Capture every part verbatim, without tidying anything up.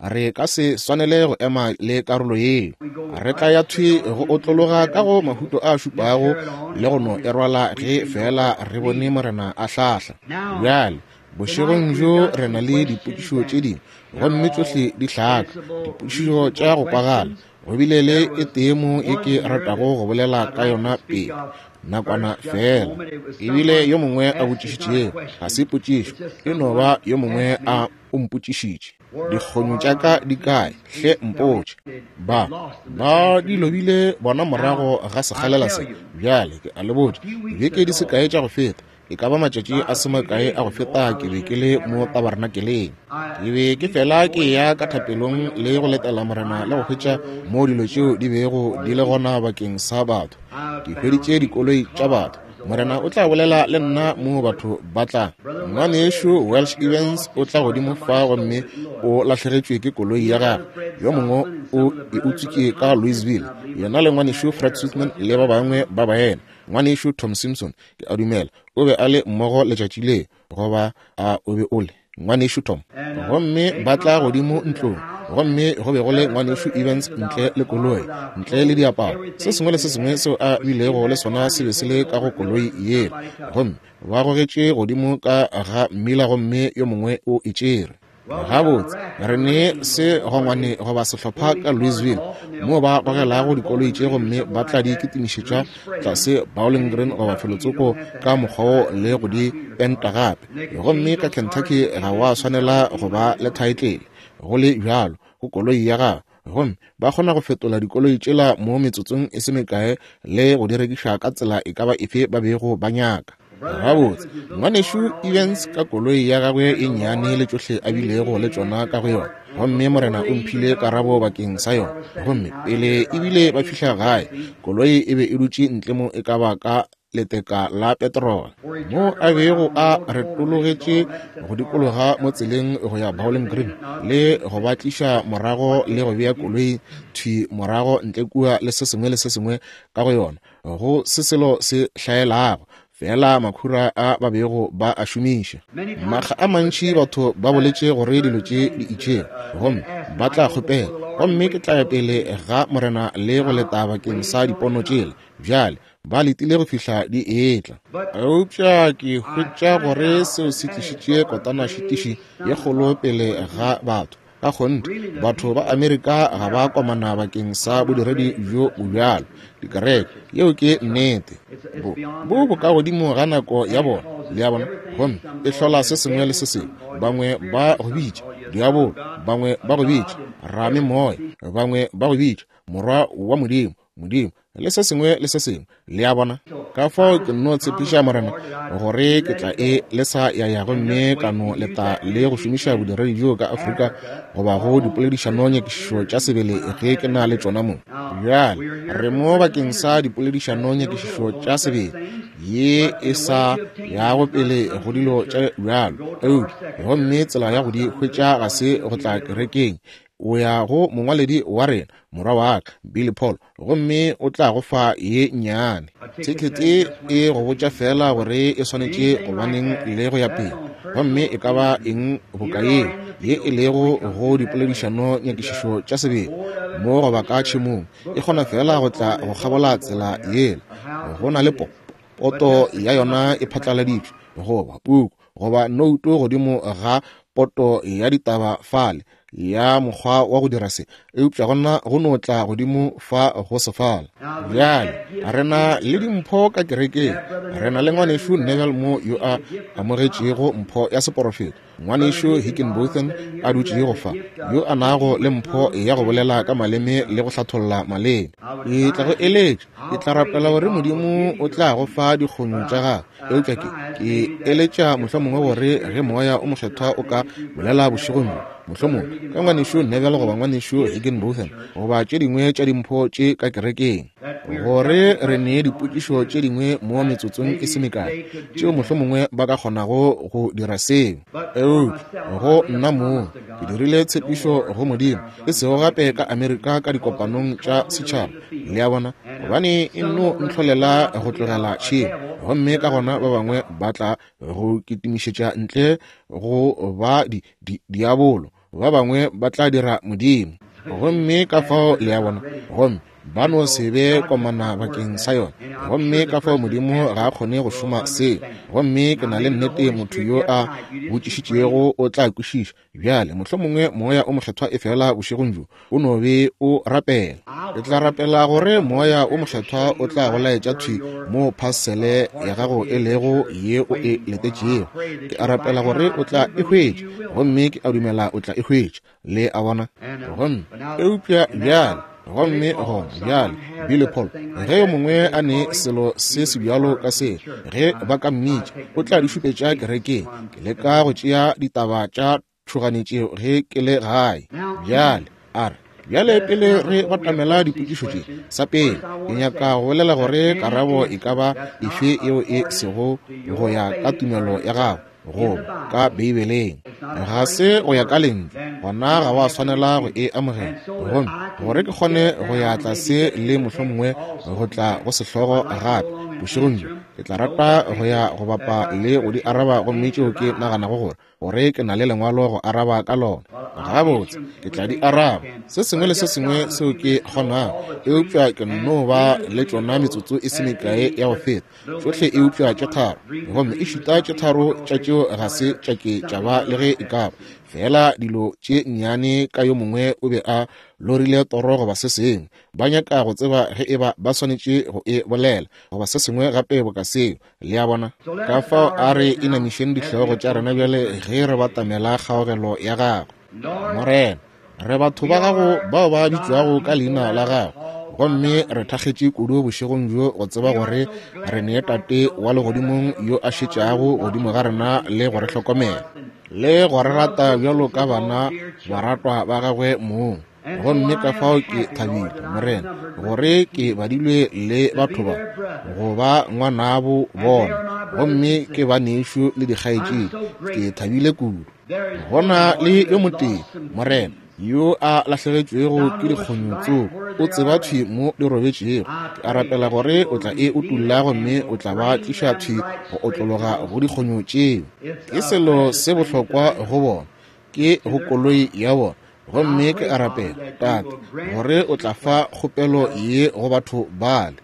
Re ka se swanele go ema le karolo yeo. Re tla ya thwi go otlologa ka go Mahuto a šupago le go no e rwala ge feela re bone Morena a hlahla. Bjale, bošegong bjo re na le dipotšišo tše dingwe, gomme tšohle di hlaka, dipotšišo tša go kwagala. Go bile le e tee mo ye ke ratago go bolela ka yona pele. Nakwana feela. Ebile yo mongwe a botšišitšego, ga se potšišo, e no ba yo mongwe a o mpotšišitše. Dikgonyo tša ka di kae? Hle mpotše. Ba, ba di lobile bona morago ga sekgalela se. Bjale ke a le botša, dibeke di se kae tša go feta, e ka ba matšatši a se makae a go feta, ke be ke le mo tabernakeleng. Ke be ke fela ke ya ka thapelong le go letela Morena le go hwetša mo dilo tšeo di bego di le gona bakeng sa batho. Ke hweditše dikoloi tša batho. Morena o tla bolela le nna mo batho ba tla. Ngwanešu Welsh Evans o tla godimo fa gomme o lahlegetšwe ke koloi ya gagwe. Yo mongwe o e utswitše ka Louisville. Yena le ngwanešu Fred Switzman le ba bangwe ba baena. Ngwanešu Tom Simpson, ke a dumela, o be a le mmogo letšatši le, goba a o be o le ngwanešu Tom. Gomme ba tla godimo ntlong, gomme go be go le ngwanešu Evans ntle le koloi, ntle le diaparo. Se sengwe le se sengwe seo a bilego le sona se be se le ka go koloi yela. Gomme ba gogetše godimo ka ga mmila gomme yo mongwe o e tšere. Gabotse, re ne se gongwane goba sehlopha ka Louisville moo ba gogelago dikoloi tše gomme ba tla di kitimišetša tlase Bowling Green goba felotsoko ka mokgwa wo le go di penta gape. Gomme ka Kentucky ga wa swanela go ba le thaetlele go le bjalo go koloi ya gago. Gomme ba kgona go fetola dikoloi tšela mo metsotsong e se mekae le go di rekiša ka tsela e ka ba efe ba bego ba nyaka. Gabotse, ngwanešu Evans ka koloi ya gagwe e nnyane le tšohle a bilego le tšona ka go yona, gomme Morena o mphile karabo bakeng sa yona. Gomme pele ebile ba fihla gae, koloi e be e dutše ntle mo e ka ba ka leteka la petrol, mo a bego a retologetše go dikologa mo tseleng go ya Bowling Green le go ba tliša morago le go bea koloi thwi morago ntle kua le se sengwe le se sengwe ka go yona, go se selo se hlaelago, fela makhura a ba bego ba a šomiša. Makga a mantši batho ba boletše gore dilo tše di itšego, gomme ba tla kgopela, gomme ke tla ya pele ga Morena le go leta bakeng sa dipono tšela. Bjale ba letile go fihla di etla. Eupša ke hwetša gore seo se tlišitše kotanašitiši ye kgolo pele ga batho. Ka kgonthe, batho ba Amerika ga ba komana bakeng sa bodiredi bjo bobjalo dikereke. Yeo ke nnete. Bo bo bokagodimo ga nako ya bona, le ya bona, gomme e hlola se sengwe le se sengwe. Bangwe ba go bitša diabolo, bangwe ba go bitša ramemoya, bangwe ba go bitša morwa wa Modimo, Modimo, le se sengwe le se sengwe, le a bona. Ka fao ke nno tshepiša Morena gore ke tla e lesa ya ya gomme ka no leta le go šomiša bodiredi bjo ka Afrika goba go dipoledišano nyakišišo tša sebele ge ke na le tšona mo. Bjale re mo bakeng sa dipoledišano nyakišišo tša sebele ye e sa yago pele go dilo tša bjalo, eupša gomme tsela ya go di hwetša ga se go tla kerekeng. O ya go mongwaledi wa rena, morwa wa ka Billy Paul, gomme o tla go fa ye nnyane thekete e go botša fela gore e swanetše gobaneng le go ya pele, gomme e ka ba eng boka yeo ye e lego go dipoledišano nyakišišo tša sebele mo goba ka tšhemong, e kgona fela go tla go kgabola tsela yela. Go na le po poto ya yona e phatlaladitšwe, goba puku goba nouto godimo ga poto ya ditaba fale ya mokgwa wa go dira se, eupša gona go no tla godimo fa go sefala. Bjale re na le dimpho ka kerekeng. Re na le ngwanešu Neville mo yo a amogetšego mpho ya seporofeto, ngwanešu Hickenbotham a dutšego fa yo a nago le mpho ya go bolela ka maleme le go hlatholla maleme. Ke tla go eletša, ke tla rapela gore Modimo o tla go fa dikgonyo tša gagwe, eupša ke ke eletša mohlomongwe gore ge moya o mokgethwa o ka bolela bošegong bjo, mohlomongwe ka ngwanešu Neville goba ngwanešu Hickenbotham goba tše dingwe tša dimpho tše ka kerekeng, gore re nee dipotšišo tše dingwe mo metsotsong e se mekae tšeo mohlomongwe ba ka kgonago go dira seo. Eupša go nna moo ke dirile tshepišo go Modimo, e sego gape ka Amerika ka dikopanong tša setšhaba, le a bona, gobane e nno ntlholela go tlogela tšhemo, gomme ka gona ba bangwe ba tla go kitimišetša ntle go ba di, di, diabolo, ba bangwe ba tla dira Modimo. Gomme ka fao le a bona, gomme Ba no se be komana bakeng sa yona. Gomme ka fao Modimo ga a kgone go šoma seo. Gomme ke na le nnete motho yo a botšišitšego o tla kwešiša. Bjale, mohlomongwe Moya o Mokgethwa e fela bošegong bjo o no be o rapela. Ke tla rapela gore Moya o Mokgethwa o tla go laetša thwi mo phasele ya gago e lego ye o e letetšego. Ke a rapela gore o tla e hwetša, gomme ke a dumela o tla e hwetša. Le a bona? Gomme eupša bjale, gomme gona bjale, Billy Paul, ge yo mongwe a ne selo se se bjalo ka se, ge ba ka mmitša, o tla di šupetša kerekeng. Ke leka go tšea ditaba tša tšhoganetšeo ge ke le gae. Bjale a re, bjale pele re batamela dipotšišo tše, sa pele ke nyaka go bolela gore karabo e ka ba efe yeo e sego go ya ka tumelo ya gago goba ka Beibeleng, ga se go ya ka lentšu, gona ga wa swanela go e amogela. Gomme gore ke kgone go ya tlase le mohlomongwe go tla go sehlogo gape bošegong bjo, ke tla rata go ya go bapa le go di araba, gomme tšeo ke naganago gore gore ke na le lengwalo go araba ka lona. Gabotse, ke tla di araba se sengwe le se sengwe seo ke kgonago, eupša ke no ba le tšona metsotso e se mekae ya go feta tšohle, eupša tše tharo, gomme e šuta tše tharo tša tšeo ga se tša ke tša ba le ge e ka ba fela dilo tše nnyane ka yo mongwe o be a lorile toro goba se sengwe, ba nyaka go tseba ge e ba ba swanetše go e bolela goba se sengwe gape boka seo. Le a bona? Ka fao a re inamišeng dihlogo tša rena bjale ge re batamela kgaogelo ya gago. Morena, re batho ba gago bao ba bitšwago ka leina la gago, gomme re thakgetše kudu bošegong bjo go tseba gore re ne Tate wa legodimong yo a šetšago godimo ga rena le go re hlokomela le go re rata bjalo ka bana baratwa ba gagwe mong. Gomme ka fao ke thabile, Morena, gore ke badilwe le batho ba go ba ngwanabo bona, gomme ke banešu le dikgaetšedi. Ke thabile kudu. Gona le yo motee, Morena, yo a lahlegetšwego ke dikgonyo tsoko, o tseba thwi mo di robetšego. Ke a rapela gore o tla e utulla gomme o tla ba tliša thwi go otlologa go dikgonyo tšeo. Ke selo se bohlokwa go bona, ke go koloi ya bona. Gomme ke a rapela, Tate, gore o tla fa kgopelo ye go batho bale.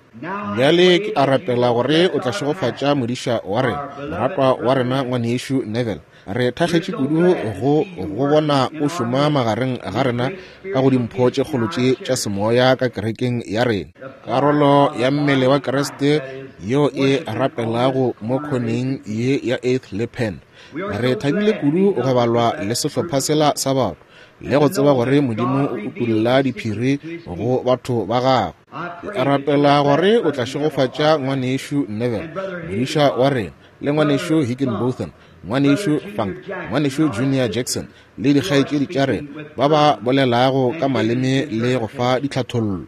Bjale ke a rapela gore o tla šegofatša modiša wa rena, moratwa wa rena ngwanešu Neville. Re thakgetše kudu go go bona o šoma magareng ga rena ka go dimpho tše kgolo tše tša semoya ka kerekeng ya rena, karolo ya mmele wa Kriste yeo e rapelago mo khoneng ye ya Eighth le Penn. Re thabile kudu go balwa le sehlopha sela sa batho le go tseba gore Modimo o utolla diphiri go batho ba gagwe. Ke a rapela gore o tla šegofatša ngwanešu Neville, modiša wa rena, le ngwanešu Higginbotham, ngwanešu Funk, ngwanešu Junior Jackson, le dikgaetšedi tša rena ba ba bolelago ka maleme le go fa ditlhathollo.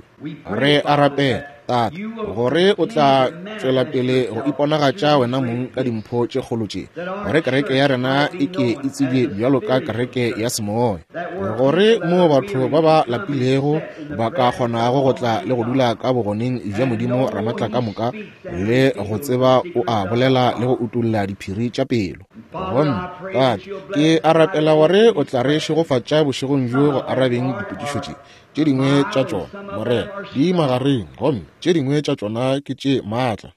Re a rapela, Tate, gore o tla tšwela pele go iponagatša wena mong ka dimpho tše kgolo tše, gore kereke ya rena e ke e tsebje bjalo ka kereke ya semoya, gore mo batho ba ba lapilego ba ka kgonago go tla le go dula ka bogoneng bja Modimo Ramatla ka moka le go tseba o a bolela le go utolla diphiri tša pelo. Gomme Tate, ke a rapela gore o tla re šegofatša bošegong bjo go arabeng dipotšišo tše. Tše dingwe tša tšona, Morena, di magareng, gomme tše dingwe tša tšona ke tše maatla.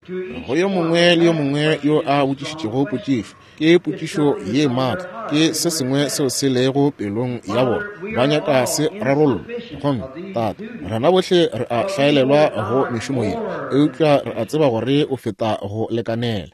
Go yo mongwe le yo mongwe yo a botšišitšego potšišo, ke potšišo ye maatla, ke se sengwe seo se lego pelong ya bona, ba nyaka se rarollwa. Gomme Tate, rena bohle re a hlaelelwa go mešomo ye, eupša re a tseba gore o feta go lekanela.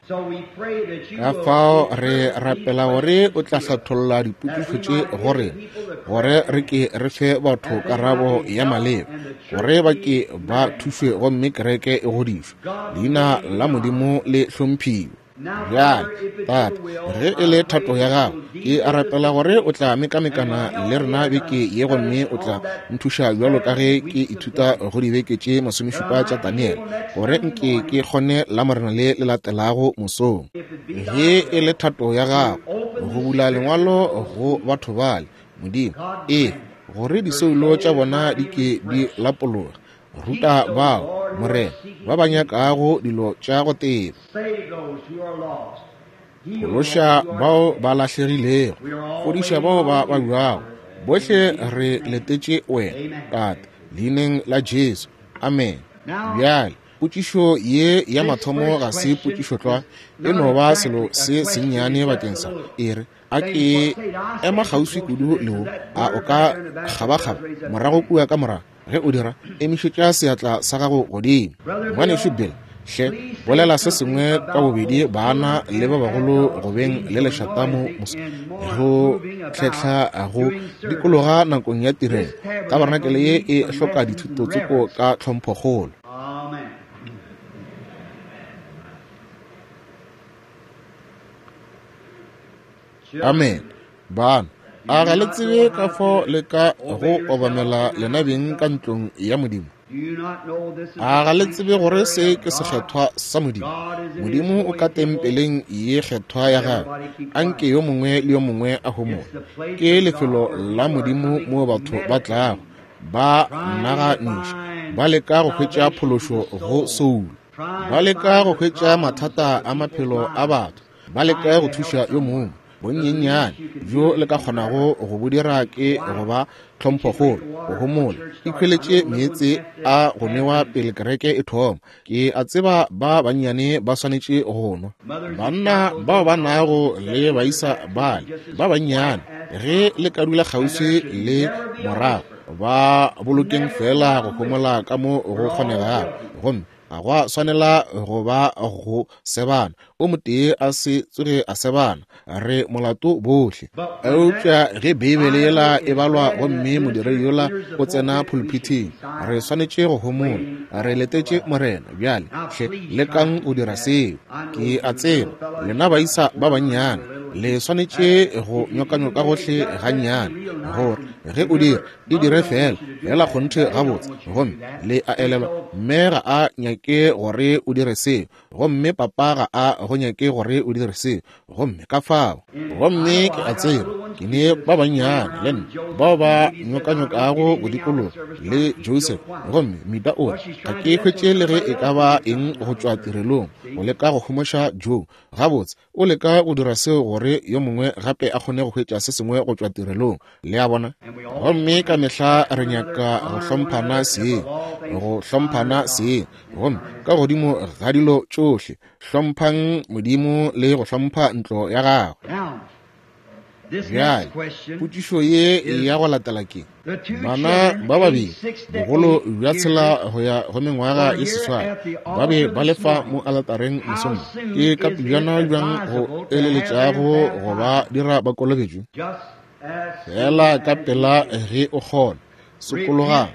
Ka fao re rapela gore o tla hlatholla dipotšišo tše go rena, gore re ke re fe batho karabo ya maleba, gore ba ke ba thušwe gomme kereke e godišwe, leina la Modimo le hlomphiwe. Bjale, Tate, ge e le thato ya gago, ke a rapela gore o tla mekamekana le rena beke ye, gomme o tla nthuša bjalo ka ge ke ithuta go dibeke tše masomešupa tša Daniele, gore nke ke kgone la Morena le le latelago mosong. Ge e le thato ya gago, go bula lengwalo go batho bale, Modimo, ee, gore disoulo tša bona di ke di lapologe. Ruta bao, Morena, ba ba nyakago dilo tša go teba. Phološa bao ba lahlegilego, fodiša bao ba babjago. Bohle re letetše wena, Tate, leineng la Jesu. Amen. Bjale potšišo ye ya mathomo ga se potšišo tlwa, e no ba selo se sennyane bakeng sa e re a ke ema kgauswi kudu le wo. A o ka kgabakgaba morago kua ka morago? Ge o dira, emišetša seatla sa gago godimo. Ngwanešu Bill, hle bolela se sengwe ka bobedi bana le ba bagolo go beng le lešata mo go tlhetlha go dikologa nakong ya tirelo. Tabarenakele ye e hloka dithuto tsoko ka tlhomphokgolo. Amen. Bana, a ga le tsebe ka fao le ka go obamela lena beng ka ntlong ya Modimo? A ga le tsebe gore se ke sekgethwa sa Modimo? Modimo o ka tempeleng ye kgethwa ya gagwe. Anke yo mongwe le yo mongwe a homole. Ke lefelo la Modimo moo batho ba tlago ba naganiša, ba leka go hwetša phološo go soulo, ba leka go hwetša mathata a maphelo a batho, ba leka go thuša yo mongwe. Bonyenyane bjo le ka kgonago go bo dira ke go ba tlhomphokgolo, go homola, ikhweletše meetse a go nwewa pele kereke e thoma. Ke a tseba ba bannyane ba swanetše go nwa. Banna bao ba nago le baisa bale ba bannyane, ge le ka dula kgauswi le morago, ba bolokeng fela go homola ka mo go kgonegago, gomme ga gwa swanela go ba go sebana. O motee a se tsoge a sebana, re molato bohle. Eupša ge Beibele yela e balwa gomme modiredi yola o tsena pulpithing, re swanetše go homola, re letetše Morena. Bjale hle lekang go dira seo. Ke a tseba lena baisa ba bannyane le swanetše go nyokanyoka gohle gannyane, gore ge o dira e dire fela fela kgonthe gabotse, gomme le a elelwa mme ga a nyake gore o dire seo, gomme papa ga a go nyake gore o dire seo, gomme ka fao. Gomme ke a tseba ke ne ba bannyane le nna bao ba nyokanyokago go dikologa le Joseph, gomme Mita o re ga ke hwetše le ge e ka ba eng go tšwa tirelong go leka go homoša Joe. Gabotse o leka go dira seo gore yo mongwe gape a kgone go hwetša se sengwe go tšwa tirelong, le a bona. Gomme ka mehla re nyaka go hlomphana seng, go hlomphana seng, gomme ka godimo ga dilo tšohle hlomphang Modimo le go hlompha ntlo ya gagwe. Bjale potšišo ye ya go latela ke bana ba babedi bogolo bja tshela go ya go mengwaga ye seswai ba be ba lefa mo aletareng mosong. Ke ka pejana bjang go eleletšago go ba dira ba kolobetšwe? Fela ka pela ge o kgona, sokologang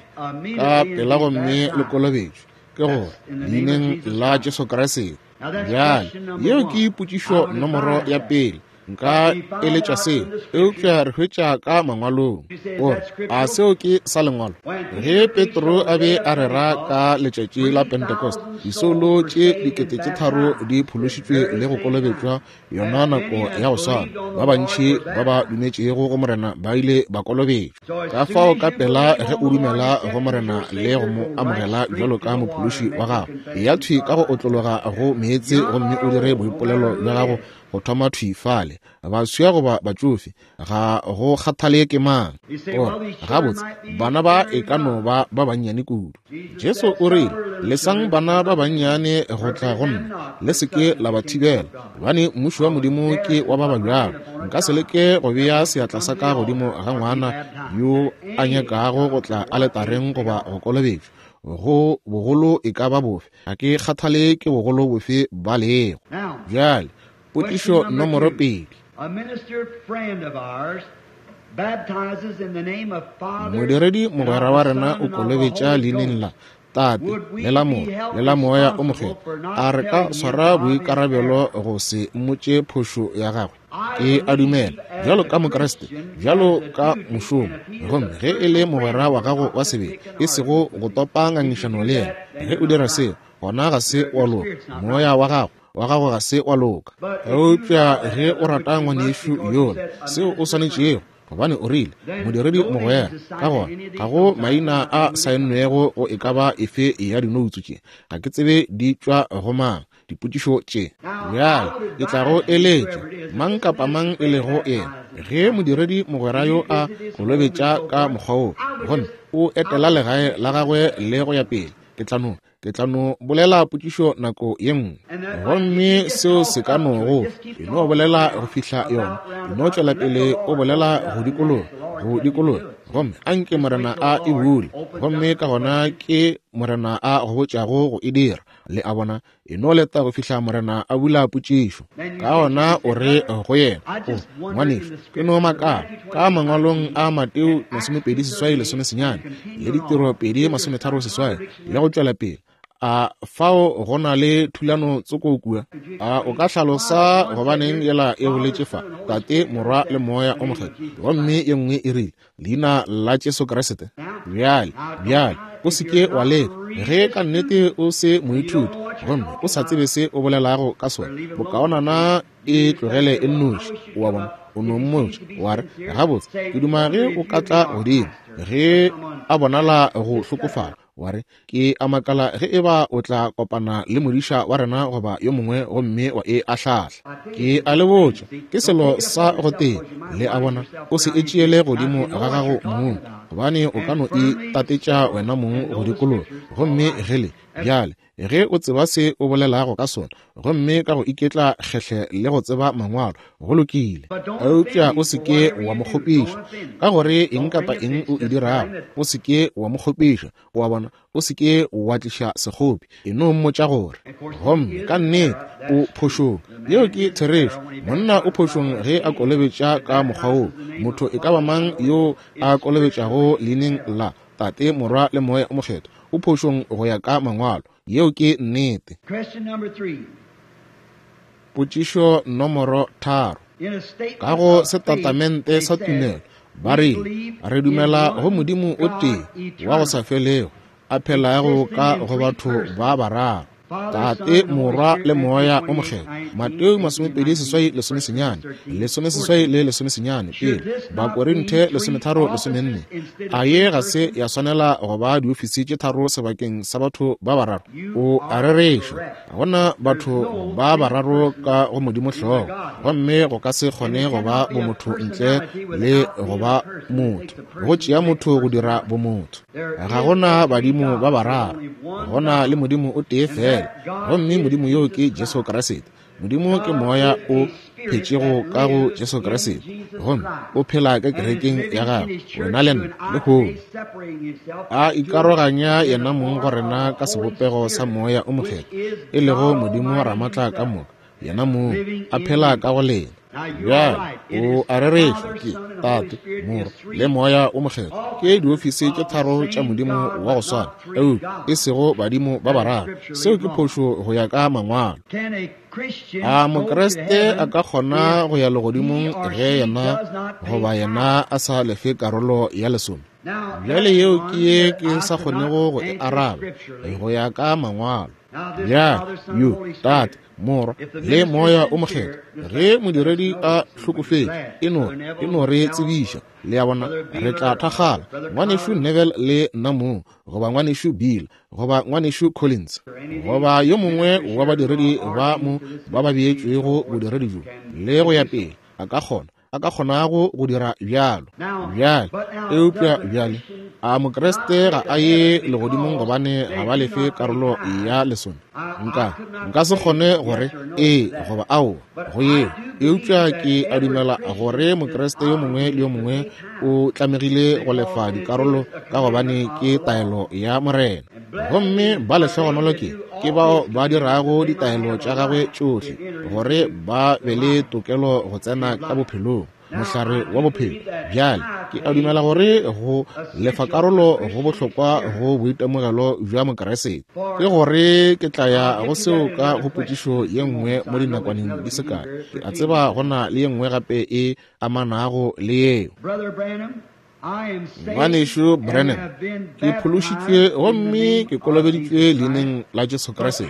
ka pela gomme le kolobetšwe, ke gore leineng la Jesu Kriste. Bjale yeo ke potšišo nomoro ya pele. Nka eletša seo, eupša re hwetša ka mangwalong gore a seo ke sa lengwalo. Ge Petro a be a rera ka letšatši la Pentecost, disoulo tše dikete tše tharo di phološitšwe le go kolobetšwa yona nako ya go swana. Ba bantši ba ba dumetšego go Morena ba ile ba kolobetšwa. Ka fao ka pela ge o dumela go Morena le go mo amogela bjalo ka mophološi wa gago, ya thwi ka go otlologa go meetse gomme o dire boipolelo bja gago go thoma thwi fale. Baswa goba batšofe, ga go kgathale ke mang. Gore gabotse bana ba e ka no ba ba bannyane kudu. Jesu o rile, lesang bana ba bannyane go tla go nna, le se ke la ba thibela, gobane mmušo wa Modimo ke wa ba ba bjalo. Nka se leke go bea seatla sa ka godimo ga ngwana yo a nyakago go tla aletareng goba go kolobetšwa, go bogolo e ka ba bofe, ga ke kgathale ke bogolo bofe ba lego. Bjale potšišo nomoro pedi. Modiredi mogwera wa rena o kolobetša leineng la Tate le la Morwa le la Moya o Mokgethwa. A re ka swara boikarabelo go se mmotše phošo ya gagwe? Ke a dumela bjalo ka Mokriste, bjalo ka mošomo, gomme ge e le mogwera wa gago wa sebele, e sego go topa ngangišano le yena. Ge o dira seo, gona ga se wa loka, moya wa gago wa gago ga se wa loka. Eupša ge o rata ngwanešu yola, seo o swanetšego, gobane o rile modiredi mogwera, ka gona ga go maina a saennwego go e ka ba efe ya dinoutsu tše, ga ke tsebe di tšwa go mang dipotšišo tše. Bjale ke tla go eletša mang kapa mang e lego yena, ge modiredi mogwera yo a kolobetša ka mokgwa wo, gomme o etela legae la gagwe le go ya pele, Ke tla no, ke tla no bolela potšišo nako ye nngwe. Gomme seo se ka no go, e no bolela go fihla yona, e no tšwela pele o bolela go dikologa, go dikologa. Gomme anke Morena a e bule, gomme ka gona ke Morena a go botšago go e dira. Le a bona, e no leta go fihla Morena a bula potšišo. Ka gona o re go yena, o ngwanešu, ke no makala ka mangwalong a Mateo masomepedi seswai lesome senyane le ditiro pedi masometharo seswai le go tšwela pele. A fao go na le thulano tsoko kua? A o ka hlalosa gobaneng yela e boletše fa, Tate, Morwa le Moya o Mokgethwa, gomme ye nngwe e rile leina la Jesu Kriste? Bjale, bjale, o se ke wa leka. Ge ka nnete o se moithuti gomme o sa tsebe se o bolelago ka sona, bokaonana e tlogele e nnoši. O a bona, o no mmotša wa re, gabotse, ke duma ge o ka tla godimo. Ge a bonala go hlokofala, wa re, ke a makala ge e ba o tla kopana le modiša wa rena goba yo mongwe gomme wa e ahlahla. Ke a le botša, ke selo sa go tee. Le a bona, o se e tšeele godimo ga gago mong, gobane o ka no e tatetša wena mong go dikologa. Gomme ge le bjale, ge o tseba se o bolelago ka sona, gomme ka go iketla kgehle le go tseba mangwalo, go lokile. Eupša o se ke wa mo kgopiša ka gore eng kapa eng o e dirago, o se ke wa mo kgopiša. O a bona, o se ke wa tliša sekgopi, e no mmotša gore gomme ka nnete o phošong. Yeo ke therešo. Monna o phošong ge a kolobetša ka mokgwa woo. Motho e ka ba mang yo a kolobetšago leineng la Tate, Morwa le Moya o Mokgethwa o phošong go ya ka mangwalo. Yeo ke nnete. Potšišo nomoro tharo. Ka go setatamente sa tumelo ba rile, re dumela go Modimo o tee wa go sa felego, a phelago ka go batho ba bararo, Tate, Morwa le Moya o Mokgethwa. Mateo masomepedi seswai lesome senyane, lesome seswai le lesome senyane pele, Bakorinthe lesometharo lesomenne. A ye ga se ya swanela go ba diofisi tše tharo sebakeng sa batho ba bararo? O a rereša, ga gona batho ba bararo ka go Modimo hlogo, gomme go ka se kgone go ba bomotho ntle le go ba motho. Go tšea motho go dira bomotho. Ga gona badimo ba bararo, gona le Modimo o tee fela, gomme Modimo yo ke Jesu Kriste. Modimo ke moya o phetšego ka go Jesu Kriste, gomme o phela ka kerekeng ya gagwe, wena le nna lehono. A ikaroganya yena mong go rena ka sebopego sa Moya o Mokgethwa, e lego Modimo Ramatla ka moka, yena mong a phela ka go lena. Bjale o a rereša, ke Tate, Morwa le Moya o Mokgethwa, ke diofisi tše tharo tša Modimo wa go swana, eupša e sego badimo ba bararo. Seo ke phošo go ya ka mangwalo. A Mokriste a ka kgona go ya legodimong ge yena goba yena a sa lefe karolo ya lesome? Bjale yeo ke ye ke sa kgonego go e araba go ya ka mangwalo. Bjale yo Tate, Morwa le Moya o Mokgethwa, ge modiredi a hlokofetše, e no e no re tsebiša. Le a bona, re tla thakgala, ngwanešu Neville le nna mong, goba ngwanešu Bill, goba ngwanešu Collins, goba yo mongwe wa badiredi ba mo ba ba beetšwego bodiredi bjo, le go ya pele, a ka kgona a ka kgonago go dira bjalo. Bjale, eupša bjale, a Mokriste ga a ye legodimong gobane ga ba lefe karolo ya lesome? Nka nka se kgone gore ee goba aowa go yeo, eupša ke a dumela gore Mokriste yo mongwe le yo mongwe o tlamegile go lefa dikarolo ka gobane ke taelo ya Morena. Gomme ba lehlogonolo ke ke bao ba dirago ditaelo tša gagwe tšohle, gore ba be le tokelo go tsena ka bophelong, mohlare wa bophelo. Bjale ke a dumela gore go lefa karolo go bohlokwa go boitemogelo bja Mokriste. Ke gore ke tla ya go seo ka go potšišo ye nngwe mo dinakwaneng di se kae. Ke a tseba go na le ye nngwe gape e amanago le yeo. Ngwanešu Branham, ke phološitšwe gomme ke kolobeditšwe leineng la Jesu Kriste,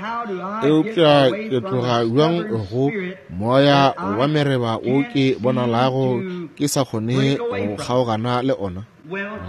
eupša ke tloga bjang go moya wa mereba wo ke bonalago ke sa kgone go kgaogana le ona?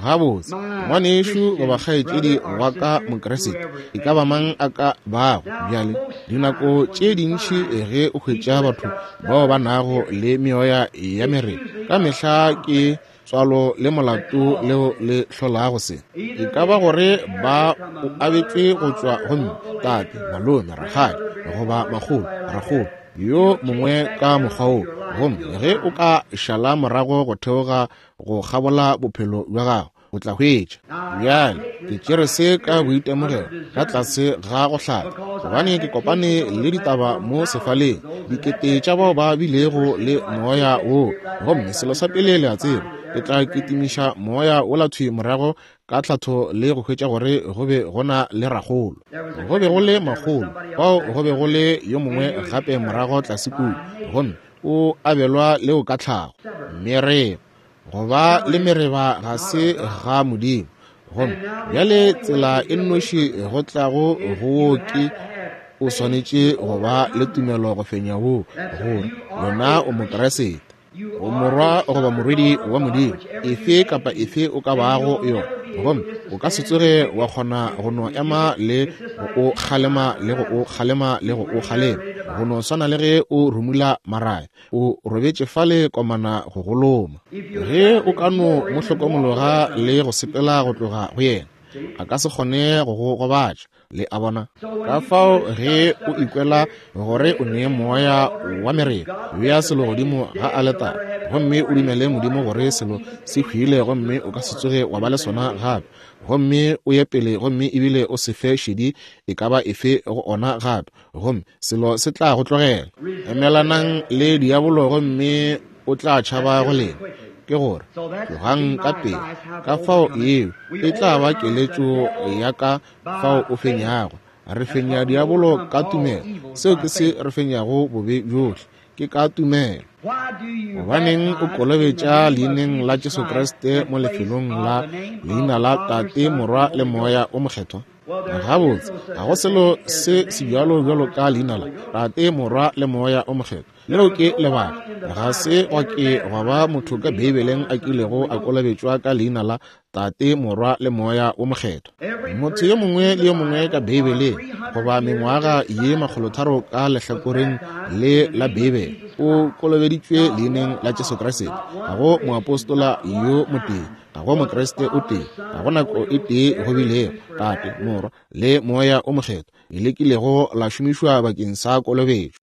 Gabotse, ngwanešu goba kgaetšedi wa ka Mokriste, e ka ba mang a ka bago? Bjale, dinako tše dintši ge o hwetša batho bao ba nago le meoya ya mereba, ka mehla ke Letswalo le molato leo le hlolago se. E ka ba gore ba o abetšwe go tšwa go mme, tate, malome, rakgadi, goba makgolo, rakgolo, yo mongwe ka mokgwa wo. Gomme ge o ka šala morago go theoga go kgabola bophelo bja gago, o tla hwetša. Bjale ke tšere se ka boitemogelo ka tlase ga go hlatha, gobane ke kopane le ditaba mo sefaleng, dikete tša bao ba bilego le moya wo. Gomme selo sa pele le a tseba, ke tla kitimiša moya wola thwi morago ka tlhatho le go hwetša gore go be go na le rakgolo, go be go le makgolo, fao go be go le yo mongwe gape morago tlase kua, gomme o abelwa leo ka tlhago. Mereba, go ba le mereba ga se ga Modimo. Gomme bjale tsela e nnoši go tlago go wo ke o swanetše go ba le tumelo go fenya wo, gore wena o Mokriste, o morwa goba morwedi wa Modimo, efe kapa efe o ka bago yona. Gomme o ka se tsoge wa kgona go no ema le go o kgalema le go o kgalema le go o kgalema, go no swana le ge o rumula maraya, o robetše fale komana go goloma. Ge o ka no mo hlokomologa le go sepela go tloga go yena, a ka se kgone go go gobatša. Le a bona? Ka fao ge o ikwela gore o ne moya wa mereba, bea selo godimo ga aletara gomme o dumele Modimo gore selo se hwile, gomme o ka se tsoge wa ba le sona gape. Gomme o ye pele gomme ebile o se fe šedi e ka ba efe go ona gape, gomme selo se tla go tlogela. Emelanang le diabolo gomme o tla tšhaba go lena. Ke gore tlogang ka pele. Ka fao yeo e tla ba keletšo ya ka fao o fenyago. Re fenya diabolo ka tumelo. Seo ke se re fenyago bobe bjohle, ke ka tumelo. Gobaneng o kolobetša leineng la Jesu Kriste mo lefelong la leina la Tate, Morwa le Moya o Mokgethwa? Gabotse, ga go selo se sebjalo bjalo ka leina la Tate, Morwa le Moya o Mokgethwa. Leo ke lebaka ga se gwa ke gwa ba motho ka Beibeleng a kilego a kolobetšwa ka leina la Tate, Morwa le Moya o Mokgethwa. Motho yo mongwe le yo mongwe ka Beibeleng, goba mengwaga ye makgolotharo ka lehlakoreng le la Beibele, o kolobeditšwe leineng la Jesu Kriste. Ga go moapostola yo motee, ga go Mokriste o tee, ga go nako e tee go bilego Tate, Morwa le Moya o Mokgethwa e lekilego la šomišwa bakeng sa kolobetšo.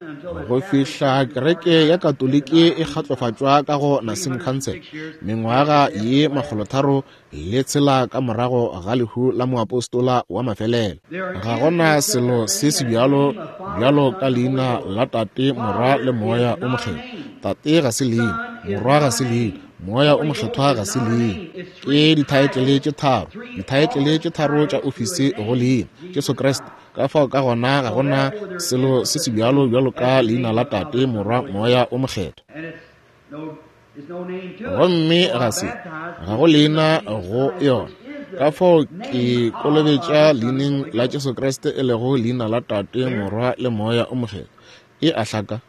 Go fihla kereke ya Katoliki e kgatlofatšwa ka go Nicene Council mengwaga ye makgolotharo le tshela ka morago ga lehu la moapostola wa mafelelo. Ga gona selo se sebjalo bjalo ka leina la Tate, Morwa le Moya o Mokgethwa. Tate ga se leina, Morwa ga se leina, Moya o Mokgethwa ga se leina. Ke dithaetlele tše tharo, dithaetlele tše tharo tša ofisi go leina Jesu Kriste. Ka fao ka gona ga gona selo se sebjalo bjalo ka leina la Tate, Morwa, Moya o Mokgethwa. Gomme ga se ga go leina go yona. Ka fao ke kolobetša leineng la Jesu Kriste, e lego leina la Tate, Morwa le Moya o Mokgethwa. E a hlaka.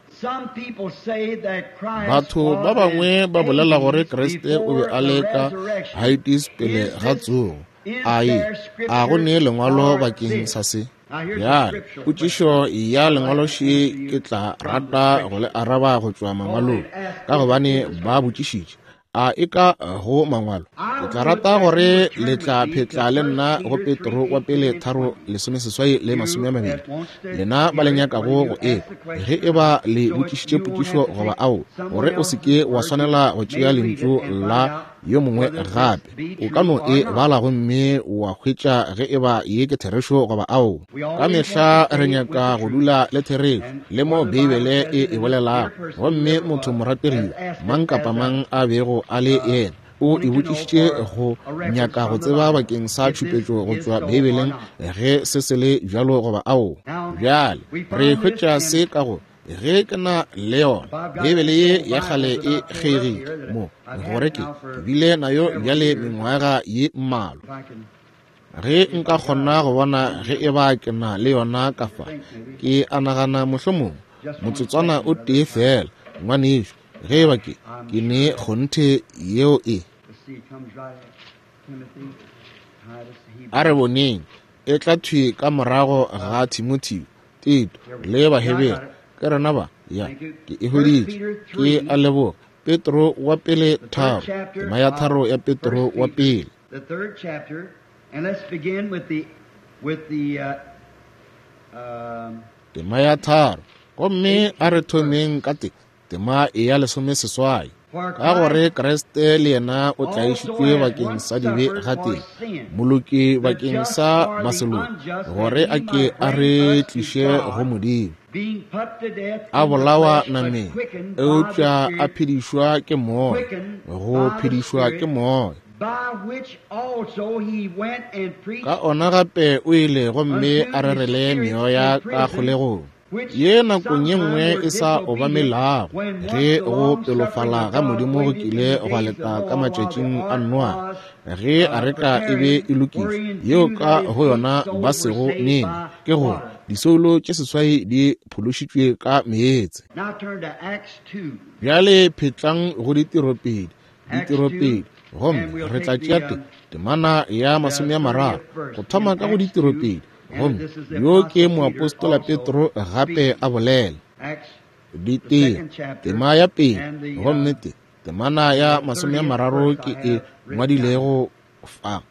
Batho ba bangwe ba bolela gore Kriste o be a le ka Hades pele ga tsogo. Ai, a go ne lengwalo bakeng sa se? Bjale, potšišo ya lengwaloši ke tla rata go le araba go tšwa mangwalong, ka gobane ba botšišitše a e ka go mangwalo. Ke tla rata gore le tla phetla le nna go Petro wa pele tharo lesomeseswai le masome a mabedi, lena ba le nyakago go ekwa ge e ba le botšišitše potšišo goba ao, gore o se ke wa swanela go tšea lentšu la yo mongwe gape. O ka no e bala gomme wa hwetša ge e ba ye ke therešo goba ao. Ka mehla re nyaka go dula le therešo le mo Beibele e e bolelago, gomme motho morategi mang kapa mang a bego a le yena o e botšišitše go nyaka go tseba bakeng sa tšhupetšo go tšwa Beibeleng ge se se le bjalo goba ao. Bjale re hwetša se ka go ge ke na le yona Beibele ye ya kgale e kgeigile mo, gore ke ke bile nayo bjale mengwaga ye mmalwa. Ge nka kgona go bona ge e ba ke na le yona ka fa, ke a nagana mohlomongwe motsotswana o tee fela, ngwanešu, ge e ba ke ke ne kgonthe yeo e. A re boneng, e tla thwi ka morago ga Timotheo, Tito le Bahebere. Ke rena ba, ya, ke e hweditše. Ke a leboga. Petro wa pele tharo, tema ya tharo ya Petro wa pele. The third chapter, and let's begin with the with the uh, um, Tema ya tharo, gomme a re thomeng ka te tema e ya lesome seswai. Ka gore Kriste le yena o tlaišitšwe bakeng sa dibe gatee, moloki bakeng sa baseloki, gore a ke a re tliše go Modimo. being put to death A in the bolawa flesh, but nameng, quickened by the eupša a Spirit, phedišwa ke moya, go phedišwa ke moya. by which also he went and preached Ka ona gape o ile gomme a rerele meoya ka kgolegong, ye nakong ye nngwe e sa obamelago, ge go pelofala ga Modimo go kile gwa leta ka matšatšing a Noa, ge areka e be e lokišwa, yeo ka go yona ba sego nene, ke gore disoulo tše seswai di phološitšwe ka meetse. Now turn to Acts two. Bjale phetlang go ditiropedi, ditiropedi, gomme re tla tšea te temana ya masome a mararo go thoma ka go ditiropedi, gomme yo ke moapostola Petro gape a bolela. Acts Ditiro, tema ya pele, gomme te temana ya masome a mararo ke e ngwadilego fa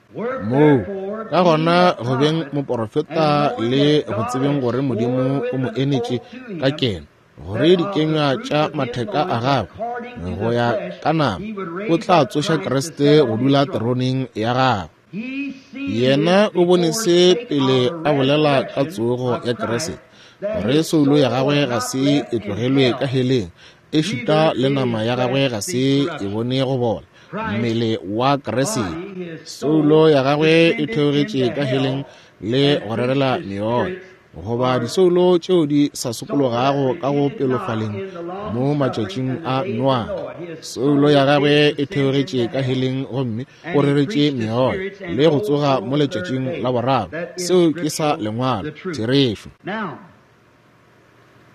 moo. Ka gona go beng moporofeta le go tsebeng gore Modimo o mo enetše ka keno, gore dikenywa tša matheka a gagwe go ya ka nama, o tla tsoša Kriste go dula teroneng ya gagwe. He seen Yena this o bone before se spake pele of a the bolela ka resurrection tsogo of ya Christ, Kriste, that gore his soulo ya soul gagwe was ga not se left e in tlogelwe ka hell, heleng, ešita neither le did nama his ya gagwe flesh ga see se e corruption. bone go bola, Christ mmele wa Kriste. body, his Soulo soul ya gagwe e descended theogetše into ka heleng hell le and go rerela preached the meoya, spirits goba or disoulo tšeo di sa souls that sokologago ka go repented not pelofaleng in the long mo suffering matšatšing and the a days of Noa. Noah. His Soulo ya soul gagwe did e descend theogetše into ka hell. heleng gomme o And he reretše preached the meoya spirits and le go rose tsoga on mo the third letšatšing day. la boraro. That is Seo ke sa scriptural, lengwalo, the truth. therešo. Now,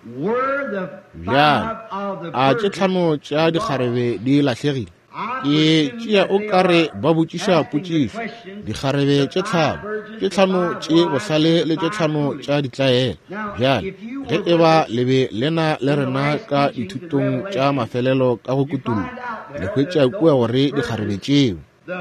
were the Bjale, five of the a tše virgins tlhano tša lost? dikgarebe di lahlegile? I Ke presume tšea that o they ka re are ba botšiša asking the potšišo. question, Dikgarebe the tše five tlhano, virgins, tše the tlhano five tše wise, bohlale and le the tše five tlhano foolish. tša ditlaela. Now, Bjale, if you ge were e with ba us le be le na le in the rena last ka teachings in dithutong tša Revelation, mafelelo ka go you kutollo, find out le there hwetša that kua those gore dikgarebe virgins, tšeo, the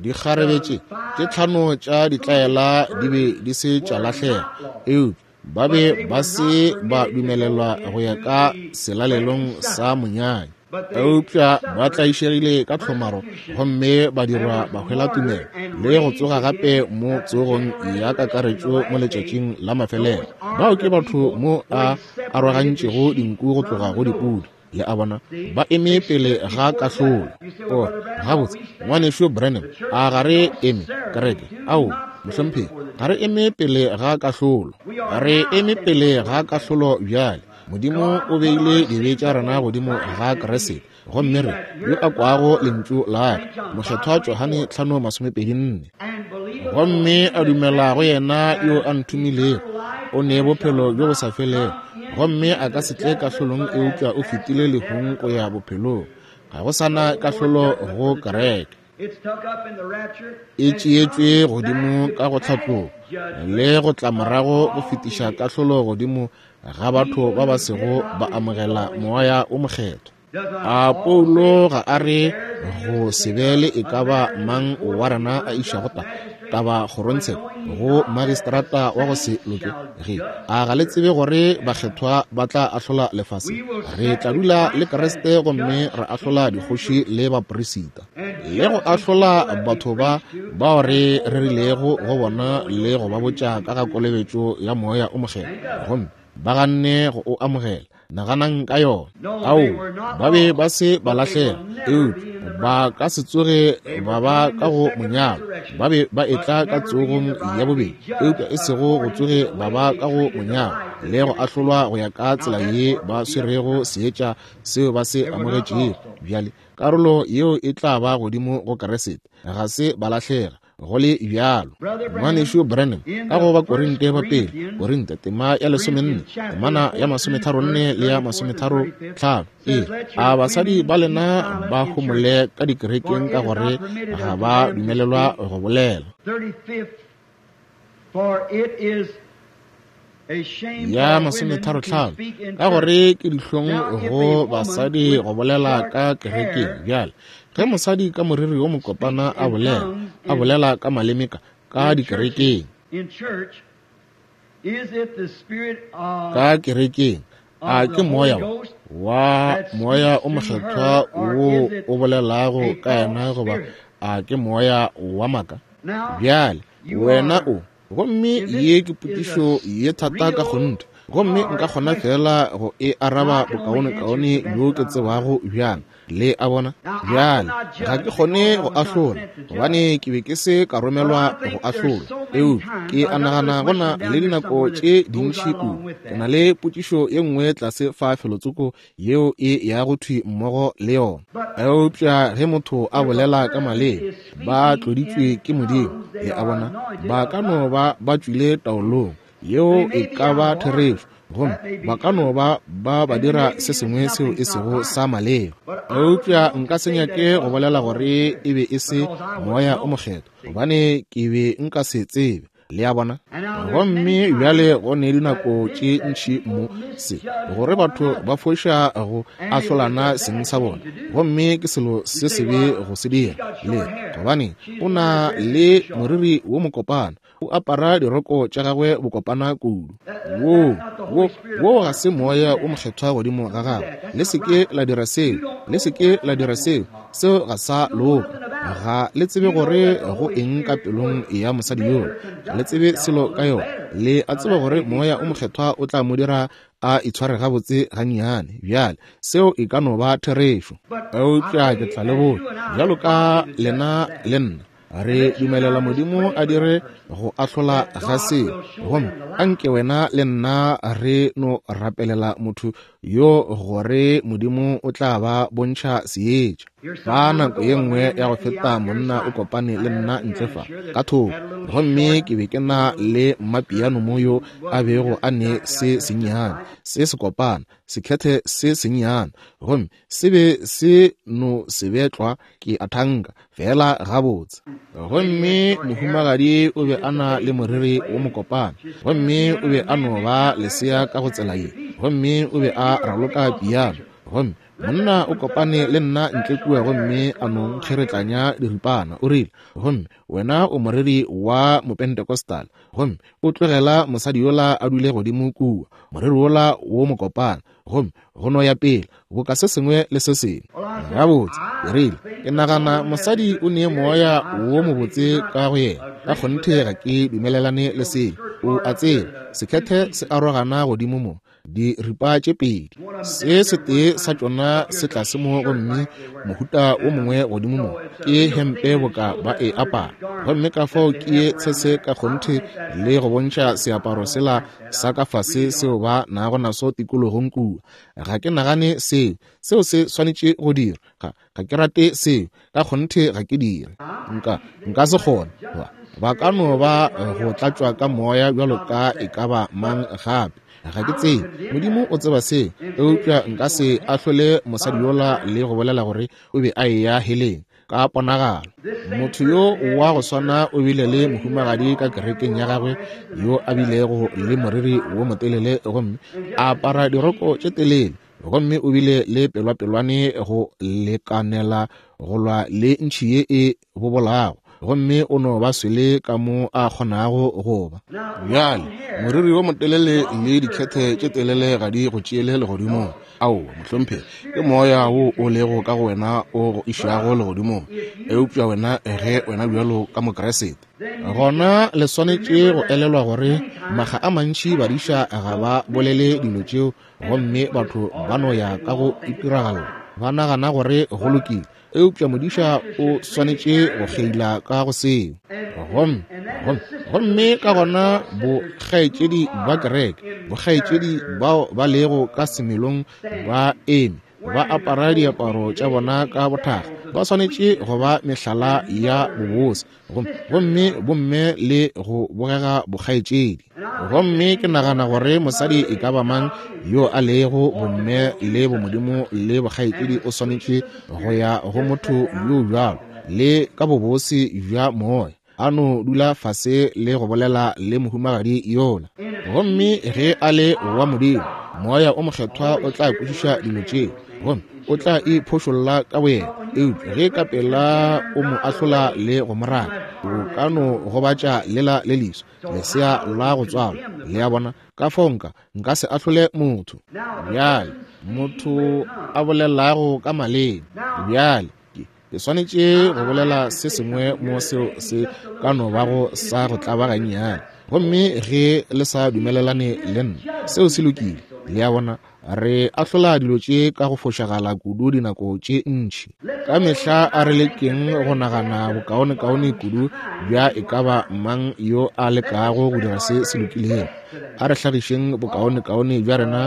dikgarebe tše the tše five tlhano tša ditlaela di be foolish virgins di se tša were lahlega, not lost, eupša ba but be they ba were se not ba permitted to go dumelelwa go ya into ka the wedding selalelong sa supper. monyanya. But they Eupša ba suffered tlaišegile ka tlhomaro persecution gomme ba and dirwa was ba hwela tumelo martyred and le go raised tsoga gape again mo at the tsogong general ya resurrection in the kakaretšo mo last day. letšatšing la mafelelo. Those are Bao ke the batho people mo where a he separated the arogantšego sheep dinku go from tloga the go goats. dipudi. Le a bona, See, ba eme they pele stood ga before kahlolo. judgment. You say, O well, Brother Branham, gabotse, we stand. ngwanešu Branham, The church a ga re eme necessarily kereke? do Ao, not stand mohlomphegi, before the ga re judge. eme pele ga kahlolo. We are Re now eme standing pele before ga the judge. kahlolo bjale. Modimo God o put beile our dibe sins tša rena upon godimo Christ ga and he, Kriste, he gomme re that yo a heareth my kwago word, lentšu la ka, Saint John Mokgethwa five Johane twenty-four, tlhano masomepedi nne. and believeth on Gomme him a that dumela sent go me, yena yo a hath nthomilego, eternal life o ne and shall bophelo bjo bo not sa felego, come gomme into a ka the se tle judgment, kahlolong, but hath eupša o passed fetile from death lehung unto go ya life. bophelong. Ga go sa na No more kahlolo judgment go for the church. kereke. It's took up in the rapture E and tšeetšwe comes godimo back to ka go pass tlhatlogo judgment le go tla of morago go all fetiša the kahlolo godimo ga batho people ba ba who did sego not ba receive the amogela Holy moya Spirit. o mokgethwa. Does not A Paul Paulo say, ga a it re bears in go us se be le e ka ba unmarried and mang before wa the rena a išago unjust ta magistrate, taba when kgorongtsheko knowing ye go not that the magistrata wa go se saints loke shall ge judge a ga the le earth? tsebe gore bakgethwa ba tla ahlola lefase? We will Re set tla with dula le Christ Kriste and gomme judge ra ahlola kings and dikgoši priests, le baperisita and le go judge these ahlola people that we batho ba preach to bao and re told rerilego about the go baptism of bona the Holy le Ghost go ba and botša received ka ga the Spirit. kolobetšo ya moya o mokgethwa, Think of it. gomme ba ganne go o amogela. Naganang ka yona. No, Ao, they were not ba be lost, ba se ba but they lahlega, will never eupša be in the ba bride. ka se tsoge They ba were ba coming ka the go second monyalo. resurrection, Ba be ba but etla ka never be in tsogong the ya bride to be bobedi, eupša judged e sego go according to tsoge the ba way ba they ka go treated the monyalo light that le they go received. ahlolwa go ya ka Now tsela that ye part ba will be up to swerego Christ. seetša seo ba se They were not amogetšego. lost, though. Bjale karolo yeo e tla ba godimo go Kriste, ga se ba lahlega go le bjalo. Brother Branham, Ngwanešu Branham in ka the go ba first Korinte ba pele, Corinthians, Korinte tema ya lesomenne, Corinthians chapter temana ya fourteen, masometharonne verse le ya thirty-fourth and masometharo thirty-fifth, tlhano. Ee, says, Let a your basadi women ba keep lena silent ba in church, homole ka for dikerekeng it ka is gore not permitted ga unto ba them to dumelelwa speak. go bolela. thirty-fifth, for it is Ya masometharo-hlano, ka gore ke dihlong go basadi go bolela ka kerekeng. Bjale, ge mosadi ka moriri wo mokopana a bolela, a bolela ka maleme ka, ka dikerekeng, ka kerekeng, a ke moya wa moya o mokgethwa wo o bolelago ka yena, goba a ke moya wa maka? Bjale, wena o. Gomme ye ke potšišo ye thata ka kgonthe, gomme nka kgona fela go e araba bokaonekaone bjo ke tsebago bjang. Le a bona? Bjale, ga ke kgone go ahlola, gobane ke be ke se ka romelwa go ahlola. Eupša ke a nagana go na le dinako tše dintši kudu. Ke na le potšišo ye nngwe tlase fa felotsoko yeo e yago thwi mmogo le yona. Eupša ge motho a bolela ka maleme, ba tloditšwe ke Modimo. Le a bona? Ba ka no ba ba tšwile taolong, yeo e ka ba therešo, gomme ba ka no ba ba ba dira se sengwe seo e sego sa maleba. Eupša nka se nyake go bolela gore e be e se moya o mokgethwa, gobane ke be nka se tsebe. Le a bona? Gomme bjale go ne dinako tše ntši mo se gore batho ba foša go ahlolana seng sa bona, gomme ke selo se sebe go se dira. Le gobane o na le moriri wo mokopana, o apara diroko tša gagwe bokopana kudu. Wo wo wo ga se moya o mokgethwa godimo ga gagwe. Le se ke la dira seo, le se ke la dira seo, seo ga sa loka. Ga le tsebe gore go eng ka pelong ya mosadi yola, ga le tsebe selo ka yona. Le a tseba gore moya o mokgethwa o tla mo dira a itshware gabotse gannyane. Bjale, seo e ka no ba therešo, eupša ke tla le botša, bjalo ka lena le nna, re dumelela Modimo a dire go ahlola ga seo, gomme anke wena le nna re no rapelela motho yo gore Modimo o tla ba bontšha seetša. Ka nako ye nngwe ya go feta monna o kopane le nna ntle fa ka thoko, gomme ke be ke na le mmapiano mo yo a bego a ne se sennyane, se sekopana, sekhethe se sennyane, gomme se be se no se betlwa ke a thanka fela gabotse. Gomme mohumagadi o be a na le moriri wo mokopana, gomme o be a no ba lesea ka go tsela ye, gomme o be a raloka piano. Gomme monna o kopane le nna ntle kua gomme a no nkgeretlanya diripana. O rile, gomme wena o moreri wa mopentecostal, gomme o tlogela mosadi yola a dule godimo kua, moreri wola wo mokopana, gomme go no ya pele boka se sengwe le se sengwe. Gabotse, ke rile, ke nagana mosadi o ne moya wo mobotse ka go yena. Ka kgonthe ga ke dumelelane le seo. O a tseba, sekhethe se arogana godimo mo diripa tše pedi, se setee sa tšona se tlase mo gomme mohuta wo mongwe godimo mo ke hempe boka ba e apara. Gomme ka fao ke ye tshese ka kgonthe le go bontšha seaparo sela sa ka fase seo ba nago naso tikologong kua. Ga ke nagane seo, seo se swanetše go dira. Ga, ga ke rate seo, ka kgonthe ga ke dire. Nka, nka se kgone. Ba ka no ba go tlatšwa ka moya bjalo ka e ka ba mang gape. Ga ke tsebe, Modimo o tseba seo, eupša nka se ahlole mosadi yola le go bolela gore o be a eya heleng ka ponagalo. Motho yo wa go swana o bile le mohumagadi ka kerekeng ya gagwe yo a bilego le moriri wo motelele gomme a apara diroko tše telele, gomme o bile le pelwapelwane go lekanela go lwa le ntšhi ye e bobolago, gomme o no ba swele ka mo a kgonago go ba. Bjale, moriri wo motelele le dikhethe tše telele ga di go tšeele legodimong. Aowa, mohlomphegi, ke moya wo o lego ka go wena o go išago legodimong. Eupša wena ge wena bjalo ka Mokriste, gona le swanetše go elelwa gore makga a mantši badiša ga ba bolele dilo tšeo, gomme batho ba no ya ka go itiragalla, ba nagana gore go lokile. Eupša modiša o swanetše go kgeila ka go seo. Gomme, gomme, gomme ka gona bokgaetšedi ba kereke, bokgaetšedi bao ba lego ka semelong ba eme, ba apara diaparo tša bona ka bothakga, ba swanetše go ba mehlala ya bobose, gomme bomme le go bogega bokgaetšedi. Gomme ke nagana gore mosadi e ka ba mang yo a lego bomme le bomodimo le bokgaetšedi o swanetše go ya go motho yo bjalo le ka bobose bja moya. A no dula fase le go bolela le mohumagadi yola. Gomme ge a le wa Modimo, Moya o Mokgethwa o tla kwešiša dilo tšeo, gomme o tla iphošolla ka boyena. Eupša ge ka pela o mo ahlola le go mo raka, o ka no gobatša lela le leso, lesea la go tswalwa. Le a bona? Ka fao nka, nka se ahlole motho. Bjale, motho a bolelago ka maleme. Bjale, ke, ke swanetše go bolela se sengwe mo seo se ka no bago sa go tlaba gannyane. Gomme ge le sa dumelelane le nna, seo se lokile. Le a bona? Re ahlola dilo tše ka go fošagala kudu dinako tše ntši. Ka mehla a re lekeng go nagana bokaonekaone kudu bja e ka ba mang yo a lekago go dira se se lokilego. A re hlagišeng bokaonekaone bja rena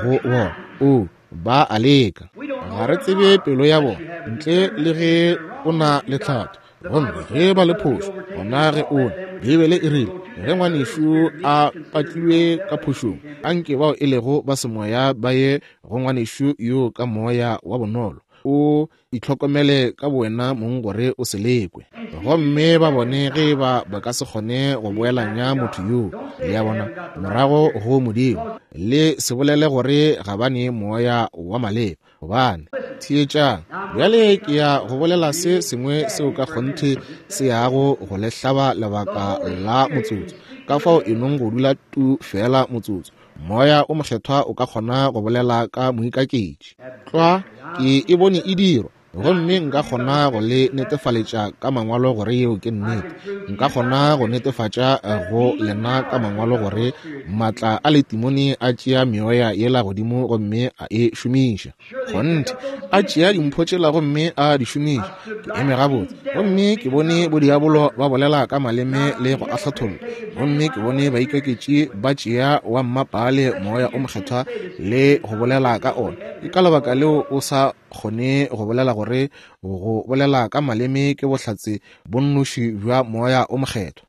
go bona. O, ba a leka. Ga re tsebe pelo ya bona, ntle le ge o na le tlhatho. Gomme ge ba le phošo, gona ge o na. Beibele e rile, ge ngwanešu a patlilwe ka phošong, anke bao e lego ba semoya ba ye go ngwanešu yo ka moya wa bonolo. O itlhokomele ka bowena mong gore o se lekwe. Gomme ba bone ge ba ba ka se kgone go boelanya motho yoo, le a bona, morago go Modimo. Le se bolele gore ga ba ne moya wa maleba, gobane theetšang. Bjale ke ya go bolela se sengwe seo ka kgonthe se yago go le hlaba lebaka la motsotso. Ka fao e nong go dula tu fela motsotso. Moya o Mokgethwa o ka kgona go bolela ka moikaketši. Tlwa, ke e bone e dirwa, gomme nka kgona go le netefaletša ka mangwalo gore yeo ke nnete. Nka kgona go netefatša go lena ka mangwalo gore maatla a letimone a tšea meoya yela godimo gomme a e šomiša. Kgonthe, a tšea dimpho tšela gomme a di šomiša. Ke eme gabotse, gomme ke bone bodiabolo ba bolela ka maleme le go ahlatholla, gomme ke bone baikaketši ba tšea wa mmapaale Moya o Mokgethwa le go bolela ka ona. Ke ka lebaka leo o sa kgone go bolela gore go bolela ka maleme ke bohlatse bo nnoši bja Moya o Mokgethwa.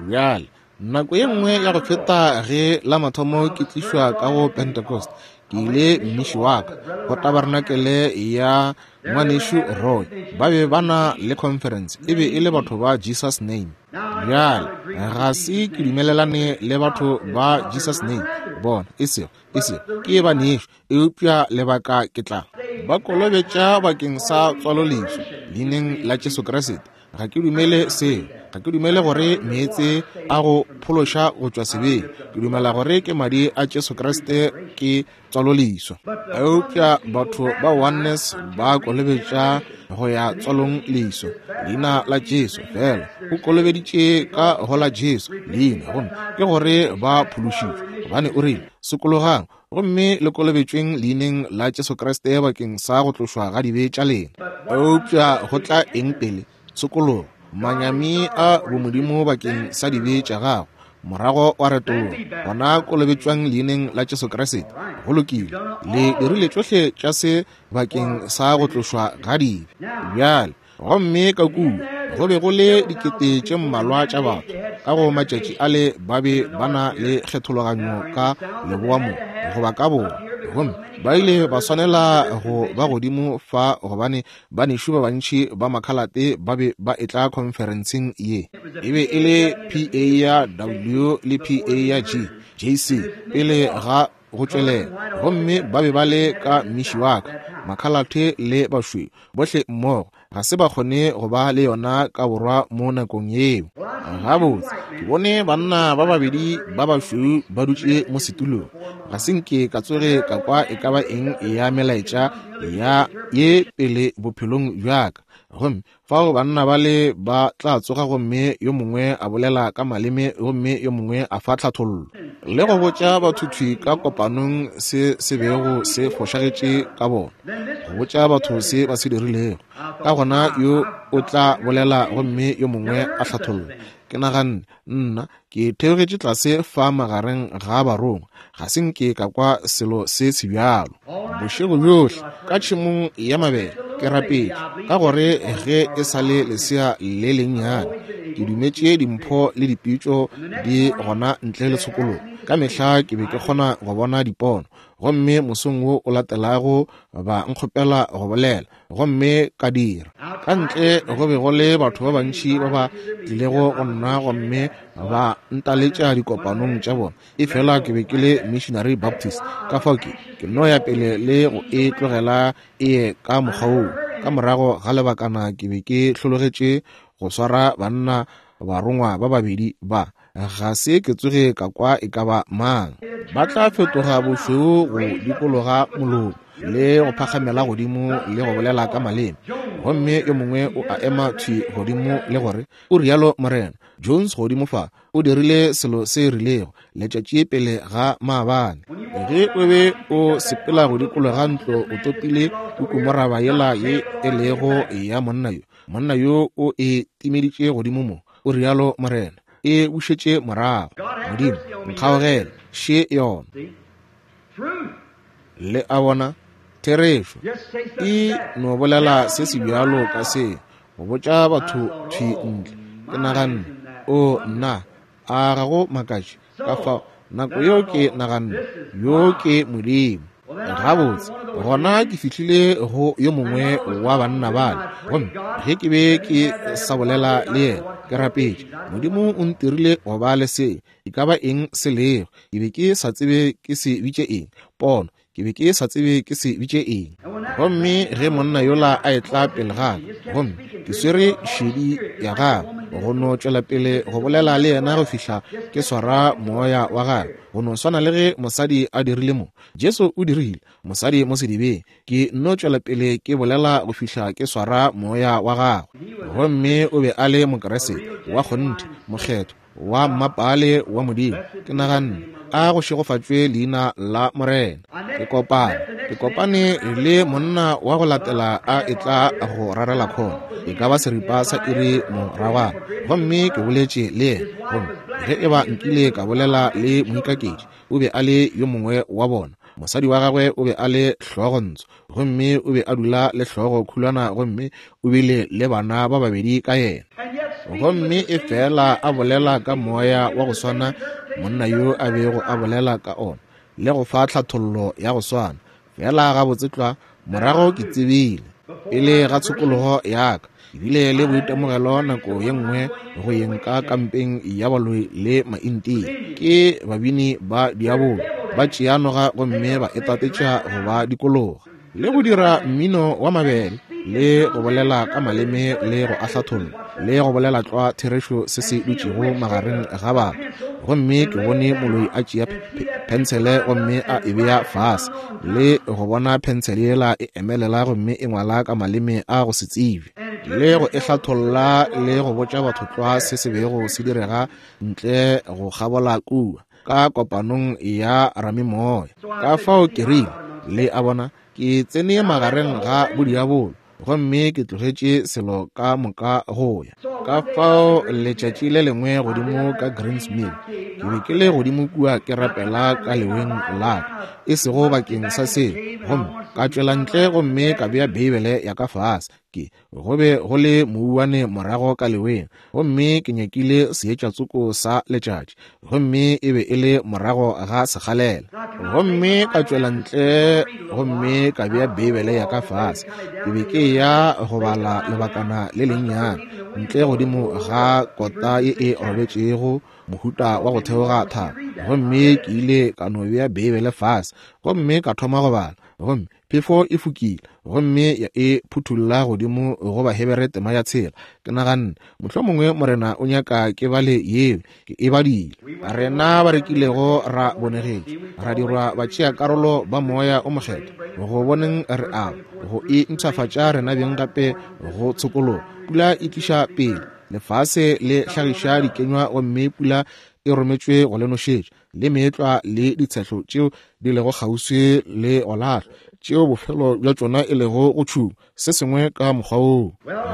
Bjale, nako ye nngwe ya go feta ge la mathomo ke tlišwa ka go Pentecost, ke ile mmiši wa ka go tabarnakele ya ngwanešu Roy. Ba be ba na le conference, e be e le batho ba Jesus Name. Bjale, ga se ke dumelelane le batho ba Jesus Name, bona, e sego, e sego, ke ba nešo, eupša lebaka ke tla ba kolobetša bakeng sa tswaloleswa leineng la Jesu Kriste. Ga ke dumele seo. Ga ke dumele gore meetse a go phološa go tšwa sebeng. Ke dumela gore ke madi a Jesu Kriste ke tswaloleswa. Eupša batho ba Oneness ba kolobetša go ya tswalong leswa leina la Jesu fela. O kolobeditše ka go la Jesu leina, gomme ke gore ba phološitšwe, gobane o rile, sokologang gomme le kolobetšweng leineng la Jesu Kriste bakeng sa go tlošwa ga dibe tša lena. Eupša go tla eng pele? Tshokologo, manyami a bomodimo bakeng sa dibe tša gago, morago wa retologa, gona kolobetšwang leineng la Jesu Kriste. Go lokile, le dirile tšohle tša se bakeng sa go tlošwa ga dibe. Bjale, gomme ka kua go be go le dikete tše mmalwa tša batho. Ka go matšatši ale ba be ba na le kgethologanyo ka leboa mo goba ka borwa, gomme ba ile ba swanela go ba godimo fa gobane banešu ba bantši ba makhalate ba be ba etla conferenceng ye. E be e le P A ya W le P A ya G, J C pele ga go tšwelela, gomme ba be ba le ka mmiši wa ka, makhalate le bašweu bohle mmogo. Ga se ba kgone go ba le yona ka borwa mo nakong yeo. Gabotse, ke bone banna ba babedi ba bašweu ba dutše mo setulong. Ga se nke ka tsoge ka kwa e ka ba eng ya melaetša ya ye pele bophelong bja ka. Gomme fao banna ba le ba tla tsoga gomme yo mongwe a bolela ka maleme gomme yo mongwe a fa tlhathollo le go botša batho thwi ka kopanong se se bego se fošagetše ka bona, go botša batho se ba se dirilego. Ka gona yo o tla bolela gomme yo mongwe a hlatholla. Ke naganne, nna ke theogetše tlase fa magareng ga barongwa, ga se nke ka kwa selo se se bjalo. Bošego bjohle ka tšhemong ya mabele ke rapetše, ka gore ge e sa le lesea le lennyane ke dumetše dimpho le dipitšo di gona ntle le tshokologo. Ka mehla ke be ke kgona go bona dipono, Gomme mosong wo o latelago ba nkgopela go bolela, gomme ka dira. Ka ntle go be go le batho ba bantši ba ba tlilego go nna gomme ba ntaletša dikopanong tša bona, efela ke be ke le Missionary Baptist. Ka fao ke ke no ya pele le go e tlogela e ye ka mokgwa woo. Ka morago ga lebakana ke be ke hlologetše go swara banna barongwa ba babedi ba. Ga se ke tsoge ka kwa e ka ba mang. Ba tla fetoga bošweu go dikologa molomo le go phagamela godimo le go bolela ka maleme. Gomme yo mongwe o a ema thwi godimo le gore o rialo Morena. Jones godimo fa o dirile selo se rilego letšatši pele ga maabane. Ge o be o sepela go dikologa ntlo o topile kukumoraba yela ye e lego ya monna yo. Monna yo o e timeditše godimo mo, o rialo Morena. E bušetše morago. Modimo, nkgaogele, še yona. Le a bona, therešo e no bolela se se bjalo ka se, go botša batho thwi ntle. Ke naganne, o nna, a ga go makatše. Ka fao nako yeo ke naganne, yo ke Modimo. Gabotse, gona ke fihlile go yo mongwe wa banna bale, gomme ge ke be ke sa bolela le yena, ke rapetše. Modimo o ntirile go ba le se, e ka ba eng se lego. Ke be ke sa tsebe ke se bitše eng, pono. Ke be ke sa tsebe ke se bitše eng. Gomme ge monna yola a etla pele ga ka, gomme ke swere šedi ya gagwe go no tšwela pele go bolela le yena go fihla ke swara moya wa gagwe, go no swana le ge mosadi a dirile mo. Jesu o dirile mosadi mo sedibeng. Ke no tšwela pele ke bolela go fihla ke swara moya wa gagwe. Gomme o be a le Mokeresete wa kgonthe, mokgethwa wa mmapale wa Modimo. Ke naganne, a go šegofatšwe leina la Morena. Ke kopane ke kopane le monna wa go latela a etla go rarela khona, e ka ba seripa sa iri moragwana, gomme ke boletše le yena. Gomme ge e ba nkile ka bolela le moikaketši, o be a le yo mongwe wa bona. Mosadi wa gagwe o be a le hlogontsho, gomme o be a dula le hlogo khulwana, gomme o bile le bana ba babedi ka yena. Gomme e fela a bolela ka moya wa go swana monna yo a bego a bolela ka ona, le go fa tlhathollo ya go swana. Fela gabotse tlwa morago ke tsebile pele ga tshokologo ya ka, ebile le boitemogelo nako ye nngwe go yeng ka kampeng ya baloi le maintia. Ke babini ba diabolo ba tšea noga gomme ba etatetša go ba dikologa, le go dira mmino wa mabele, le go bolela ka maleme, le go ahlatholla, le go bolela tlwa therešo se se dutšego magareng ga batho. Gomme ke bone moloi a tšea pensele gomme a e bea fase, le go bona pensele yela e emelela gomme e ngwala ka maleme a go se tsebe, le go e hlatholla, le go botša batho tlwa se se bego se direga ntle go kgabola kua ka kopanong ya ramimoya. Ka fao ke rile, le a bona, ke tsene magareng ga bodiabolo, gomme ke tlogetše selo ka moka go ya. Ka fao letšatši le lengwe godimo ka Greens Mill, ke be ke le godimo kua ke rapela ka leweng la ka, e sego bakeng sa seo. Gomme ka tšwela ntle gomme ka bea Beibele ya ka fase. Ke go be go le mouwane morago ka leweng, gomme ke nyakile seetša tsoko sa letšatši, gomme e be e le morago ga sekgalela. Gomme ka tšwela ntle gomme ka bea Beibele ya ka fase. Ke be ke ya go bala lebakana le lennyane ntle godimo ga kota ye e robetšego, mohuta wa go theoga thaba. Gomme ke ile ka no bea Beibele fase gomme ka thoma go bala, gomme phefo e fokile gomme ya e phuthulla godimo go Bahebere tema ya tshela. Ke naganne, mohlomongwe Morena o nyaka ke bale yeo. Ke e badile. Rena ba rekilego ra bonegetšwe, ra dirwa batšeakarolo ba moya o mokgethwa, go boneng re a go e mpshafatša rena beng gape go tshokologo. Pula e tliša pele, lefase le hlagiša dikenywa, gomme pula e rometšwe go le nošetša, le meetlwa le ditshehlo tšeo di lego kgauswi le go lahlwa, tšeo bofelo bja tšona e lego go tšhuma, se sengwe ka mokgwa woo.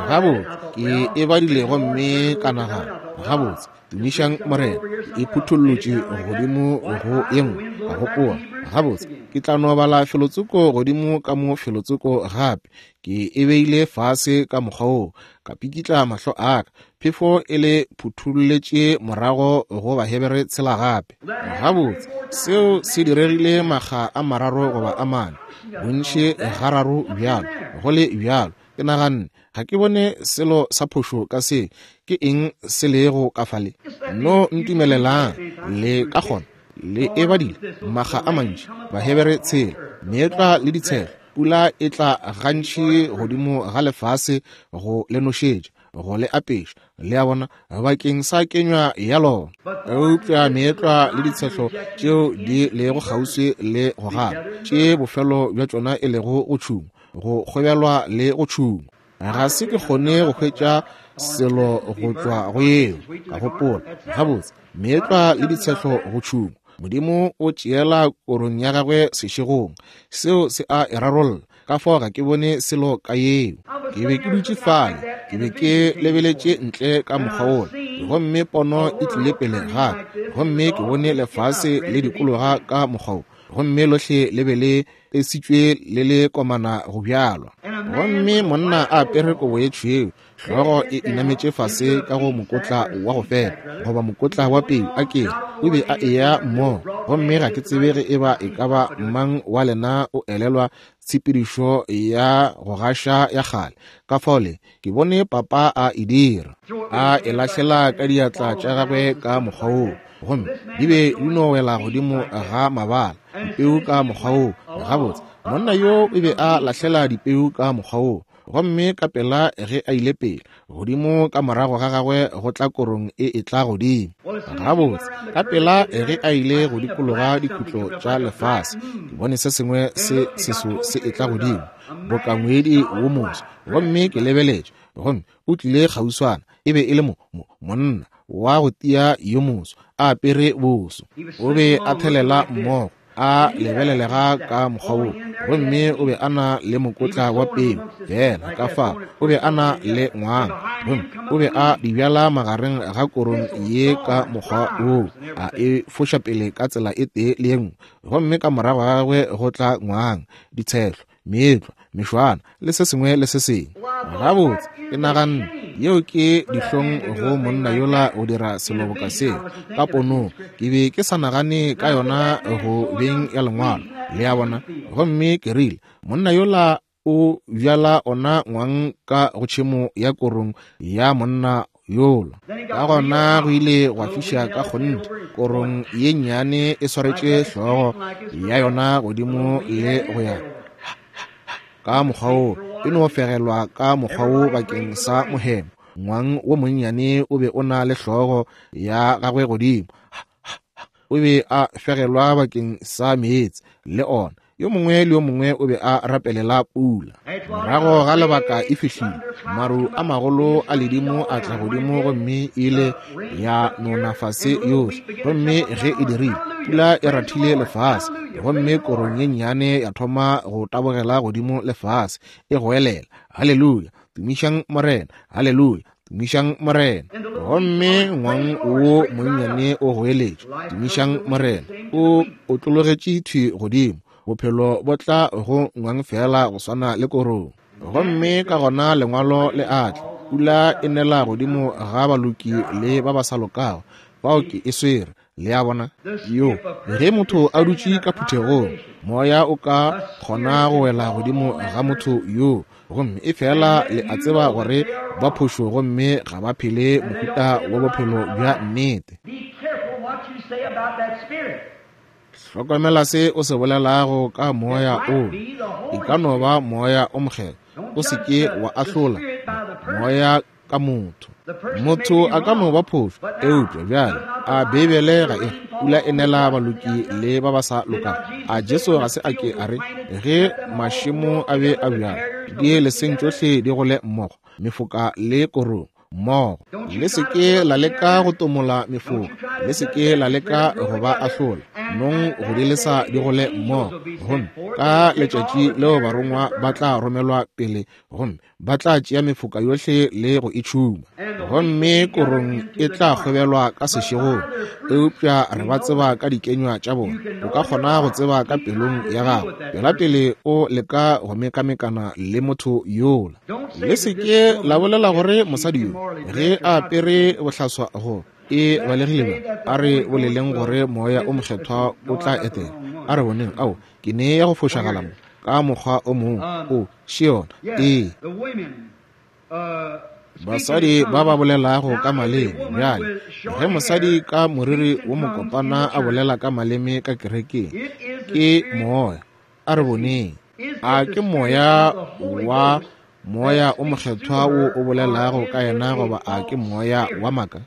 Gabotse, ke e badile gomme ka nagana, gabotse, tumišang Morena, e phuthullotše godimo go ye nngwe. Ka gopola, gabotse, ke tla no bala felotsoko godimo ka mo felotsoko gape. Ke e beile fase ka mokgwa woo, ka pikitla mahlo a ka. Phefo e le phutholletše morago go Bahebere tshela gape. Gabotse, seo se diregile makga a mararo goba a mane, bontši gararo bjalo, go le bjalo. Ke naganne, ga ke bone selo sa phošo ka se. Ke eng se lego ka fale? No ntumelelang, le ka kgona. Le e badile makga a mantši, Bahebere tshela, meetlwa le ditshelo. Pula e tla gantši godimo ga lefase go le nošetša, go le apeša, le a bona, bakeng sa kenywa ya lona. Eupša meetlwa le ditshehlo tšeo di lego kgauswi le go gana, tše bofelo bja tšona e lego go tšhungwa, go kgobelwa le go tšhungwa. Ga se ke kgone go hwetša selo go tšwa go yeo. Ka gopola, gabotse, meetlwa le ditshehlo go tšhungwa. Modimo o tšeela korong ya gagwe sešegong. Seo se a e rarolla. Ka fao ga ke bone selo ka yeo. Ke be ke dutše fale, ke be ke lebeletše ntle ka mokgwa wola, gomme pono e tlile pele gape, gomme ke bone lefase le dikologa ka mokgwa wo, gomme lohle le be le tesitšwe le le komana go bjalwa. Gomme monna a apere kobo ye tšhweu, hlogo e inametše fase ka go mokotla wa go fepa goba mokotla wa peu, a kere o be a eya mmogo. Gomme ga ke tsebe ge eba e ka ba mang wa lena o elelwa tshepedišo ya go gaša ya kgale. Ka fao le ke bone papa a e dira, a e lahlela ka diatla tša gagwe ka mokgwa woo, gomme di be di no wela godimo ga mabala, dipeu ka mokgwa woo. Gabotse, monna yo o be a lahlela dipeu ka mokgwa woo, gomme ka pela ge a ile pele godimo ka morago ga gagwe go tla korong e e tla godimo. Gabotse, ka pela ge a ile go dikologa dikhutlo tša lefase, ke bone se sengwe se seso se e tla godimo boka ngwedi wo moso, gomme ke lebeletše, gomme o tlile kgauswana. E be e le mo, mo monna wa go tia yo moso, a apere boso, o be a thelela mmogo, a lebelelega ka mokgwa wo, gomme o be a na le mokotla wa peu fela ka fao, o be a na le ngwang, gomme o be a di bjala magareng ga korong ye ka mokgwa woo, a e foša pele ka tsela e tee le ye nngwe, gomme ka morago ga gagwe go tla ngwang, ditshehlo, meetlwa, mešwana le se sengwe le se sengwe. Gabotse, ke naganne, yeo ke dihlong go monna yola go dira selo boka seo ka ponong. Ke be ke sa nagane ka yona go beng ya lengwalo, le a bona. Gomme ke rile, monna yola o bjala ona ngwang ka go tšhemo ya korong ya monna yola. Ka gona go ile gwa fiša ka kgonthe, korong ye nnyane e swaretše hlogo ya yona godimo le go ya ka mokgwa wo, e no fegelwa ka mokgwa wo bakeng sa mohemo. Ngwang wo monnyane o be o na le hlogo ya gagwe godimo, o be a fegelwa bakeng sa meetse le ona. Yo mongwe le yo mongwe o be a rapelela pula. Morago ga lebaka e fihlile, maru a magolo a ledimo a tla godimo, gomme ile ya nona fase yohle. Gomme ge e dirile, pula e rathile lefase, gomme korong ye nnyane ya thoma go tabogela godimo lefase, e goelela, haleluya, tumišang Morena, haleluya, tumišang Morena. Gomme ngwang wo monnyane o goeletše, tumišang Morena, o otlologetše thwi godimo. Bophelo bo tla go ngwang fela go swana le korong. Gomme ka gona lengwalo le atla, pula e nela godimo ga baloki le ba ba sa lokago. Bao ke e swere, le a bona. Yo, ge motho a dutše ka phuthegong, moya o ka kgona go wela godimo ga motho yo, gomme e fela le a tseba gore ba phošo, gomme ga ba phele mohuta wa bophelo bja nnete. Hlokomela se o se bolelago ka moya o. E ka no ba moya o mokgethwa. O se ke wa ahlola moya ka motho. Motho a ka no ba phošo, eupša bjale a Beibele ga e pula e nela baloki le ba ba sa lokago? A Jesu ga se a ke a re, ge mašemo a be a bjala, di leseng tšohle di gole mmogo, mefoka le korong mmogo. Le se ke la leka go tomola mefoka, le se ke la leka go ba ahlola, nong go di lesa di gole mmogo. Gomme ka letšatši leo barongwa ba tla romelwa pele, gomme ba tla tšea mefoka yohle le go e tšhuma, gomme korong e tla kgobelwa ka sešegong. Eupša re ba tseba ka dikenywa tša bona. O ka kgona go tseba ka pelong ya gago pela pele o leka go mekamekana le motho yola. Le se ke la bolela gore mosadi yo Ge a apere bohlaswa go e balegile bjang, a re boleleng gore moya o mokgethwa o tla etela. A re boneng, ao, ke ne ya go fošagala mo ka mokgwa o mongwe. O še yona. Ee, basadi ba ba bolelago ka maleme. Bjale, ge mosadi ka moriri wo mokopana a bolela ka maleme ka kerekeng, ke moya. A re boneng, a ke moya wa moya o mokgethwa wo o bolelago ka yena, goba a ke moya wa maaka?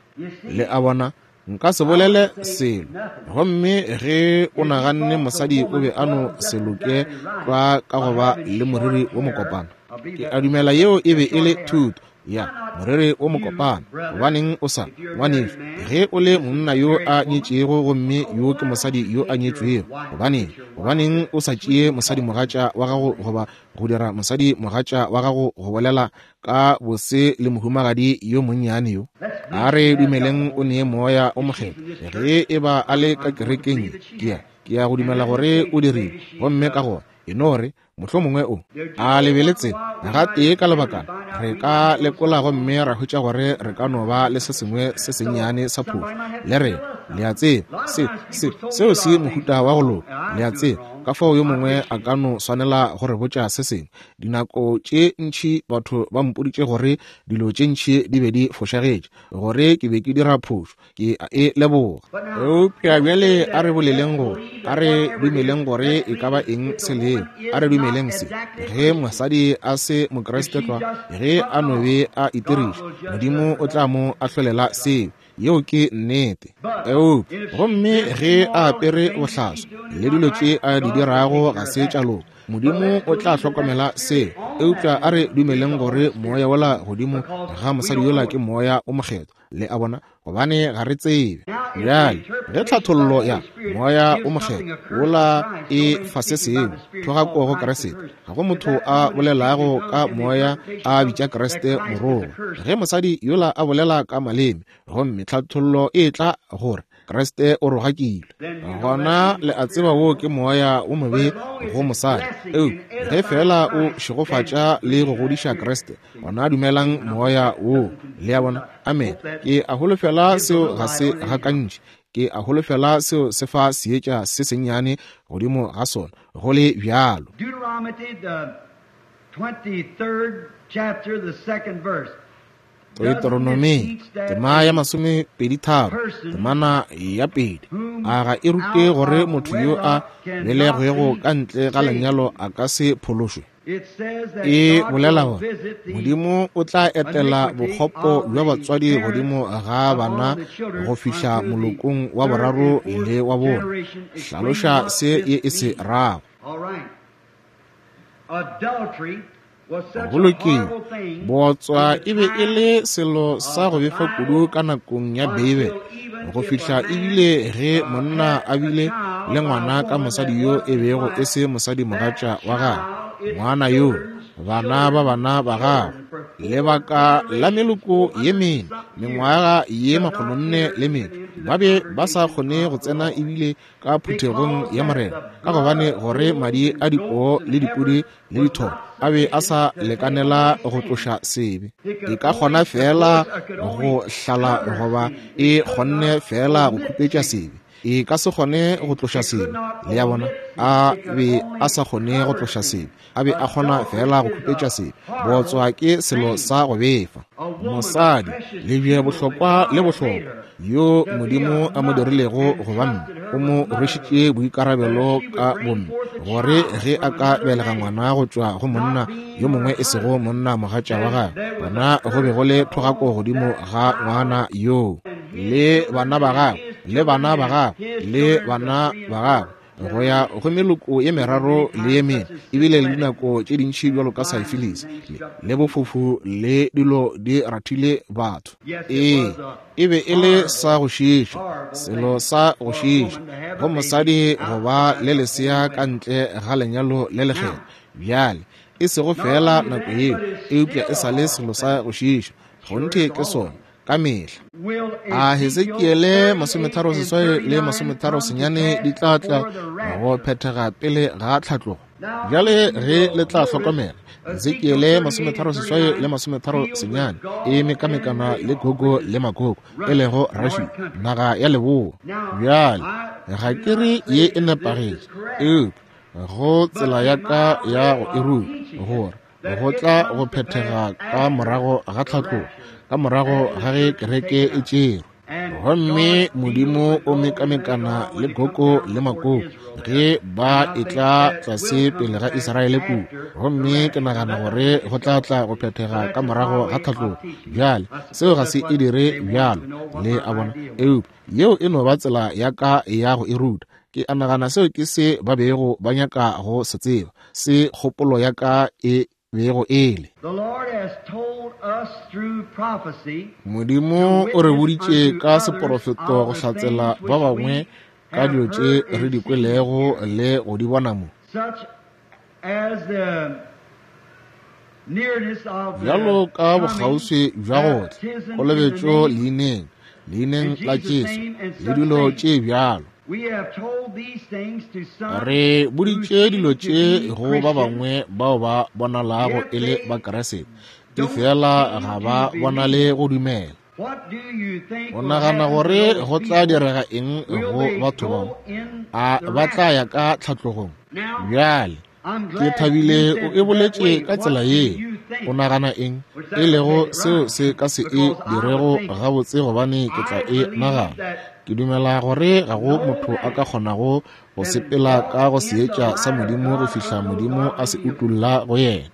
Le a bona, nka se bolele selo. Gomme ge o naganne mosadi o be a no se loke tlwa ka go ba le moriri wo mokopana, ke a dumela yeo e be e le thuto ya moriri wo mokopana. Gobaneng o sa, ngwanešu, ge o le monna yo a nyetšego gomme yo ke mosadi yo a nyetšwego, gobaneng, gobaneng o sa tšee mosadi mogatša wa gago goba go dira mosadi mogatša wa gago go bolela ka bose le mohumagadi yo monnyane yo? A re dumeleng o nee moya o mokgethwa. Ge e ba a le ka kerekeng, ke ya ke ya go dumela gore o dirile. Gomme ka gona e no re mohlomongwe o a lebeletse gatee ka lebakana, re ka lekola gomme ra hwetša gore re ka no ba le se sengwe se sennyane sa phošo le rena. Le a tseba, se, se, seo se mohuta wa go loka. Le a tseba, ka fao yo mongwe a ka no swanela go re botša se sengwe. Dinako tše ntši batho ba mpoditše gore dilo tše ntši di be di fošagetše, gore ke be ke dira phošo. Ke a e leboga. Eupša bjale a re boleleng gore, a re dumeleng gore e ka ba eng se lego. A re dumeleng se. Ge mosadi a se Mokriste tlwa, ge a no be a itiriša, Modimo o tla mo ahlolela seo. Yeo ke nnete. Eupša gomme ge a apere bohlaswa le dilo tše a di dirago ga se tša loka, Modimo o tla hlokomela seo. Eupša a re dumeleng gore moya wola godimo ga mosadi yola ke moya o mokgethwa. Le a bona, gobane ga re tsebe. Bjale, ge tlhathollo ya moya o mokgethwa wola e fa se sengwe, thogako go Kriste, ga go motho a bolelago ka moya a bitša Kriste morongwa. Ge mosadi yola a bolela ka maleme gomme tlhathollo e tla gore Kriste o rogakilwe, gona le a tseba wo ke moya wo mobe go mosadi. Eupša ge fela o šegofatša le go godiša Kriste, gona dumelang moya wo. Le a bona? Amen. Ke a holofela seo ga se gakantši. Ke a holofela seo se fa seetša se sennyane godimo ga sona, go le bjalo. Deuteronomy, the twenty-third chapter, the second verse. Deuteronomy, tema ya masomepedi tharo, temana ya pedi. A ga e rute gore motho yo a belegwego ka ntle ga lenyalo a ka se phološwe? E bolela gore Modimo o tla etela bokgopo bja batswadi godimo ga bana go fihla molokong wa boraro le wa bone. Hlaloša se ye e se rago. Go lokile, bootswa e be e le selo sa go befa kudu ka nakong ya Beibele, go fihla ebile ge monna a bile le ngwana ka mosadi yo e bego e se mosadi mogatša wa gagwe, ngwana yo, bana ba bana ba gagwe, lebaka la meloko ye mene, mengwaga ye makgolonne le metšo, ba be ba sa kgone go tsena ebile ka phuthegong ya Morena, ka gobane gore madi a dipoo le dipudi le ditholo a be a sa lekanela go tloša sebe. E ka kgona fela go hlala goba e kgonne fela go khupetša sebe. E ka se kgone go tloša sebe. Le a bona, a be a sa kgone go tloša sebe, a be a kgona fela go khupetša sebe. Bootswa ke selo sa go befa. Mosadi, lebje bohlokwa le bohlokwa yo Modimo a mo dirilego go ba mme, o mo rwešitše boikarabelo ka bomme, gore ge a ka belega ngwana go tšwa go monna yo mongwe e sego monna mogatša wa gagwe, gona go be go le thogako godimo ga ngwana yoo le bana ba gagwe le bana ba gagwe le bana ba gagwe, go ya go meloko ye meraro le ye mene, ebile le dinako tše dintši bjalo ka syphilis le bofofu le dilo di rathile batho. Ee, e be e le sa go šiiša, selo sa go šiiša go mosadi go ba le lesea ka ntle ga lenyalo le lekgethwa. Bjale, e sego fela nako yeo, eupša e sa le selo sa go šiiša. Kgonthe ke sona ka mehla. A Hesekiele masometharo seswai le masometharo senyane di tla tla go phethega pele ga tlhatlogo? Bjale ge le tla hlokomela, Ezekiele masometharo seswai le masometharo senyane e mekamekana le Gogo le Magogo, e lego Russia, naga ya leboa. Bjale ga ke re ye e nepagetše, eupša go tsela ya ka ya go e ruta gore go tla go phethega ka morago ga tlhatlogo, ka morago ga ge kereke e tšerwe. Gomme Modimo o mekamekana le Gogo le Magogo ge ba etla tlase pele ga Israele kua. Gomme ke nagana gore go tla tla go phethega ka morago ga tlhatlogo. Bjale seo ga se e dire bjalo, le a bona, eupša yeo e no ba tsela ya ka ya go e ruta. Ke a nagana seo ke se ba bego ba nyaka go se tseba, se kgopolo ya ka e bego e le. Modimo o re boditše ka seporofeto go hlatsela ba bangwe ka dilo tše re di kwelego le go di bona mo, bjalo ka bokgauswi bja go tla, kolobetšo leineng, leineng la Jesu, le dilo tše bjalo. Re boditše dilo tše go ba bangwe bao ba bonalago e le Bakeresete, efela ga ba bonale go dumela. O nagana gore go tla direga eng go batho bao? A ba tla ya ka tlhatlogong? Bjale ke thabile o e boletše ka tsela ye. O nagana eng e lego seo se ka se e dirego gabotse? Gobane ke tla e nagana. Ke dumela gore ga go motho a ka kgonago go sepela ka go seetša sa Modimo go fihla Modimo a se utolla go yena.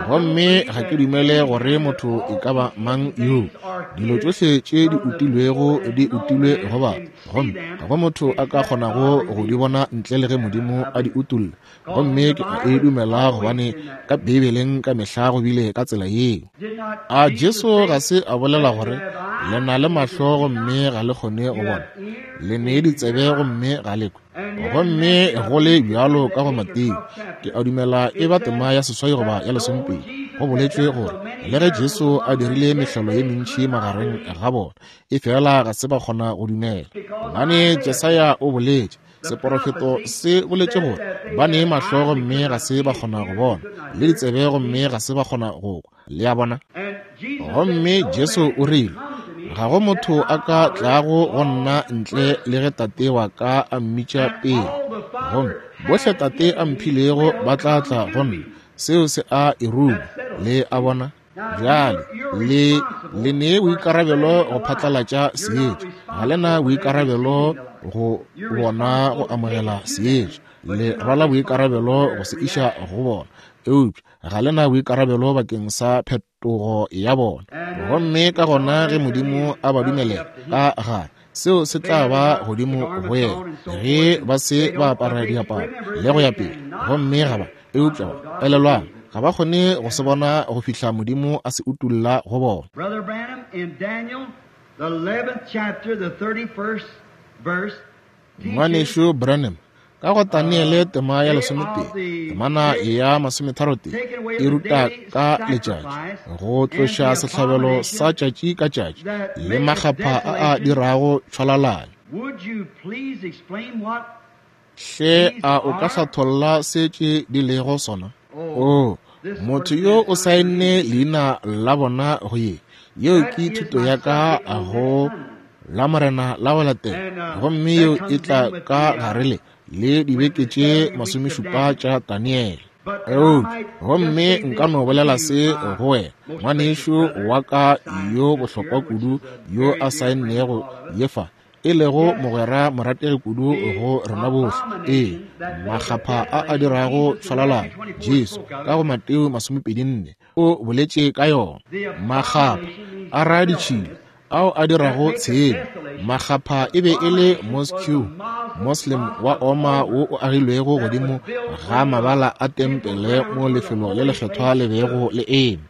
Gomme ga ke dumele gore motho e ka ba mang yo dilo tšohle tše di utilwego di utilwe go batho, gomme ga go motho a ka kgonago go di bona ntle le ge Modimo a di utolla. Gomme ke a e dumela gobane ka Beibeleng ka mehla go bile ka tsela yeo. A Jesu ga se a bolela gore le na le mahlo gomme ga le kgone go bona, le ne ditsebe gomme ga le kwe? Gomme go le bjalo ka go Mateo, ke a dumela e ba tema ya seswai goba ya lesomepedi, go boletšwe gore le ge Jesu a dirile mehlolo ye mentši magareng ga bona, efela ga se ba kgona go dumela. Gobane Jesaya o boletše, seporofeto se boletše gore ba ne mahlo gomme ga se ba kgona go bona, le ditsebe gomme ga se ba kgona go kwa. Le a bona? Gomme Jesu o rile, ga go motho a ka tlago go nna ntle le ge Tate wa ka a mmitša pele. Gomme bohle Tate a mphilego ba tla tla go nna. Seo se a e ruma. Le a bona? Bjale le le ne boikarabelo go phatlalatša seetša, ga le na boikarabelo go bona go amogela seetša. Le rwala boikarabelo go se iša go bona, eupša ga le na boikarabelo bakeng sa phetogo ya bona. Gomme ka gona ge Modimo a ba dumelela ka gare, seo se tla ba godimo go yena ge ba se ba apara diaparo le go ya pele. Gomme ga ba, eupša ba elelwang, ga ba kgone go se bona go fihla Modimo a se utolla go bona. Brother Branham in Daniel, the eleventh chapter, the thirty-first verse. Ngwanešu Branham ka go Daniele tema ya lesomepedi, temana ya masometharotee e ruta ka letšatši go tloša sehlabelo sa tšatši ka tšatši le makgapha a a dirago tšhwalalane. Would you please explain what Hle a o ka hlatholla se tše di lego sona? Oh, motho yo o saenne leina la bona go ye. Yeo ke thuto ya ka go la Morena la go latela, gomme yeo e tla ka gare le le dibeke tše masomešupa tša Daniele. Eupša gomme nka no bolela se go wena, ngwanešu wa ka yo bohlokwa kudu yo a saennego ye fa, e lego mogwera morategi kudu go rena bohle. Ee, makgapha a a dirago tšhwalalano, Jesu ka go Mateo masomepedi nne o boletše ka yona. Makgapha a ra ditšhila ao a dirago tshenyo. Makgapha e be e le mosque Muslim wa Oma wo o agilwego godimo ga mabala a tempele mo lefelo le lekgethwa le bego le eme.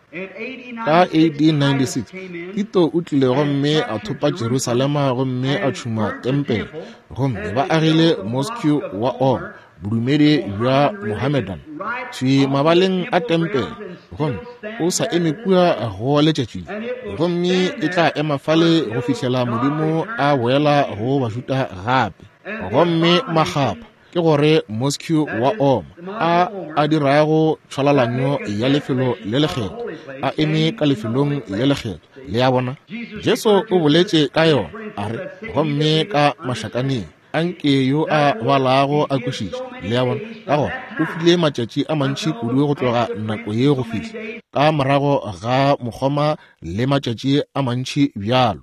Ka eighteen ninety-six, Tito o tlile gomme a thopa Jerusalema gomme a tšhuma tempele, gomme ba agile mosque wa Oma, bodumedi bja Mohammedan, thwi mabaleng a tempele, gomme o sa eme kua go letšatši, gomme e tla ema fale go fihlela Modimo a boela go Bajuda gape. Gomme makgapha Ke gore Mosque wa Oma a a dirago tšhwalalanyo ya lefelo le lekgetho, a eme ka lefelong le lekgetho. Le a bona? Jesu o boletše ka yona, a re, gomme ka mašakaneng anke yo a balago a kwešiše. Le a bona? Ka gona o file matšatši a mantši kudu go tloga nako ye go fihla ka morago ga mokgoma le matšatši a mantši bjalo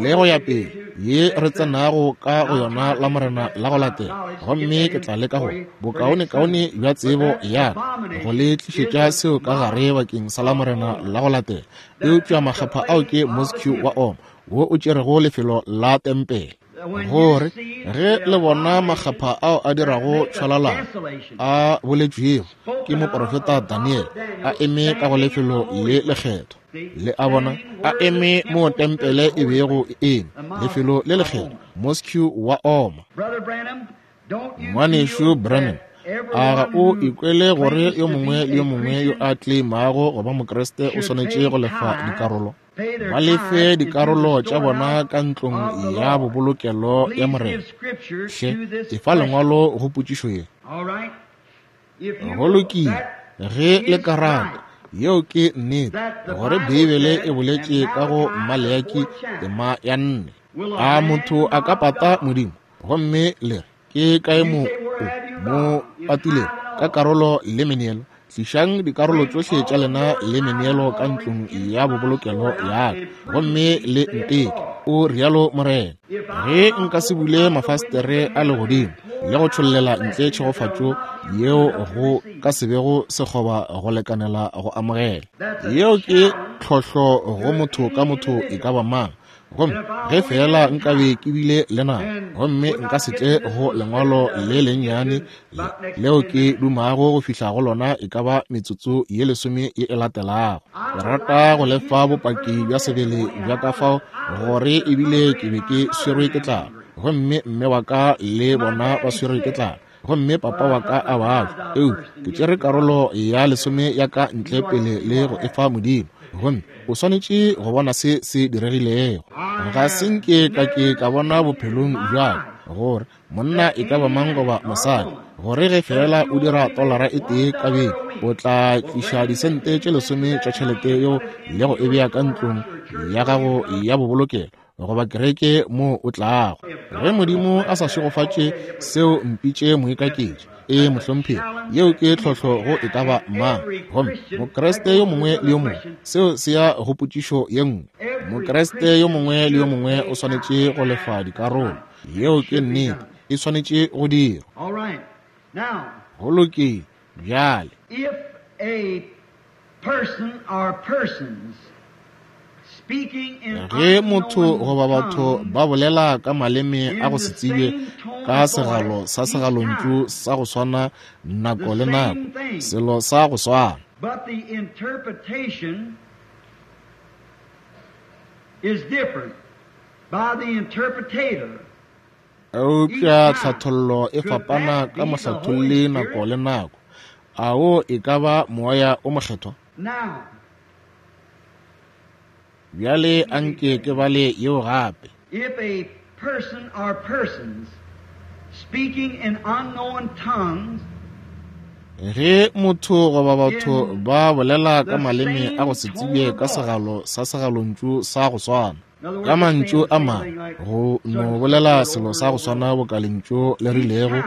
le go ya pele ye re tsenago ka go yona la Morena la go latela. Gomme ke tla leka go bokaonekaone bja tsebo ya ka go le tlišetša seo ka gare bakeng sa la Morena la go latela. Eupša makgapha ao ke Mosque wa Oma wo o tšerego lefelo la tempele. Gore ge le bona makgapha ao a dirago tšhwalalano a boletšwego ke moprofeta Daniel a eme ka go lefelo le lekgetho. Le a bona? A eme mo tempele e bego e eme, lefelo le lekgetho, Mosque wa Oma. Ngwanešu Branham, a ga o ikwele gore yo mongwe le yo mongwe yo a tleimago go ba Mokriste o swanetše go lefa dikarolo? Ba lefe dikarolo tša bona ka ntlong ya bobolokelo ya Morena. Hle, efa lengwalo go potšišo ye. Go lokile, ge le ka rata, yeo ke nnete, gore Beibele e boletše ka go Maleaki tema ya nne. A motho a ka pata Modimo? Gomme le re, ke kae mo o mo patilego? Ka karolo le meneelo. Tlišang dikarolo tšohle tša lena le meneelo ka ntlong ya bobolokelo ya ka, gomme le nteke, o rialo Morena. Ge nka se bule mafastere a legodimo le go tšhollela ntle tšhegofatšo yeo go ka se bego sekgoba go lekanela go amogela. Yeo ke tlhohlo go motho ka motho e ka ba mang. Gomme ge fela nkabe ke bile le nako, gomme nka se tle go lengwalo le lennyane le leo ke dumago go fihla go lona e ka ba metsotso ye lesome ye e latelago. Ke rata go lefa bopaki bja sebele bja ka fao gore ebile ke be ke swerwe ke tlala, gomme mme wa ka le bona ba swerwe ke tlala, gomme papa wa ka a babja. Eupša ke tšere karolo ya lesome ya ka ntle pele le go efa Modimo, gomme o swanetše go bona se se diregilego. Ga se nke ka ke ka bona bophelong bja ka gore monna e ka ba mang goba mosadi, gore ge fela o dira tolara e tee ka beke, o tla tliša disente tše lesome tša tšhelete yeo le go e bea ka ntlong ya gago ya bobolokelo goba kereke mo o tlago. Ge Modimo a sa šegofatše seo, mpitše moikaketši. E mohlomphegi, yeo ke tlhohlo go e ka ba mang. Gomme Mokriste yo mongwe le yo mongwe, seo se ya go potšišo ye nngwe. Mokriste yo mongwe le yo mongwe o swanetše go lefa dikarolo. Yeo ke nnete, e swanetše go dirwa. Go lokile bjale. If a person or persons Ge motho goba batho ba bolela ka maleme a go se tsebje ka segalo sa segalontšu sa go swana nako le nako, selo sa go swana. But the interpretation is different by the interpretator. Eupša tlhathollo e fapana ka mohlatholli nako le nako. A wo e ka ba moya o mokgethwa? Now, Bjale anke ke bale yeo gape. If a person or persons speaking in unknown tongues, Ge motho goba batho ba bolela ka maleme a go se tsebje ka segalo sa segalontšu sa go swana, ka mantšu a mangwe, go no bolela selo sa go swana boka lentšu le rilego,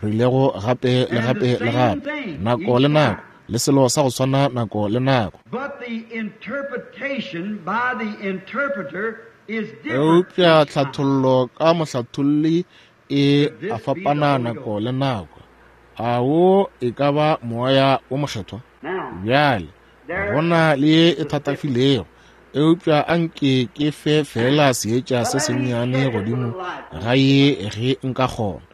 rilego gape le gape le gape, nako le nako, le selo sa go swana nako le nako. But the interpretation by the interpreter is different. Eupša tlhathollo ka mohlatholli e a fapana nako le nako. A wo e ka ba moya o mokgethwa? Bjale, go na le ye e thatafilego, eupša anke ke fe fela seetša se sennyane godimo ga ye ge nka kgona.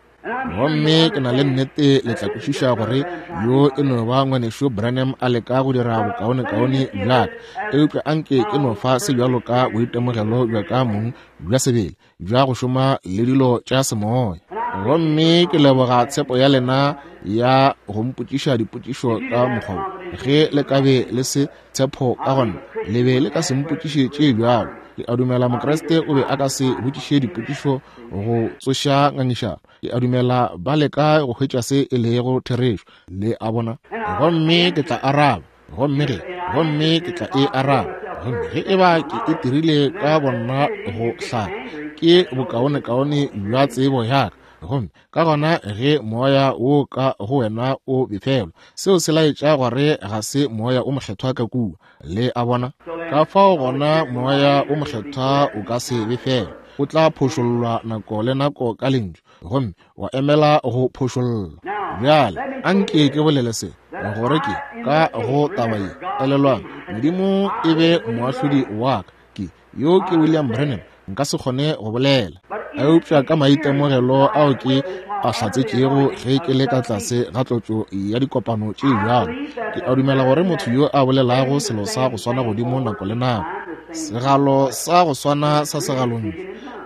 Gomme ke na le nnete le tla kwešiša gore yo e no ba ngwanešu Branham a leka go dira bokaonekaone bja ka, eupša anke ke no fa se bjalo ka boitemogelo bja ka mong bja sebele bja go šoma le dilo tša semoya. Gomme ke leboga tshepo ya lena ya go mpotšiša dipotšišo ka mokgwa wo. Ge le ka be le se tshepo ka gona, le be le ka se mpotšiše tše bjalo. Ke a dumela Mokriste o be a ka se botšiše dipotšišo go tsoša ngangišano. Ke a dumela ba leka go hwetša se e lego therešo, le a bona. Gomme ke tla araba, gomme ge, gomme ke tla e araba. Gomme ge e ba ke e dirile ka bonna go hlaka, ke bokaonekaone bja tsebo ya ka. Gomme ka gona ge moya wo ka go wena o befelwa, seo se laetša gore ga se moya o mokgethwa ka kua, le a bona. Ka fao gona moya o mokgethwa o ka se befelwe, o tla phošollwa nako le nako ka lentšu, gomme wa emela go phošollwa. Bjale anke ke bolele se, gore ke ka go taba ye. Elelwang, Modimo e be moahlodi wa ka. Ke yo ke William Branham, nka se kgone go bolela, eupša ka maitemogelo ao ke a hlatsetšego ge ke le ka tlase ga tlotšo ya dikopano tše bjalo, ke a dumela gore motho yo a bolelago selo sa go swana godimo nako le nako, segalo sa go swana sa segalontšu,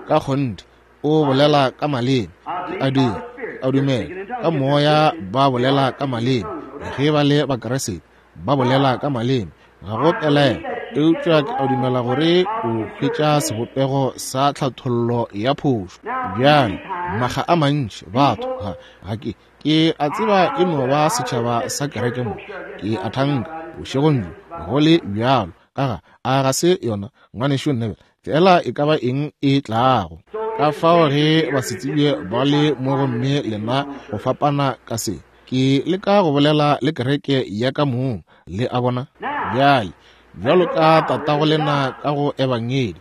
ka kgonthe o bolela ka maleme. Ke a dira, ke a dumela ka moya ba bolela ka maleme. Ge ba le Bakriste ba bolela ka maleme, ga go pelaelo, eupša ke a dumela gore o hwetša sebopego sa tlhathollo ya phošo. Bjale makga a mantši batho ga ga ke ke a tseba e no ba setšhaba sa kereke mo, ke a thanka bošegong bjo go le bjalo ka ga a ga se yona ngwanešu Neville, fela e ka ba eng e tlago. Ka fao ge basetsebje ba le mo gomme lena go fapana ka se, ke leka go bolela le kereke ya ka mong, le a bona. Bjale bjalo ka tatago lena ka go ebangedi,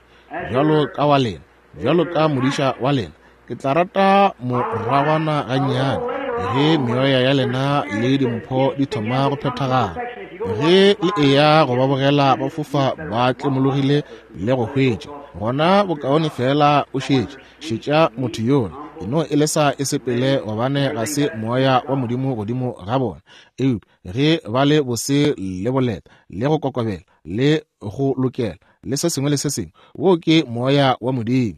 bjalo ka wa lena, bjalo ka modiša wa lena, ke tla rata moragwana gannyane ge meoya ya lena le dimpho di thoma go phethagala. Ge le eya go ba bogela ba fofa ba tlemologile le go hwetša, gona bokaone fela o šetše, šetša motho yola, e no e lesa e sepele, gobane ga se moya wa Modimo godimo ga bona. Eupša ge ba le bose le boleta le go kokobela le go lokela le se sengwe le se sengwe, wo ke moya wa Modimo.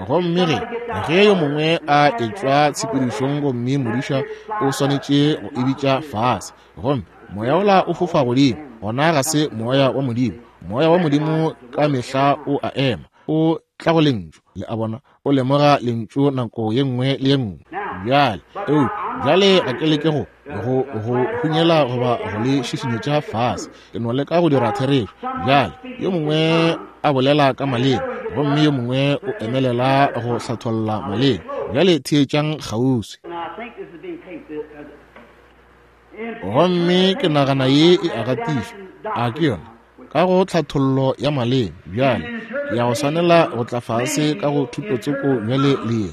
Gomme ge ge yo mongwe a etšwa tshepedišong gomme modiša o swanetše go e bitša fase, gomme moya wola o fofa godimo, gona ga se moya wa Modimo. Moya wa Modimo ka mehla o a ema, o tla go lentšu, le a bona, o lemoga lentšu nako ye nngwe le ye nngwe. Bjale eupša bjale ga ke leke go go go hunyela goba go le šišinyetša fase, ke no leka go dira therešo. Bjale yo mongwe a bolela ka maleme, gomme yo mongwe o emelela go hlatholla maleme. Bjale theetšang kgauswi. Gomme ke nagana ye e a gatišwa, a ke yona, ka go tlhathollo ya maleme. Bjale ke ya go swanela go tla fase ka go thutotsoko bjale le ye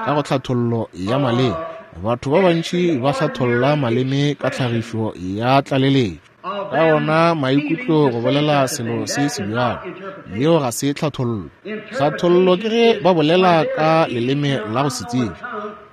ka go tlhathollo ya maleme. Batho ba bantši ba hlatholla maleme ka tlhagišo ya tlaleletšo, ka ona maikutlo go bolela selo se se bjalo. Yeo ga se tlhathollo. Tlhathollo ke ge ba bolela ka leleme la go se tsebe,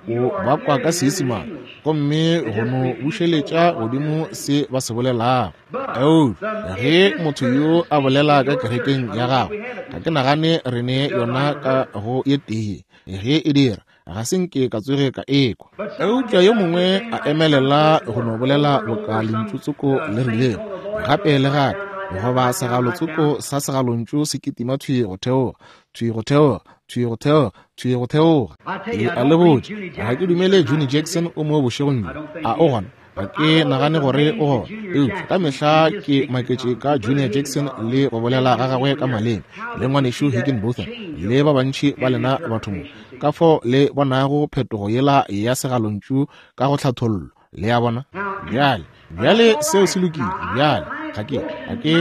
o ba kwa ka Seisemane, gomme go no bušeletša godimo se ba se bolelago. Eupša ge motho yo a bolela ka kerekeng ya gagwe, ga ke nagane re ne yona ka go ye tee. Ge e dira, ga se nke ka tsoge ka ekwa. Eupša yo mongwe a emelela go no bolela boka lentšu-tsoko le rilego gape le gape, goba segalotsoko sa segalontšu se kitima thwi go theoga, thwi go theoga, thwi go theoga, thwi go theoga. Ke a le botša, ga ke dumele Johnny Jackson o mo bošegong bjo. A o gona? Ga ke nagane gore o gona. Eupša ka mehla ke maketše ka Junior Jackson le go bolela ga gagwe ka maleme, le ngwanešu Higginbotham le ba bantši ba lena batho mo, ka fao le bonago phetogo yela ya segalontšu ka go tlhathollo. Le a bona? Bjale, bjale seo se lokile. Bjale ga ke ga ke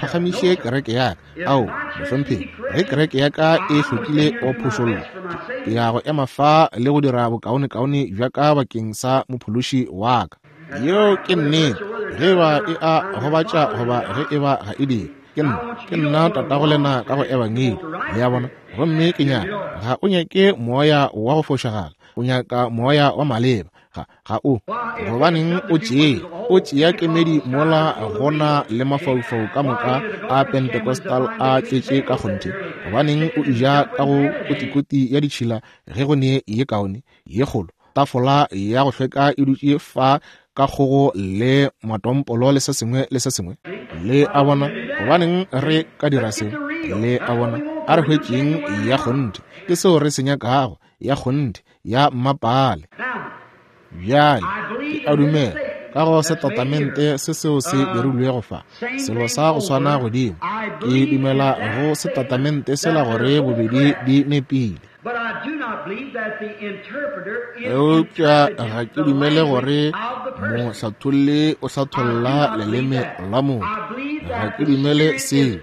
phagamiše kereke ya ka. Ao, mohlomphegi, ge kereke ya ka e hlokile go phošollwa, ke ya go ema fa le go dira bokaonekaone bja ka bakeng sa mophološi wa ka. Yeo ke nnete. Ge ba e a gobatša goba ge e ba ga e dire, ke nna, ke nna tatago lena ka go ebangedi, le a bona. Gomme ke nyaka, ga o nyake moya wa go fošagala, o nyaka moya wa maleba. Ga ga o, gobaneng o tšee, o tšea kemedi mola gona le mafaufau ka moka a Pentecostal a tletše ka kgonthe? Gobaneng o eja ka go kotikoti ya ditšhila ge go ne ye kaone ye kgolo tafola ya go hlweka e dutše fa ka kgogo le matompolo le se sengwe le se sengwe? Le a bona? Gobaneng re ka dira seo? Le a bona? A re hwetšeng ya kgonthe. Ke seo re se nyakago, ya kgonthe, ya mmapale. Bjale, ke a dumela ka go setatamente se seo se dirilwego fa, selo sa go swana godimo. Ke dumela go setatamente sela gore bobedi di nepile. Eupša ga ke dumele gore mohlatholli o hlatholla leleme la motho. Ga ke dumele seo.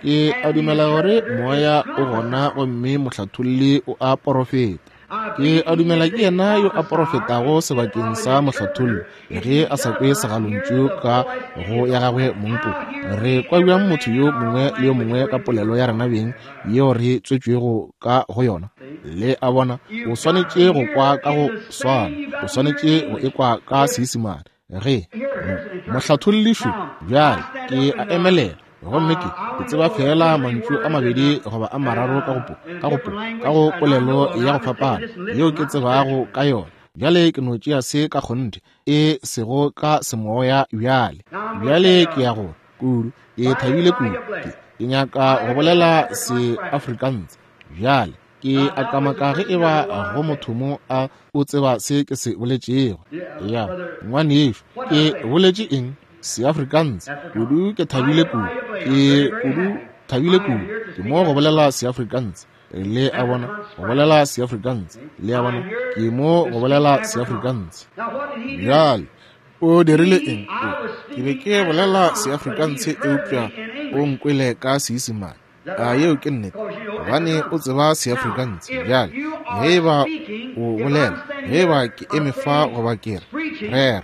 Ke a dumela gore moya o gona gomme mohlatholli o a porofeta. Ke a dumela ke yena yo a porofetago sebakeng sa mohlatholli ge a sa kwe segalontšu ka go ya gagwe mongpo. Re kwa bjang motho yo mongwe le yo mongwe ka polelo ya rena beng yeo re tswetšwego ka go yona? Le a bona, o swanetše go kwa ka go swana, o swanetše go ekwa ka Seisemane. Ge mohlathollišo bjale ke a emelela gomme ke ke tseba fela mantšu a mabedi goba a mararo ka go ka go ka go polelo ya go fapana yeo ke tsebago ka yona. Bjale ke no tšea se ka kgonthe, e sego ka semoya bjale. Bjale ke ya go kudu, ke thabile kudu, ke, ke nyaka go bolela se Afrikaans. Bjale ke a kamaka ge eba go motho mo a o tseba se ke se boletšego. Ya ngwanešu, ke boletše eng? Seafrikaans. Kudu ke thabile kudu, ke kudu thabile kudu. Ke mo go bolela Seafrikaans. Le a bona, go bolela Seafrikaans. Le a bona, ke mo go bolela Seafrikaans. Bjale o dirile eng? Ke be ke bolela Seafrikaans eupša o nkwele ka Seisemane. A yeo ke nnete, gobane o tseba Seafrikaans. Bjale ge eba o bolela, ge eba ke eme fa goba ke re rera,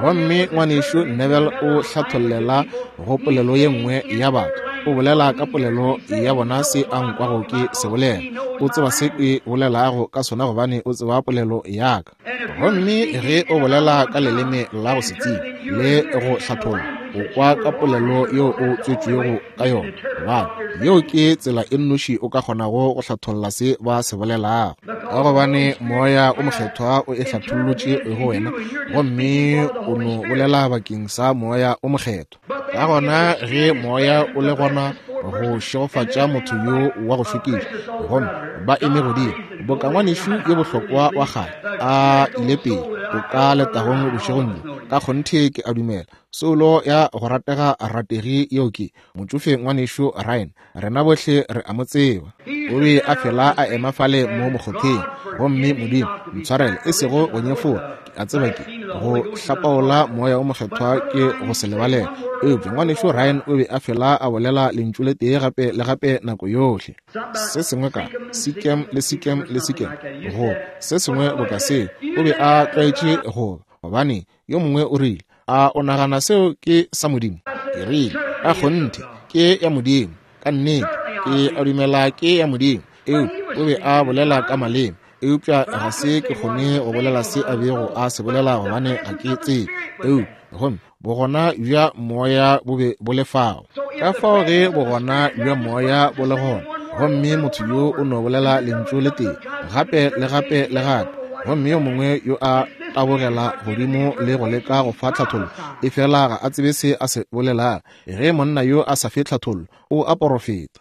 gomme ngwanešu Neville o hlathollela go polelo ye nngwe ya batho, o bolela ka polelo ya bona se a nkwago ke se bolela. O tseba se ke bolelago ka sona gobane o tseba polelo ya ka. Gomme ge o bolela ka leleme la go se tsebe le go hlatholla, o kwa ka polelo yeo o tswetšwego ka yona, gobane yeo ke tsela e nnoši o ka kgonago go hlatholla se ba se bolelago, ka gobane moya o mokgethwa o e hlathollotše go wena, gomme o no bolela bakeng sa moya o mokgethwa. Ka gona ge moya o le gona go šegofatša motho yo wa go šokiša, gomme ba eme godimo boka ngwanešu yo bohlokwa wa kgale a ile pele o ka letagong bošegong bjo. Ka kgonthe ke a dumela soulo ya go ratega rategi yeo ke motšofe ngwanešu Ryan. Rena bohle re a mo tseba. O be a fela a ema fale mo mokgotheng, gomme Modimo ntshwarele, e sego go nyefola, ke a tseba ke go hlapaola moya o mokgethwa ke go se lebalela, eupša ngwanešu Ryan o be a fela a bolela lentšu le tee gape le gape nako yohle, se sengwe ka sikem le sikem le sikem, go se sengwe boka seo. O be a tlwaetše go, gobane yo mongwe o rile, a o nagana seo ke sa Modimo? Ke rile, a kgonthe ke ya Modimo, ka nnete ke a dumela ke ya Modimo. Eupša o be a bolela ka maleme, eupša ga se ke kgone go bolela se a bego a se bolela gobane ga ke tsebe. Eupša gomme bogona bja moya bo be bo le fao. Ka fao ge bogona bja moya bo le gona, gomme motho yo o no bolela lentšu le tee gape le gape le gape, gomme yo mongwe yo a tabogela godimo le go leka go fa tlhathollo, e fela ga a tsebe se a se bolelago. Ge monna yo a sa fe tlhathollo, o a porofeta.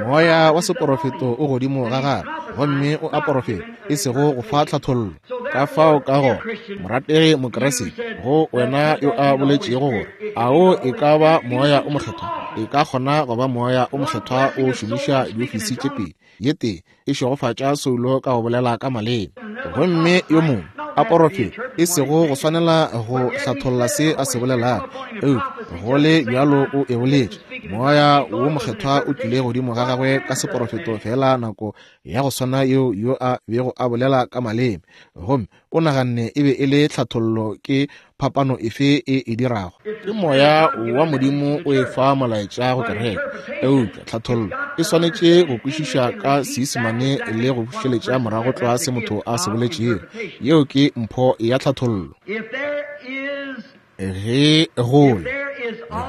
Moya wa seporofeto o godimo ga gagwe, gomme o a porofeta, e sego go fa tlhathollo. Ka fao ka gona, morategi Mokriste, go wena yo a boletšego gore a o e ka ba moya o mokgethwa, e ka kgona go ba moya o mokgethwa o šomiša diofisi tše pedi, ye tee e šegofatša soulo ka go bolela ka maleme, gomme yo mongwe a porofeta, e sego go swanela go hlatholla se a se bolelago, eupša go le bjalo o e boletše. Moya wo mokgethwa o tlile godimo ga gagwe ka seporofeto fela nako ya go swana yeo yo a bego a bolela ka maleme, gomme o naganne e be e le tlhathollo. Ke phapano efe e e dirago? Ke moya wa Modimo o e fa molaetša go kereke, eupša tlhathollo e swanetše go kwešiša ka Seisemane le go bušeletša morago tlwa se motho a se boletšego. Yeo ke mpho ya tlhathollo. Ge go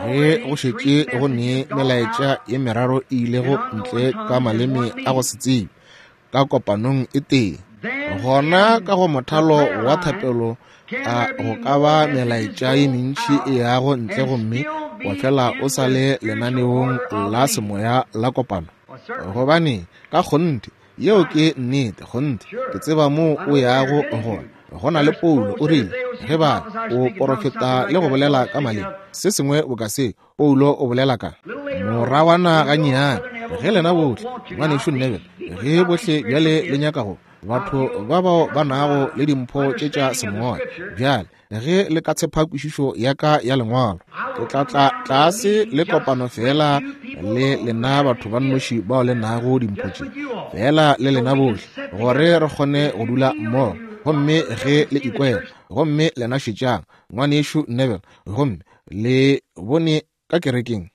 ge go šetše go ne melaetša ye meraro e ilego ntle ka maleme a go se tsebe ka kopanong e tee, gona ka go mothalo wa thapelo a go ka ba melaetša ye mentši e yago ntle, gomme wa fela o sa le lenaneong la semoya la kopano. Gobane ka kgonthe, yeo ke nnete, kgonthe, ke tseba mo o yago gona. Go na le Paulo o rile, ge ba o porofeta le go bolela ka maleme, se sengwe boka se, Paulo o bolela ka morawana gannyane. Ge lena bohle, ngwanešu Neville, ge bohle bjale le nyaka go batho ba bao ba nago le dimpho tše tša semoya, bjale ge le ka tshepa kwešišo ya ka ya lengwalo, ke tla tla tlase le kopano fela le lena batho ba nnoši bao le nago dimpho tše, fela le lena bohle, gore re kgone go dula mmogo. Gomme ge le ikwela, gomme lena šetšang ngwanešu Neville, gomme le bone ka kerekeng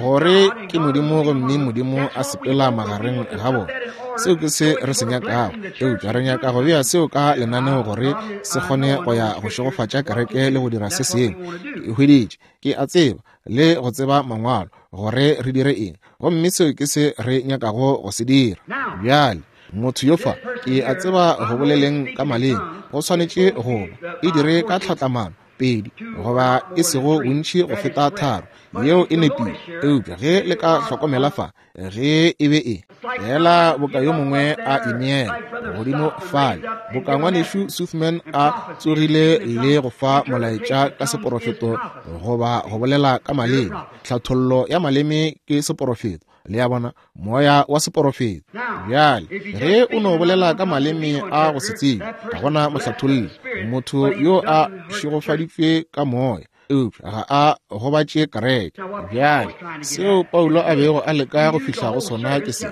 gore ke Modimo, gomme Modimo a sepela magareng ga bona. Seo ke se re se nyakago, eupša re nyaka go bea seo ka lenaneo gore se kgone go ya go šegofatša kereke le go dira se sengwe. Ke hweditše, ke a tseba le go tseba mangwalo gore re dire eng, gomme seo ke se re nyakago go se dira. Bjale motho yo fa, ke a tseba go boleleng ka maleme go swanetše go ba e dire ka tlhatlamano pedi goba e sego bontši go feta tharo, yeo e nepile. Eupša ge le ka hlokomela fa, ge e be e fela boka yo mongwe a ineela godimo fale, boka ngwanešu Suthman a tsogile le go fa molaetša ka seporofeto goba go bolela ka maleme, tlhathollo ya maleme ke seporofeto. Le a bona, moya wa seporofeto. Bjale ge o no bolela ka maleme a go se tsebe, ga gona mohlatholli, motho yo a šegofaditšwe ka moya, eupša ga a gobatše kereke. Bjale seo Paulo a bego a leka go fihla go sona ke se,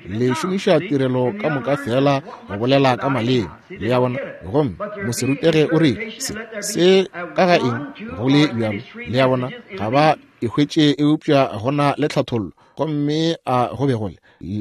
le šomiša tirelo ka moka fela go bolela ka maleme. Le a bona, gomme moserutege o rile se se ka ga eng go le bjalo. Le a bona, ga ba e hwetše, eupša gona le tlhathollo, gomme a go be go le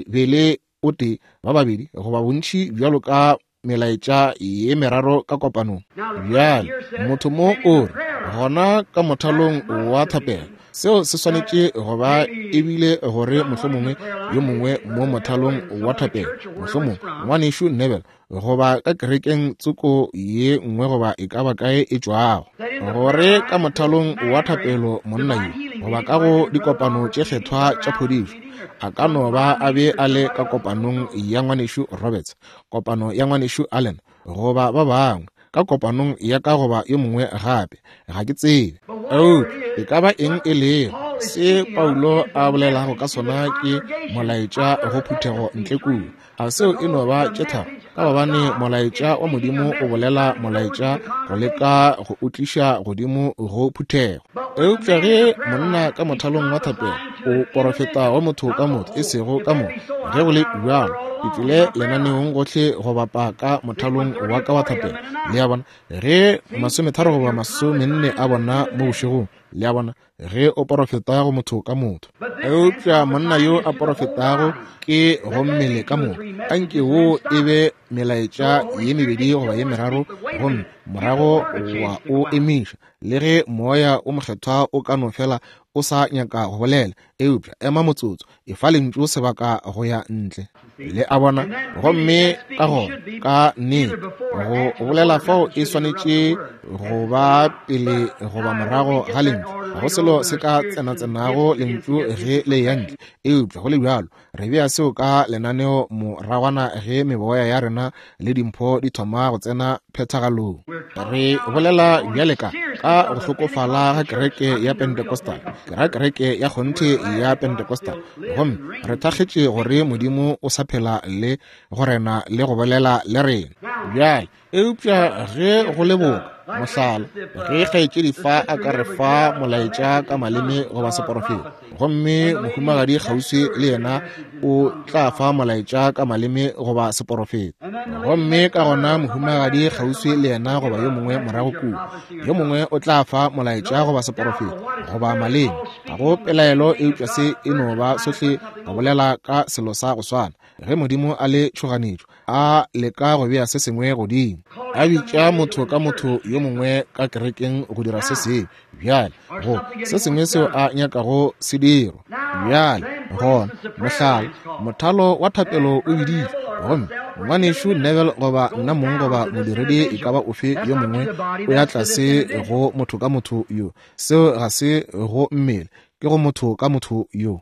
be le o tee ba babedi goba bontši bjalo ka melaetša ye meraro ka kopanong. Bjale motho mo o re gona ka mothalong wa thapelo, seo se swanetše go ba ebile gore mohlomongwe yo mongwe mo mothalong wa thapelo, mohlomongwe ngwanešu Neville goba ka kerekeng tsoko ye nngwe goba e ka ba kae e tšwago, gore ka mothalong wa thapelo monna yo goba ka go dikopano tše kgethwa tša phodišo, a ka no ba a be a le ka kopanong ya ngwanešu Roberts, kopano ya ngwanešu Allen goba ba bangwe, ka kopanong ya ka goba yo mongwe gape, ga ke tsebe. Eupša e ka ba eng e lego, se Paulo a bolelago ka sona ke molaetša go phuthego ntle kua. A seo e no ba tše tharo, ka gobane molaetša wa Modimo o bolela molaetša go leka go o tliša godimo go phuthego. Eupša ge monna ka mothalong wa thapelo o porofeta go motho ka motho, e sego ka motho, ge go le bjalo ke tlile lenaneong gohle go bapa ka mothalong wa ka wa thapelo. Le a bona, ge masometharo goba masomenne a bona mo bošegong, le a bona, ge o porofeta go motho ka motho. Eupša monna yo a porofetago ke go mmele ka moka, anke wo e be melaetša ye mebedi goba ye meraro, gomme morago wa o emiša, le ge moya o mokgethwa o ka no fela o sa nyaka go bolela, eupša ema motsotso, e fa lentšu sebaka go ya ntle. Le a bona, gomme ka gona ka nnete go bolela fao e swanetše go ba pele goba morago ga lentšu. Ga go selo se ka tsenatsenago lentšu ge le ya ntle, eupša go le bjalo re bea seo ka lenaneo moragwana ge meboya ya rena le dimpho di thoma go tsena phethagalong. Re bolela bjale ka ka go hlokofala ga kereke ya Pentecostal, ke ra kereke ya kgonthe ya Pentecostal, gomme re thakgetše gore Modimo o sa phela le go rena le go bolela le rena. Bjale eupša ge go le boka, mohlala, ge kgaetšedi fa a ka re fa molaetša ka maleme goba seporofeto, gomme mohumagadi kgauswi le yena o tla fa molaetša ka maleme goba seporofeto, gomme ka gona mohumagadi kgauswi le yena goba yo mongwe morago kua, yo mongwe o tla fa molaetša goba seporofeto goba maleme, ga go pelaelo, eupša se e no ba sohle go bolela ka selo sa go swana. Ge Modimo a le tšhoganetšo, a leka go bea se sengwe godimo, a bitša motho ka motho yo mongwe ka kerekeng go dira se sengwe, bjale go se sengwe seo a nyakago se dirwa. Bjale gona, mohlala, mothalo wa thapelo o biditšwe, gomme ngwanešu Neville goba nna mong goba modiredi e ka ba ofe yo mongwe o ya tlase go motho ka motho yo, seo ga se go mmele, ke ke go motho ka motho yo.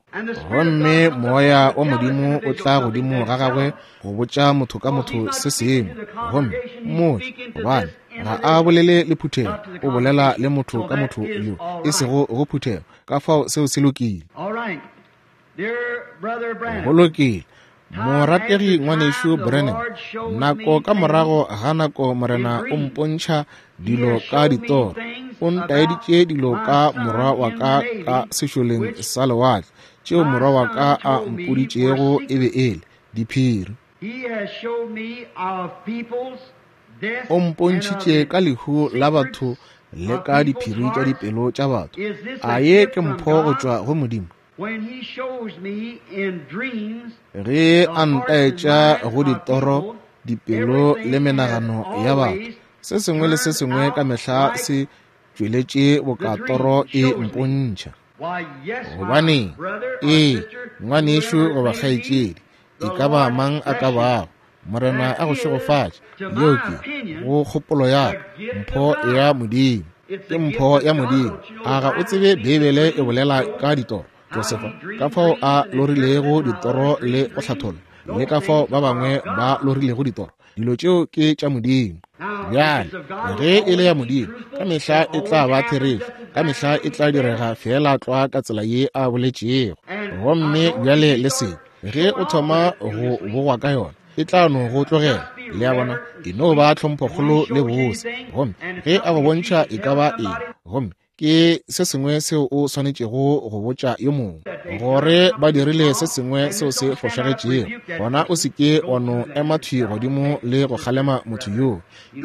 Gomme moya wa Modimo o tla godimo ga gagwe go botša motho ka motho se sengwe. Gomme mmotse, gobane ga a bolele le phuthego, o bolela le motho ka motho yo, e sego go phuthego. Ka fao seo se lokile. Go lokile. Morategi ngwanešu Branham, nako ka morago ga nako Morena o mpontšha dilo ka ditoro. O ntaeditše dilo ka morwa wa ka ka sešoleng sa lewatle, tšeo morwa wa ka a mpoditšego e be e le diphiri. O mpontšhitše ka lehu la batho le ka diphiri tša dipelo tša batho. A ye ke mpho go tšwa go Modimo? Ge a ntaetša go ditoro, dipelo le menagano ya batho, se sengwe le se sengwe ka mehla se tšweletše boka toro e mpontšha. Gobaneng, ee, ngwanešu goba kgaetšedi, e ka ba mang a ka bago, Morena a go šegofatše. Yeo ke go kgopolo ya ka, mpho ya Modimo. Ke mpho ya Modimo. A ga o tsebe Beibele e bolela ka ditoro? Josefa, ka fao a lorilego ditoro le go hlatholla, le ka fao ba bangwe ba lorilego ditoro. Dilo tšeo ke tša Modimo. Bjale, ge e le ya Modimo, ka mehla e tla ba therešo, ka mehla e tla direga feela tlwa ka tsela ye a boletšego. Gomme bjale le se, ge o thoma go bogwa ka yona, e tla no go tlogela. Le a bona, e no ba tlhomphokgolo le bose. Gomme ge a go bontšha e ka ba eng, gomme ke se sengwe seo o swanetšego go botša yo mongwe gore ba dirile se sengwe seo se fošagetšego, gona o se ke wa no ema thwi godimo le go kgalema motho yoo.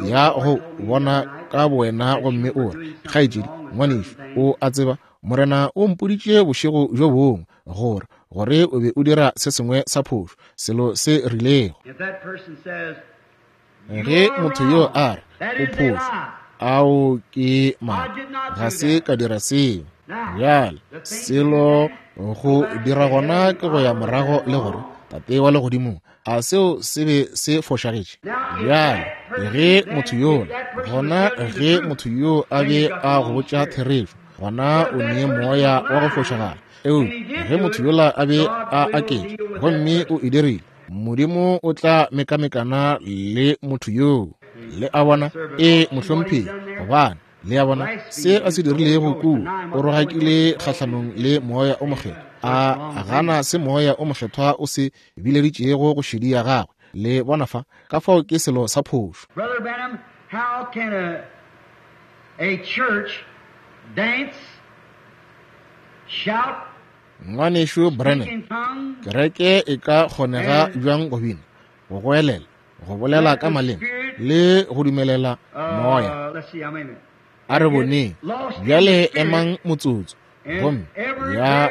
Ya go bona ka bowena gomme o re, kgaetšedi, ngwanešu, o a tseba Morena o mpoditše bošego bjo bongwe gore gore o be o dira se sengwe sa phošo, selo se rilego. Ge motho yo a re o phošo, ao ke maaka, ga se ka dira seo. Bjale selo go dira gona ke go ya morago le gore, Tate wa legodimong, a seo se be se fošagetše? Bjale ge motho yola, gona ge motho yo a be a go botša therešo, gona o nee moya wa go fošagala. Eupša ge motho yola a be a aketše gomme o e dirile, Modimo o tla mekamekana le motho yoo. Le a bona? E mohlomphegi, gobane le a bona se a se dirilego kua, o rogakile kgahlanong le moya o mokgethwa, a gana se moya o mokgethwa o se bileditšego go šedi ya gagwe. Le bona fa, ka fao ke selo sa phošo. Brother Branham, how can a, a church dance, shout, Ngwanešu Branham, kereke e ka kgonega bjang go bina, go goelela, go bolela ka maleme le go dumelela moya? A re boneng bjale, emang motsotso. Gomme ya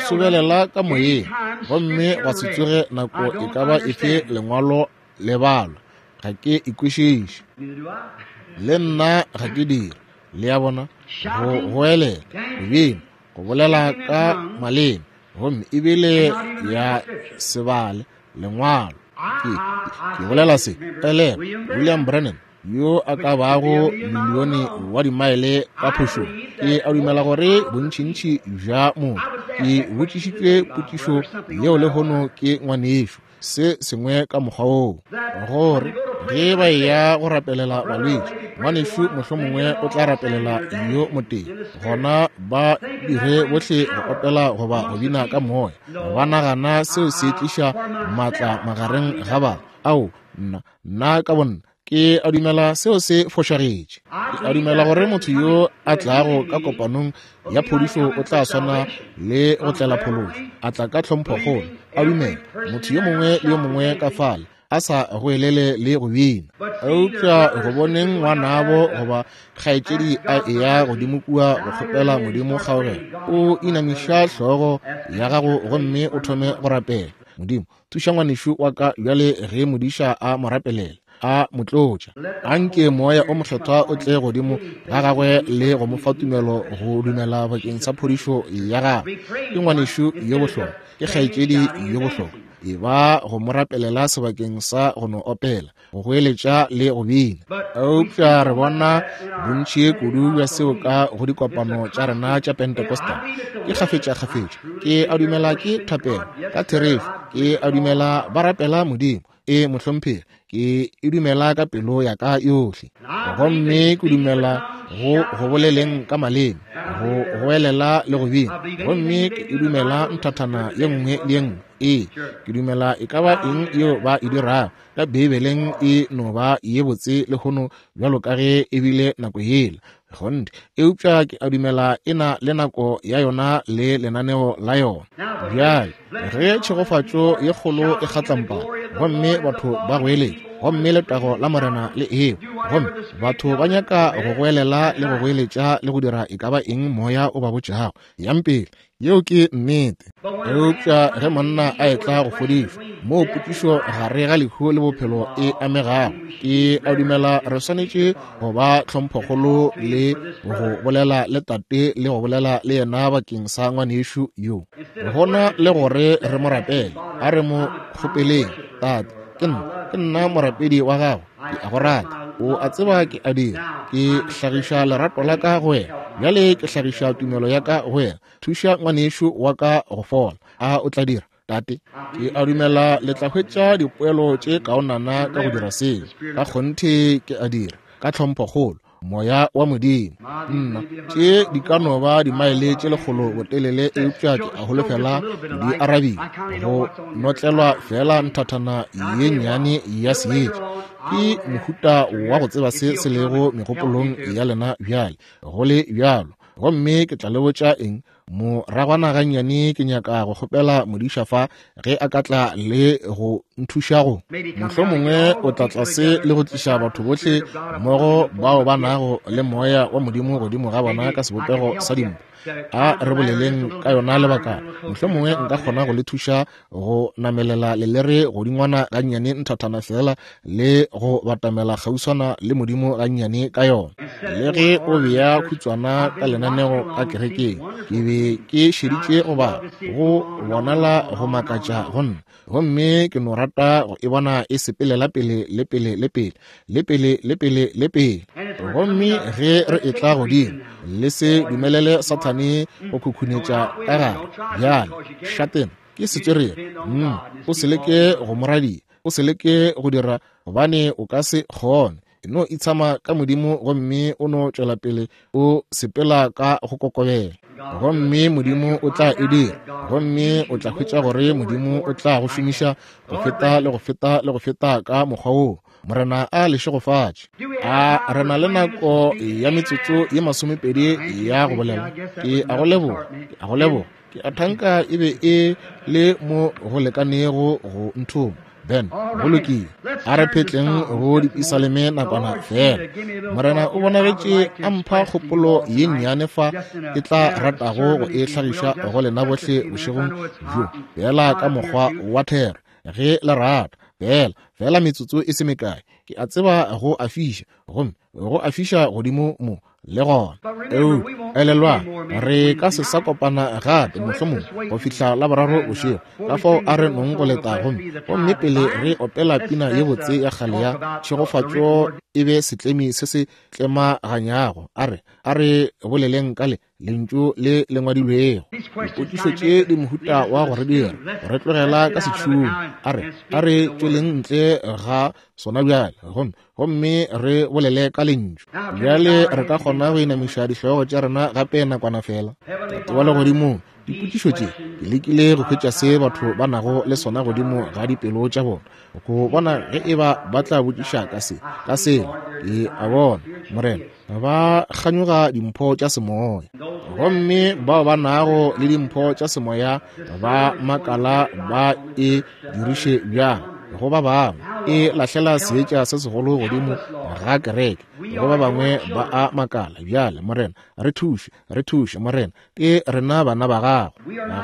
sobelela ka moyeng, gomme gwa se tsoge nako e ka ba efe lengwalo le balwa. Ga ke ikwešiše, le nna ga ke dire. Le a bona, go goelela, go bina, go bolela ka maleme, gomme ebile ya se bale lengwalo. Ke, ke bolela se, elelwa, William Branham yo a ka bago milione wa dimaele ka phošong, ke a dumela gore bontšintši bja motho. Ke botšišitšwe potšišo yeo lehono ke ngwanešu, se sengwe ka mokgwa woo, gore ge ba eya go rapelela balwetši, ngwanešu mohlomongwe o tla rapelela yo motee, gona ba dire bohle go opela goba go bina ka moya, ba nagana seo se tliša maatla magareng ga batho. Ao, nna, nna ka bonna ke a dumela seo se fošagetše. Ke a dumela gore motho yo a tlago ka kopanong ya phodišo o tla swana le go tlela phološo, a tla ka tlhomphokgolo, a dumela motho yo mongwe le yo mongwe ka fale, a sa goelele le go bina. Eupša go boneng ngwanabo goba kgaetšedi a eya godimo kua go kgopela Modimo kgaogelo, o inamiša hlogo ya gago gomme o thome go rapela. Modimo, thuša ngwanešu wa ka bjale ge modiša a mo rapelela, a mo tlotša. Anke moya o mokgethwa o tle godimo ga gagwe le go mo fa tumelo go dumela bakeng sa phodišo ya gagwe. Ke ngwanešu yo bohlokwa, ke kgaetšedi yo bohlokwa. E ba go mo rapelela sebakeng sa go no opela, go goeletša le go bina. Eupša re bona bontši kudu bja seo ka go dikopano tša rena tša Pentecostal. Ke kgafetša-kgafetša, ke a dumela ke thapelo, ka therešo, ke a dumela ba rapela Modimo. E mohlomphegi, ke e dumela ka pelo ya ka yohle. Gomme ke dumela go go boleleng ka maleme, go goelela le go bina. Gomme ke e dumela nthathana ye nngwe le ye nngwe. Ee, ke dumela e ka ba eng yeo ba e dirago ka Beibeleng e no ba ye botse lehono bjalo ka ge e bile nako yela. Kgonthe, eupša ke a dumela e na le nako ya yona le lenaneo la yona. Bjale, ge tšhegofatšo ye kgolo e kgatlampana, gomme batho ba goeletša, gomme letago la Morena le eo, gomme batho ba nyaka go goelela le go goeletša le go dira e ka ba eng moya o ba botšago, yang pele. Yeo ke nnete. Eupša ge monna a etla go fodišwa, moo potšišo gare ga lehu le bophelo e amegago, ke a dumela re swanetše go ba tlhomphokgolo le go bolela le tate le go bolela le yena bakeng sa ngwanešu yo. Gona le gore re mo rapele, a re mo kgopeleng, Tate, ke nna, ke nna morapedi wa gago, ke a go rata, o a tseba ke a dira, ke hlagiša lerato la ka go wena, bjale ke hlagiša tumelo ya ka go wena, thuša ngwanešu wa ka go fola. A o tla dira, Tate? Ke a dumela le tla hwetša dipoelo tše kaonana ka go dira seo. Ka kgonthe ke a dira, ka tlhomphokgolo, moya wa Modimo. Nna, tše di ka no ba dimaele tše lekgolo botelele, eupša ke a holofela di arabile go notlelwa fela nthathana ye nnyane ya seetša. Ke mohuta wa go tseba se se lego megopolong ya lena bjale, go le bjalo. Gomme ke tla le botša eng, moragwana gannyane ke nyaka go kgopela modiša fa ge a ka tla le go nthuša go. Mohlomongwe o tla tlase le go tliša batho bohle mmogo bao ba nago le moya wa Modimo godimo ga bona ka sebopego sa dimpho. A re boleleng ka yona lebaka. Mohlomongwe nka kgona go le thuša go namelela lelere godingwana gannyane nthathana fela le go batamela kgauswana le Modimo gannyane ka yona. Le ge o bea khutswana ka lenaneo ka kerekeng, ke be ke šeditše go bala, go bonala go makatša go nna. Gomme ke no rata go e bona e sepelela pele le pele le pele le pele le pele le pele. Gomme ge re etla godimo, le se dumelele Sathane go khukhunetša ka gare. Bjale, šatena ke setswerere. Mm, o se leke go mo radia, o se leke go dira, gobane o ka se kgone. E no itshama ka Modimo gomme o no tšwela pele o sepela ka go kokobela. Gomme Modimo o tla e dira, gomme o tla hwetša gore Modimo o tla go šomiša go feta le go feta le go feta ka mokgwa woo. Morena a le šegofatše. A re na le nako ya metsotso ye masomepedi ya go bolela. Ke a go leboga, ke a go leboga. Ke a thanka e be e le mo go lekanego go nthoma. Ben, go lokile. A re phetleng go dipisaleme nakwana fela. Morena o bonagetše a mpha kgopolo ye nnyane fa ke tla ratago go e hlagiša go lena bohle bošegong bjo, fela ka mokgwa wa thero, ge le rata. Fela, fela metsotso e se mekae. Ke a tseba go a fiša, gomme go a fiša godimo mo le gona. Eo, elelwang, re ka se sa kopana gape mohlomongwe go fihla Laboraro bošego. Ka fao a re nong go leta gomme, gomme pele re opela pina ye botse ya kgale ya tšhegofatšo e be setlemi se se tlemaganyago. A re, a re boleleng ka le lentšu le le ngwadilwego. Dipotšišo tše di mohuta wa go re dira re tlogela ka setšhung. A re, a re tšweleng ntle ga sona bjale, gomme gomme re bolele ka lentšu. Bjale re ka kgona go inamiša dihlogo tša rena gape nakwana fela. Tate wa legodimong, dipotšišo tše ke lekile go hwetša se batho ba nago le sona godimo ga dipelo tša bona, go bona ge e ba ba tla botšiša ka se, ka sela. Ke a bona, Morena, ba kganyoga dimpho tša semoya, gomme bao ba nago le dimpho tša semoya ba makala ba e diriše bjang go ba bangwe. E lahlela seetša se segolo godimo ga kereke. Go ba bangwe ba a makala bjale, Morena, re thuše, re thuše, Morena, ke rena bana ba gago.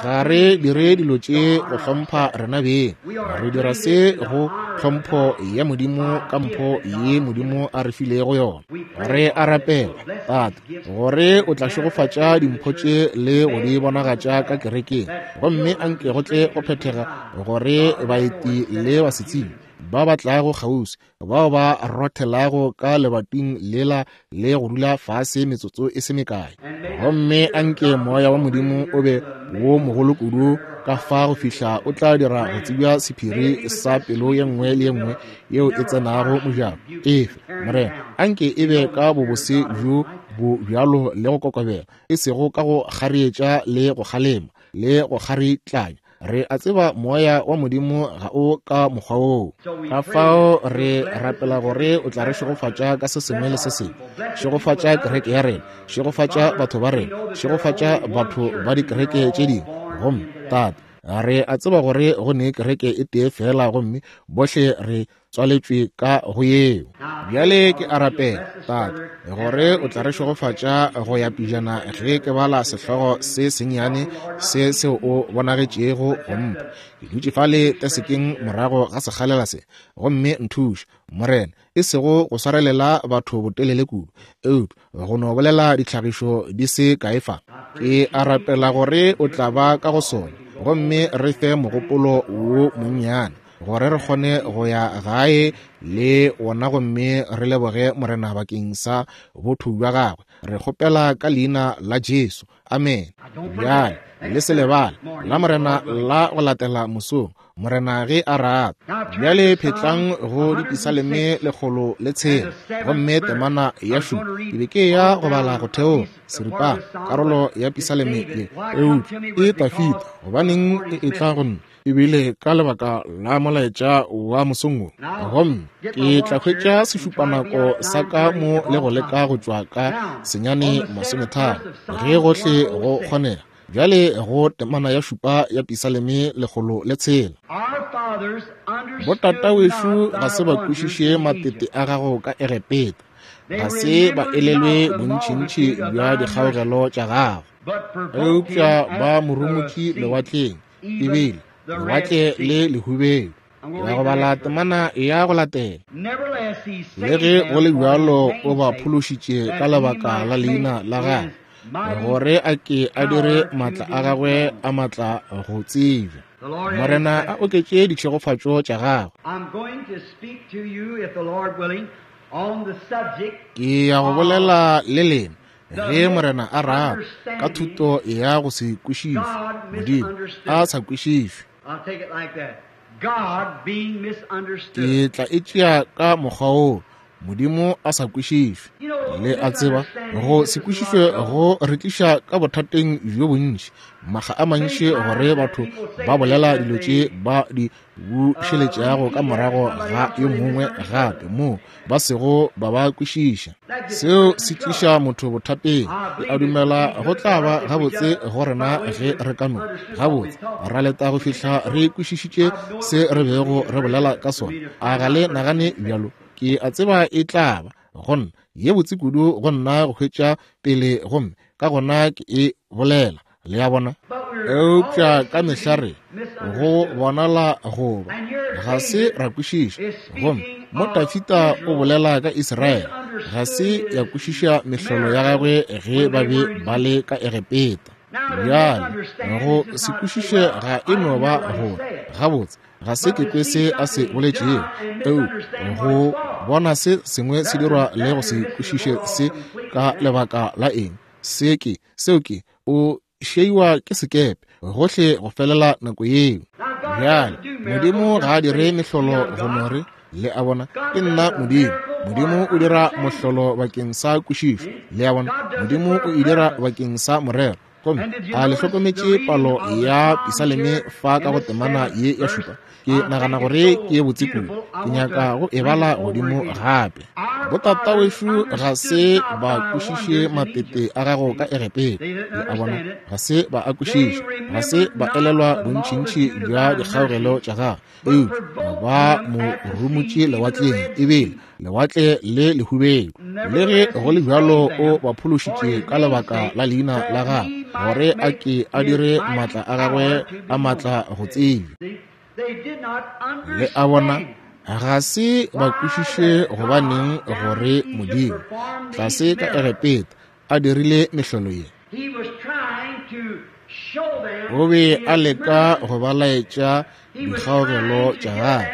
Ga re dire dilo tše go hlompha rena beng, re dira se go tlhompho ya Modimo ka mpho ye Modimo a re filego yona. Re a rapela, Tate, gore o tla šegofatša dimpho tše le go di bonagatša ka kerekeng, gomme anke go tle go phethega gore baeti le basetsebi ba ba tlago kgauswi, bao ba rothelago ka lebating lela le go dula fase metsotso e se mekae. Gomme anke moya wa Modimo o be wo mogolo kudu ka fa go fihla o tla dira go tsebja sephiri sa pelo ye nngwe le ye nngwe yeo e tsenago mojako. Efe, Morena, anke e be ka bobose bjo bo bjalo le go kokobela, e sego ka go kgarietša le go kgalema le go kgaritlanya. Re a tseba moya wa Modimo ga o ka mokgwa woo. Ka fao re rapela gore o tla re šegofatša ka se sengwe le se sengwe. Šegofatša kereke ya rena, šegofatša batho ba rena, šegofatša batho ba dikereke tše dingwe. Gomme Tate, re a tseba gore go ne kereke e tee fela, gomme bohle re tswaletšwe ka go yeo. Bjale ke a rapela, Tate, gore o tla re šegofatša go ya pejana ge ke bala sehlogo se sennyane se seo o bonagetšego go mpha. Ke dutše fale tesekeng morago ga sekgalela se, gomme nthuše, Morena, e sego go swarelela batho botelele kudu, eupša go no bolela ditlhagišo di se kae fa. Ke a rapela gore o tla ba ka go sona, gomme re fe mogopolo wo monnyane gore re kgone go ya gae le wona, gomme re leboge Morena bakeng sa botho bja gagwe. Re kgopela ka leina la Jesu, amen. Bjale le se lebale la Morena la go latela mosong, Morena ge a rata. Bjale phetlang go dipisaleme lekgolo le tshela, gomme temana ya šupa. Ke be ke ya go bala go theoga seripana karolo ya pisaleme ye, eupša e Tafita, gobaneng e etla go nna ebile ka lebaka la molaetša wa mosong wo. Gomme ke tla hwetša sešupanako sa ka mo le go leka go tšwa ka senyane masometharo ge gohle go kgonega. Bjale go temana ya šupa ya pisaleme lekgolo le tshela. Botatawešo ga se ba kwešiše matete a gago ka Egepeta, ga se ba elelwe bontšintši bja dikgaogelo tša gago, eupša ba morumotše lewatleng, ebile lewatle le lehubelo. Ya go bala temana ya go latela. Le ge go le bjalo o ba phološitše ka lebaka la leina la gagwe, gore a ke a dire matla a gagwe a matla go tsebja. Morena a oketše ditšhegofatšo tša gagwe. Ke ya go bolela le lena, ge Morena a rata, ka thuto ya go se kwešišwe, Modimo a sa kwešišwe. Ke tla e tšea ka mokgwa woo, Modimo a sa kwešišwe. Le a tseba, go se kwešišwe go re tliša ka bothateng bjo bontši, makga a mantši gore batho ba bolela dilo tše ba di bušeletšago ka morago ga yo mongwe gape moo ba sego ba ba kwešiša. Seo se tliša motho bothateng. Ke a dumela go tla ba gabotse go rena ge re ka no gabotse ra leta go fihla re kwešišitše se re bego re bolela ka sona. A ga le nagane bjalo? Ke a tseba e tla ba go nna ye botse kudu go nna go hwetša pele, gomme ka gona ke e bolela. Le a bona? Eupša ka mehla re go bonala goba ga se ra kwešiša. Gomme mo Tafita o bolela ka Israele, ga se ya kwešiša mehlolo ya gagwe ge ba be ba le ka Egepeta. Bjale go se kwešiše ga e no ba gore gabotse ga se ke kwe se a se boletšego, eupša go bona se sengwe se dirwa le go se kwešiše se ka lebaka la eng, se ke seo ke o šeiwa ke sekepe gohle go felela nako yeo. Bjale Modimo ga a dire mehlolo go no re, le a bona, ke nna Modimo. Modimo o dira mohlolo bakeng sa kwešišo. Le a bona, Modimo o e dira bakeng sa morero. Gomme a le hlokometše palo ya Pisaleme fa ka go temana ye ya šupa? Ke nagana gore ke ye botse kudu, ke nyaka go e bala godimo gape. Botatawešo ga se ba kwešiše matete a gago ka Egepeta. Le a bona, ga se ba a kwešiša, ga se ba elelwa bontšintši bja dikgaogelo tša gagwe, eupša ba mo rumotše lewatleng, ebile lewatle le lehubedu. Le ge go le bjalo o ba phološitše ka lebaka la leina la gagwe, gore a ke a dire maatla a gagwe a maatla go tsebja. Le a bona, ga se ba kwešiše gobaneng gore Modimo tlase ka Egepeta a dirile mehlolo ye. O be a leka go ba laetša dikgaogelo tša gagwe.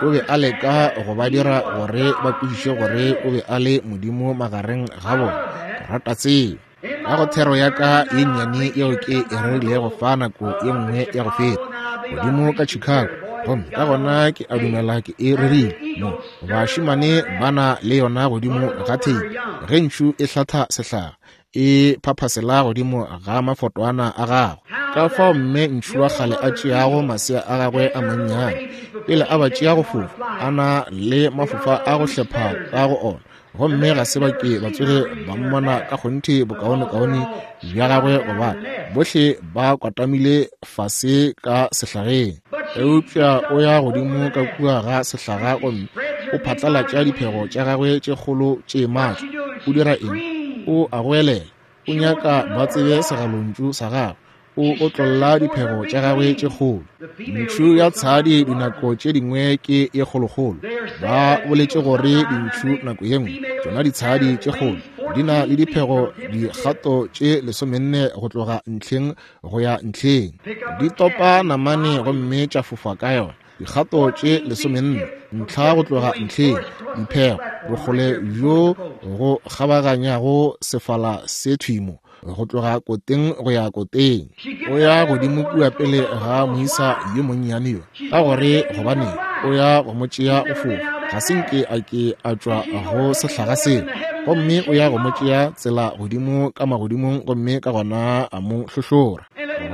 O be a leka go ba dira gore ba kwešiše gore o be a le Modimo magareng ga bona. Ke rata tseo. Ka go thero ya ka ye nnyane yeo ke e rerilego fa nako ye nngwe ya go feta godimo ka Chicago, gomme ka gona ke a dumela ke e rerile mo, bašemane ba na le yona godimo ga theipi. Ge ntšhu e hlatha sehlaga, e phaphasela godimo ga mafotwana a gagwe. Ka fao mme ntšhu wa kgale a tšeago masea a gagwe a mannyane pele a ba tšea go fofa, a na le mafofa a go hlepha ka go ona, gomme ga se ba ke ba tsoge ba mmona ka kgonthe bokaonekaone bja gagwe, gobane bohle ba kwatamile fase ka sehlageng. Eupša o ya godimo ka kua ga sehlaga gomme o phatlalatša diphego tša gagwe tše kgolo tše maatla. O dira eng? O a goelela. O nyaka ba tsebe segalontšu sa gagwe. O otlolla diphego tša gagwe tše kgolo. Ntšhu ya tshadi dinako tše dingwe ke ye kgolokgolo. Ba boletše gore dintšhu nako ye nngwe, tšona ditshadi tše kgolo, di na le diphego dikgato tše lesomenne go tloga ntlheng go ya ntlheng. Di topa namane gomme tša fofa ka yona. Dikgato tše lesomenne ntlha go tloga ntlheng, diphego bokgole bjo go kgabaganyago sefala se thwimo go tloga koteng go ya koteng. O ya godimo kua pele ga moisa yo monnyane yo, ka gore gobaneng o ya go mo tšea go fofa. Ga se nke a ke a tšwa go sehlaga seo, gomme o ya go mo tšea tsela godimo ka magodimong, gomme ka gona a mo hlohlora,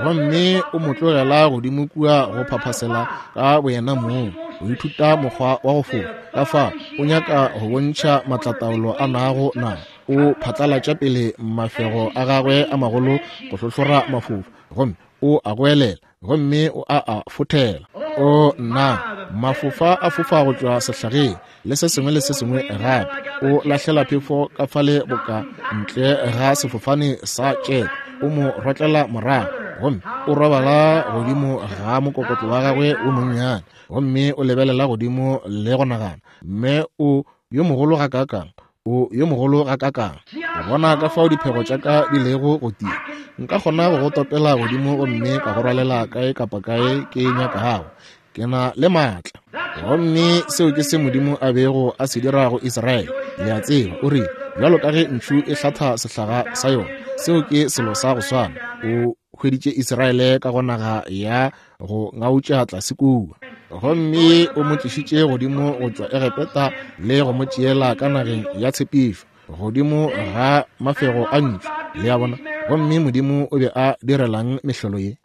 gomme o mo tlogela godimo kua go phaphasela ka boyena mong, go ithuta mokgwa wa go fofa. Ka fa o nyaka go bontšha maatlataolo a nago na. O phatlalatša pele mafego a gagwe a magolo go hlohlora mafofa, gomme o a goelela, gomme o a a fothela. O nna, mafofa a fofa go tšwa sehlageng le se sengwe le se sengwe gape. O lahlela phefo ka fale boka ntle ga sefofane sa tšete, o mo rotlela morago, gomme o robala godimo ga mokokotlo wa gagwe o monnyane, gomme o lebelela godimo le go nagana, mme o yo mogolo gakaakang, o yo mogolo gakaakang. O bona ka fao diphego tša ka di lego go tia. Nka kgona go go topela godimo gomme ka go rwalela kae kapa kae ke nyakago. Ke na le maatla. Gomme seo ke se Modimo a bego a se dira go Israele. Le a tseba, o rile, bjalo ka ge ntšhu e hlatha sehlaga sa yona, seo ke selo sa go swana. O hweditše Israele ka go naga ya go ngautša tlase kua, gomme o mo tlišitše godimo go tšwa Egepeta le go mo tšeela ka nageng ya tshepišo, godimo ga mafego a ntšhu. Le a bona? Gomme Modimo o be a direlang mehlolo ye?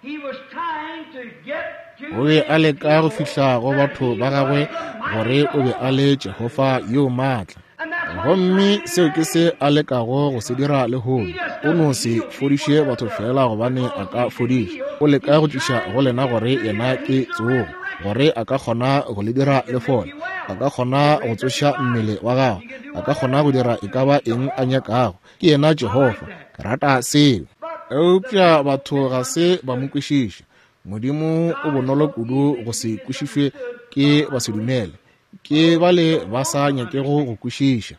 O be a leka go fihla go batho ba gagwe gore o be a le Jehofa yo maatla. Gomme seo ke se a lekago go se dira lehono. O no se fodiše batho fela gobane a ka fodiša. O leka go tliša go lena gore yena ke tsogo, gore a ka kgona go le dira le fole, a ka kgona go tsoša mmele wa gago, a ka kgona go dira e ka ba eng a nyakago. Ke yena Jehofa. Ke rata seo. Eupša batho ga se ba mo kwešiše. Modimo o bonolo kudu go se kwešišwe ke basedumele, ke bale ba sa nyakego go kwešiša.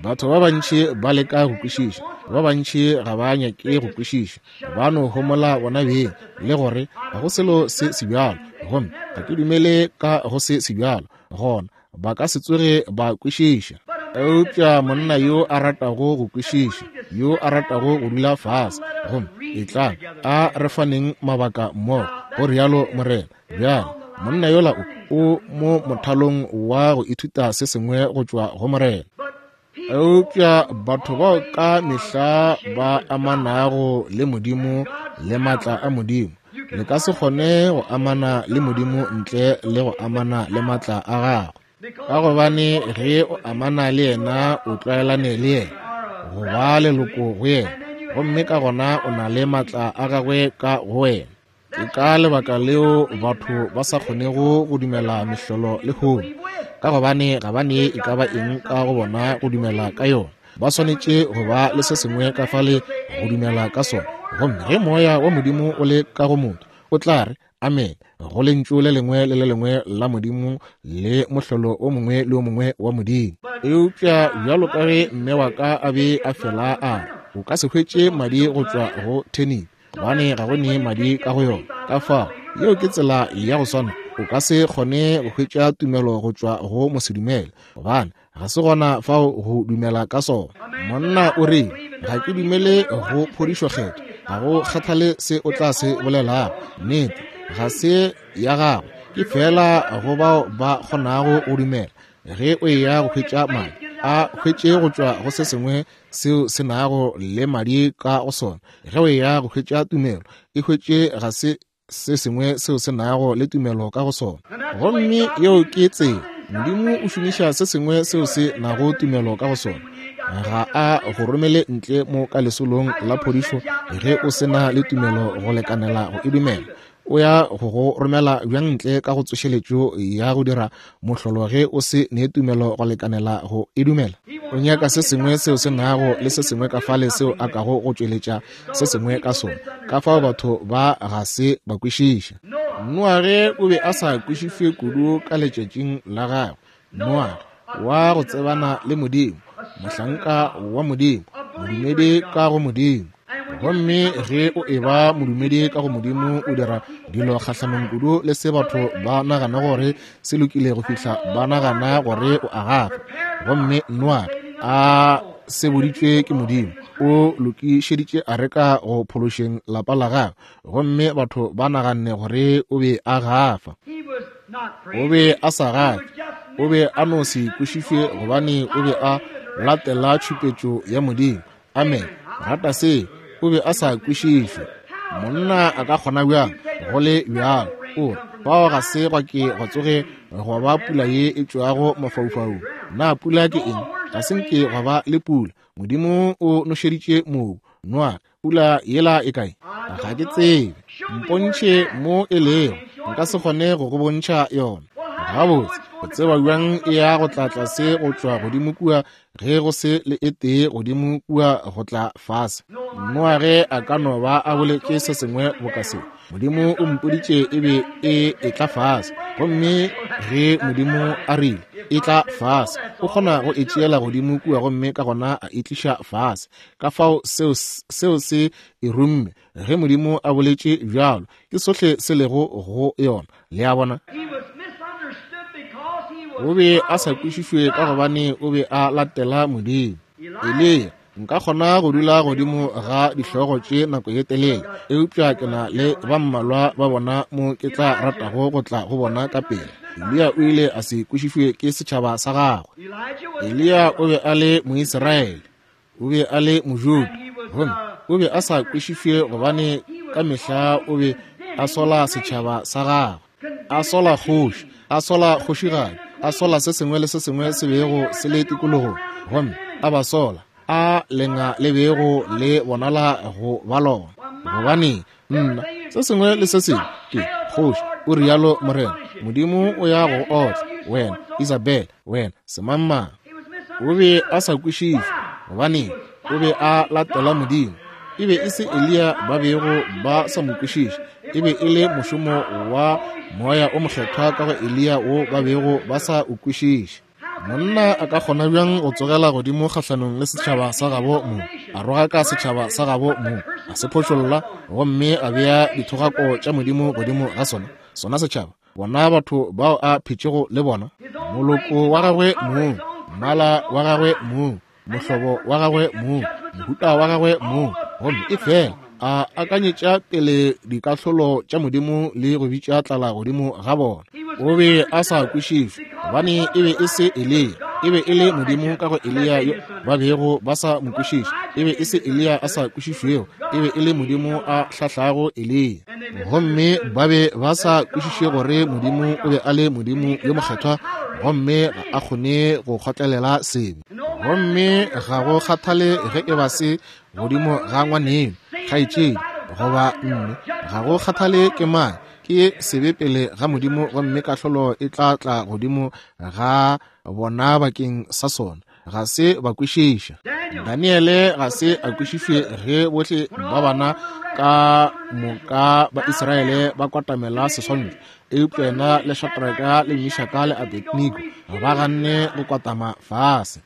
Batho ba bantši ba leka go kwešiša, ba bantši ga ba nyake go kwešiša. Ba no homola bona beng le gore ga go selo se sebjalo, gomme ga ke dumele ka go se sebjalo, gona ba ka se tsoge ba kwešiša. Eupša monna yo a ratago go kwešiša, yo a ratago go dula fase, gomme etlang a re faneng mabaka mmogo, go rialo Morena. Bjale monna yola o o mo mothalong wa go ithuta se sengwe go tšwa go Morena. Eupša batho bao ka mehla ba amanago le Modimo le maatla a Modimo, le ka se kgone go amana le Modimo ntle le go amana le maatla a gagwe. Ka gobane ge o amana le yena, o tlwaelane le yena, go ba leloko go yena, gomme ka gona o na le maatla a gagwe ka go wena. Ke ka lebaka leo batho ba sa kgonego go dumela mehlolo lehono, ka gobane ga ba ne e ka ba eng ka go bona go dumela ka yona. Ba swanetše go ba le se sengwe ka fale go dumela ka sona. Gomme ge moya wa Modimo o le ka go motho, o tla re amen go lentšu le lengwe le le lengwe la Modimo le mohlolo o mongwe le o mongwe wa Modimo. Eupša bjalo ka ge mme wa ka a be a fela a re, o ka se hwetše madi go tšwa go thenip, gobane ga go ne madi ka go yona. Ka fao yeo ke tsela ya go swana, o ka se kgone go hwetša tumelo go tšwa go mosedumele, gobane ga se gona fao go dumela ka sona. Monna o re, ga ke dumele go phodišo kgetho, ga go kgathale se o tla se bolelago. Nnete ga se ya gagwe, ke fela go bao ba kgonago go dumela. Ge o eya go hwetša madi, a hwetše go tšwa go se sengwe seo se nago le madi ka go sona. Ge o eya go hwetša tumelo, e hwetše ga se se sengwe seo se nago le tumelo ka go sona. Gomme yeo ke tsela Modimo o šomiša se sengwe seo se nago tumelo ka go sona. Ga a go romele ntle mo ka lesolong la phodišo ge o se na le tumelo go lekanela go e dumela. O ya go go romela bjang ntle ka go tsošeletšo ya go dira mohlolo ge o se ne tumelo go lekanela go e dumela? O nyaka se sengwe seo se nago le se sengwe ka fale seo a kago go tšweletša se sengwe ka sona. Ka fao batho ba ga se ba kwešiša. Noage o be a sa kwešišwe kudu ka letšatšing la gagwe. Noage wa go tsebana le Modimo, mohlanka wa Modimo, modumedi ka go Modimo. Gomme ge o eba modumedi ka go Modimo, o dira dilo kgahlanong kudu le se batho ba nagana gore se lokile go fihla ba nagana gore o a gafa. Gomme Noage a seboditšwe ke Modimo, o lokišeditše areka go phološeng lapa la gagwe, gomme batho ba naganne gore o be a gafa. O be a sa gafe, o be a no se kwešišwe gobane o be a latela tšhupetšo ya Modimo. Amen. Rata se, o be a sa kwešišwe. Monna a ka kgona bjang go le bjalo? O re, fao ga se gwa ke gwa tsoge gwa ba pula ye e tšwago mafaufaung. Na pula ke eng? Ga se nke gwa ba le pula. Modimo o nošeditše mobu. Noa, pula yela e kae? Ga ke tsebe. Mpontšhe mo e lego, nka se kgone go go bontšha yona. Gabotse, o tseba bjang e ya go tla tlase go tšwa godimo kua ge go se le e tee godimo kua go tla fase? Noage a ka no ba a boletše se sengwe boka se, Modimo o mpoditše e be e etla fase. Gomme ge Modimo a rile e tla fase, o kgona go e tšeela godimo kua gomme ka gona a e tliša fase. Ka fao seo, seo se e rumme. Ge Modimo a boletše bjalo, ke sohle se lego go yona. Le a bona? O be a sa kwešišwe ka gobane o be a latela Modimo. Eliya, nka kgona go dula godimo ga dihlogo tše nako ye telele, eupša ke na le ba mmalwa ba bona mo ke tla ratago go tla go bona ka pele. Eliya o ile a se kwešišwe ke setšhaba sa gagwe. Eliya o be a le Moisraele, o be a le Mojuda, gomme o be a sa kwešišwe gobane ka mehla o be a sola setšhaba sa gagwe, a sola kgoši, a sola kgošigadi, a sola se sengwe le se sengwe se bego se le tikologong, gomme a ba sola a lenga le bego le bonala go ba lona. Gobane nna se sengwe le se sengwe ke kgoši, o rialo Morena Modimo o ya go otla wena Isabel, wena semangmang. O be a sa kwešišwe gobane o be a latela Modimo. E be e se Eliya ba bego ba sa mo kwešiše, e be e le mošomo wa moya o mokgethwa ka go Eliya wo ba bego ba sa o kwešiše. Monna a ka kgona bjang go tsogela godimo kgahlanong le setšhaba sa gabo mo, a rogaka setšhaba sa gabo mo, a se phošolla gomme a bea dithogako tša Modimo godimo ga sona, sona setšhaba, bona batho bao a phetšego le bona, moloko wa gagwe mong, mmala wa gagwe mong, mohlobo wa gagwe mong, mohuta wa gagwe mong, gomme e fela a akanyetša pele dikahlolo tša Modimo le go bitša tlala godimo ga bona. O be a sa kwešišwe gobane e be e se Eliya, E be e le Modimo ka go Eliya yo ba bego ba sa mo kwešiše. E be e se Eliya a sa kwešišwego, e be e le Modimo a hlahlago Eliya. Gomme ba be ba sa kwešiše gore Modimo o be a le Modimo yo mokgethwa, gomme ga a kgone go kgotlelela sebe. Gomme ga go kgathale ge e ba se godimo ga ngwaneno, kgaetšedi, goba mme, ga go kgathale ke mang, ke sebe pele ga Modimo, gomme kahlolo e tla tla godimo ga bona bakeng sa sona. Ga se ba kwešiša. Daniele ga se a kwešišwe ge bohle ba bana ka moka ba Israele ba kwatamela seswantšho, eupša yena le Shadraka le Meshaka le Abednego ba ganne go kwatama fase.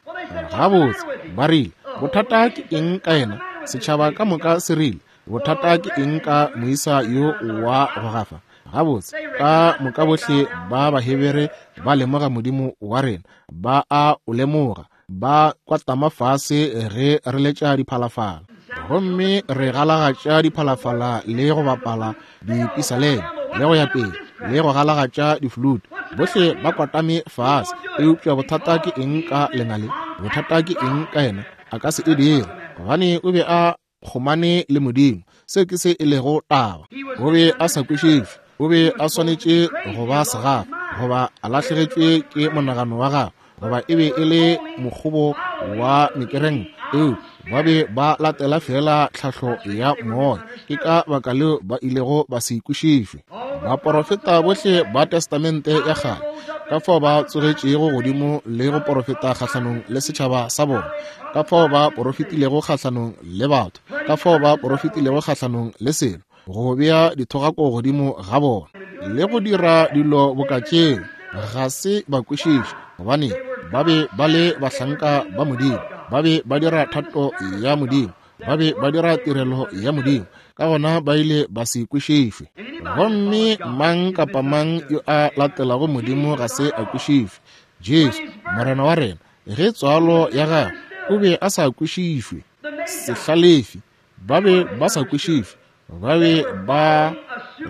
Gabotse ba rile, bothata ke eng ka yena? Setšhaba ka moka se rile, bothata ke eng ka moisa yo wa go gafa? Gabotse ka moka bohle ba Bahebere ba lemoga Modimo wa rena, ba a o lemoga, ba kwatama fase ge re letša diphalafala, gomme re galagatša diphalafala le go bapala dipisaleme le go ya pele le go galagatša diflute. Bohle ba kwatame fase. Eupša bothata ke eng ka lena le? Bothata ke eng ka yena? A ka se e dire, gobane o be a kgomane le Modimo. Se ke se e lego taba. O be a sa kwešišwe. O be a swanetše go ba segafa, goba a lahlegetšwe ke monagano wa gagwe, goba e be e le mokgobo wa mekereng. Eo ba be ba latela fela tlhahlo ya moya. Ke ka baka leo ba ilego ba se kwešišwe. Baporofeta bohle ba Testamente ya kgale, ka fao ba tsogetšego godimo le go porofeta kgahlanong le setšhaba sa bona, ka fao ba porofetilego kgahlanong le batho, ka fao ba porofetilego kgahlanong le selo, go bea dithogako godimo ga bona le go dira dilo boka tšeo, ga se ba kwešiše, gobane ba be ba le bahlanka ba Modimo, ba be ba dira thato ya Modimo, ba be ba dira tirelo ya Modimo, ka gona ba ile ba se kwešišwe. Gomme mang kapa mang yo a latelago Modimo ga se a kwešišwe. Jesu Morena wa rena, ge tswalo ya gagwe, o be a sa kwešišwe. Sehlalefi ba be ba sa kwešišwe, ba be ba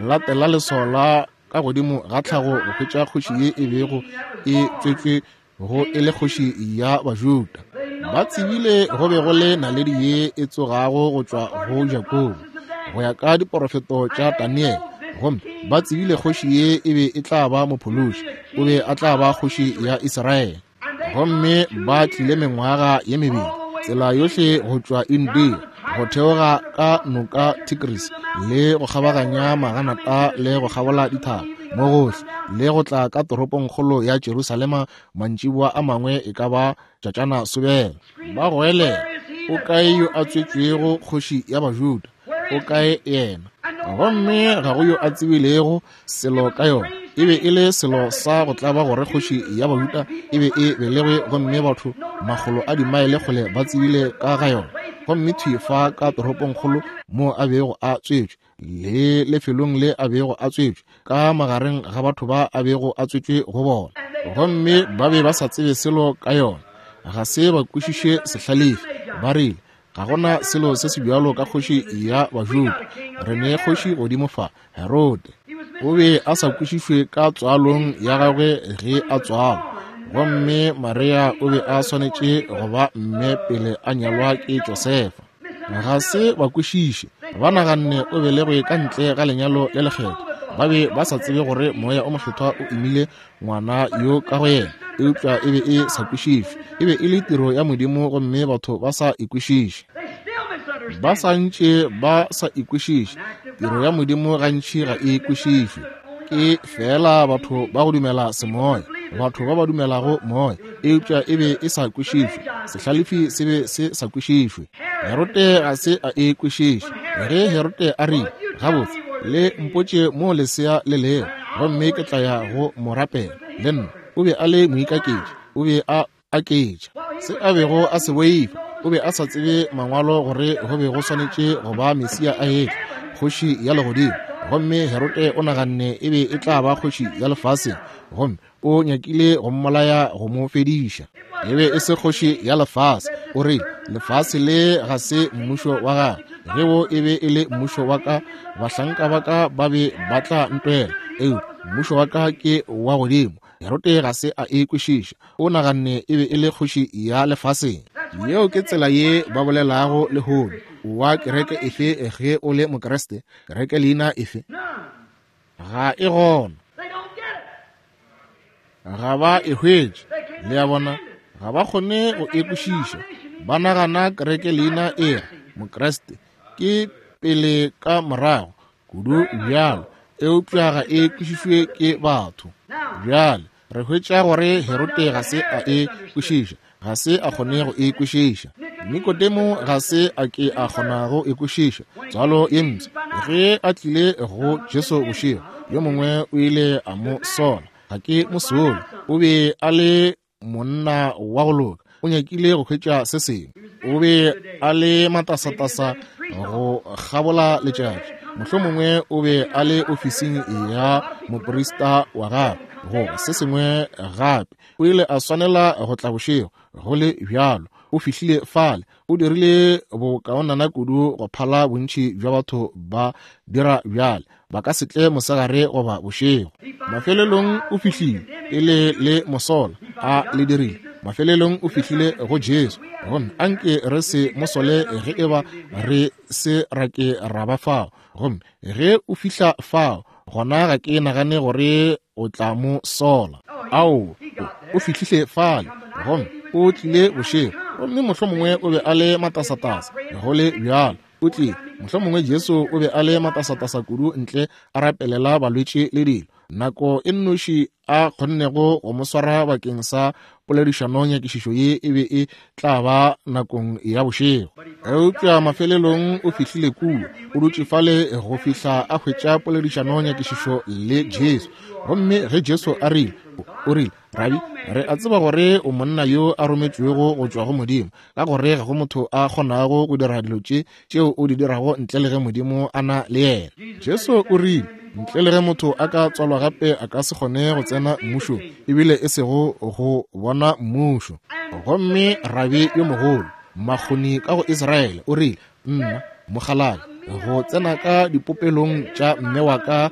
latela leswao la ka godimo ga tlhago go hwetša kgoši ye e bego e tswetšwe go e le kgoši ya Bajuda. Ba tsebile go be go le naledi ye e tsogago go tšwa go Jakobo go ya ka diporofeto tša Daniele, gomme ba tsebile kgoši ye e be e tla ba mophološi, o be a tla ba kgoši ya Israele. Gomme ba tlile mengwaga ye mebedi tsela yohle go tšwa India go theoga ka noka Tigris le go kgabaganya maganata le go kgabola dithaba mo gohle le go tla ka toropongkgolo ya Jerusalema mantšiboa a mangwe e ka ba tšatšana sobela. Ba goelela, o kae yo a tswetšwego kgoši ya Bajuda? O kae yena? Gomme ga go yo a tsebilego selo ka yona. E be e le selo sa go tlaba gore kgoši ya Bajuda e be e belegwe, gomme batho makgolo a dimaele kgole ba tsebile ka ga yona. Gomme thwi fa ka toropongkgolo mo a bego a tswetšwe, le lefelong le a bego a tswetšwe, ka magareng ga batho ba a bego a tswetšwe go bona, gomme ba be ba sa tsebe selo ka yona. Ga se ba kwešiše sehlalefi. Ba rile, ga gona selo se se bjalo ka kgoši ya Bajuda, re ne kgoši godimo fa, Herode. O be a sa kwešišwe ka tswalong ya gagwe ge a tswalwa, gomme Maria o be a swanetše go ba mme pele a nyalwa ke Josefa. Ga se ba kwešiše. Ba naganne o belegwe ka ntle ga lenyalo le lekgetho. Ba be ba sa tsebe gore moya o mokgethwa o imile ngwana yo ka go yena, eupša e be e sa kwešišwe. E be e le tiro ya Modimo, gomme batho ba sa e kwešiše. Ba sa ntše ba sa e kwešiše. Tiro ya Modimo gantši ga e kwešišwe. Ke fela batho ba go dumela semoya, batho ba ba dumelago moya, eupša e be e sa kwešišwe. Sehlalefi se be se sa kwešišwe. Herode ga se a e kwešiše. Ge Herode a rile, gabotse, le mpotše mo lesea le lego, gomme ke tla ya go mo rapela le nna. O be a le moikaketši, o be a aketša se a bego a se boifa. O be a sa tsebe mangwalo gore go be go swanetše go ba Mesia a etla, kgoši ya legodimo. Gomme Herode o naganne e be e tla ba kgoši ya lefaseng, gomme o nyakile go mmolaya go mo fediša. E be e se kgoši ya lefase. O rile, lefase le ga se mmušo wa gagwe. Ge wo e be e le mmušo wa ka, bahlanka ba ka ba be ba tla ntwela, eupša mmušo wa ka ke wa godimo. Herode ga se a e kwešiša. O naganne e be e le kgoši ya lefaseng. Yeo ke tsela ye ba bolelago lehono. Wa kereke efe ge o le Mokriste? Kereke leina efe? Ga e gona. Ga ba e hwetše. Le a bona, ga ba kgone go e kwešiša. Ba nagana kereke leina e Mokriste ke pele ka morago kudu bjalo, eupša ga e kwešišwe ke batho. Bjale re hwetša gore Herode ga se a e kwešiša, ga se a kgone go e kwešiša. Nikodemo ga se a ke a kgona go e kwešiša tswalo ye mpsha. Ge a tlile go Jesu bošego, yo mongwe o ile a mo sola. Ga ke mo sole, o be a le monna wa go loka, o nyakile go hwetša se sengwe. O be a le matasatasa go kgabola letšatši. Mohlomongwe o be a le ofising ya moprista wa gagwe goba se sengwe gape. O ile a swanela go tla bošego. Go le bjalo, o fihlile fale, o dirile bokaonana kudu go phala bontši bja batho ba dira bjale. Ba ka se tle mosegare goba bošego. Mafelelong o fihlile e le le mosola a le dirile. Mafelelong o fihlile go Jesu. Gomme anke re se mosole ge eba re se ra ke ra ba fao. Gomme ge o fihla fao, gona ga ke nagane gore o tla mo sola. Ao, o fihlile fale, gomme o tlile bošego. Gomme mohlomongwe o be a le matasatasa. Go le bjalo, o tlile. Mohlomongwe Jesu o be a le matasatasa kudu ntle a rapelela balwetši le dilo. Nako e nnoši a kgonnego go mo swara bakeng sa poledišano nyakišišo ye e be e tla ba nakong ya bošego. Eupša mafelelong o fihlile kua, o dutše fale go fihla a hwetša poledišano nyakišišo le Jesu. Gomme ge Jesu a rile, o rile, Rabi, re a tseba gore o monna yo a rometšwego go tšwa go Modimo, ka gore ga go motho a kgonago go dira dilo tše tšeo o di dirago ntle le ge Modimo a na le yena. Jesu o rile, ntle le ge motho a ka tswalwa gape a ka se kgone go tsena mmušong, ebile e sego go bona mmušo. Gomme rabi yo mogolo, makgoni ka go Israele, o rile, nna mokgalabje go tsena ka dipopelong tša mme wa ka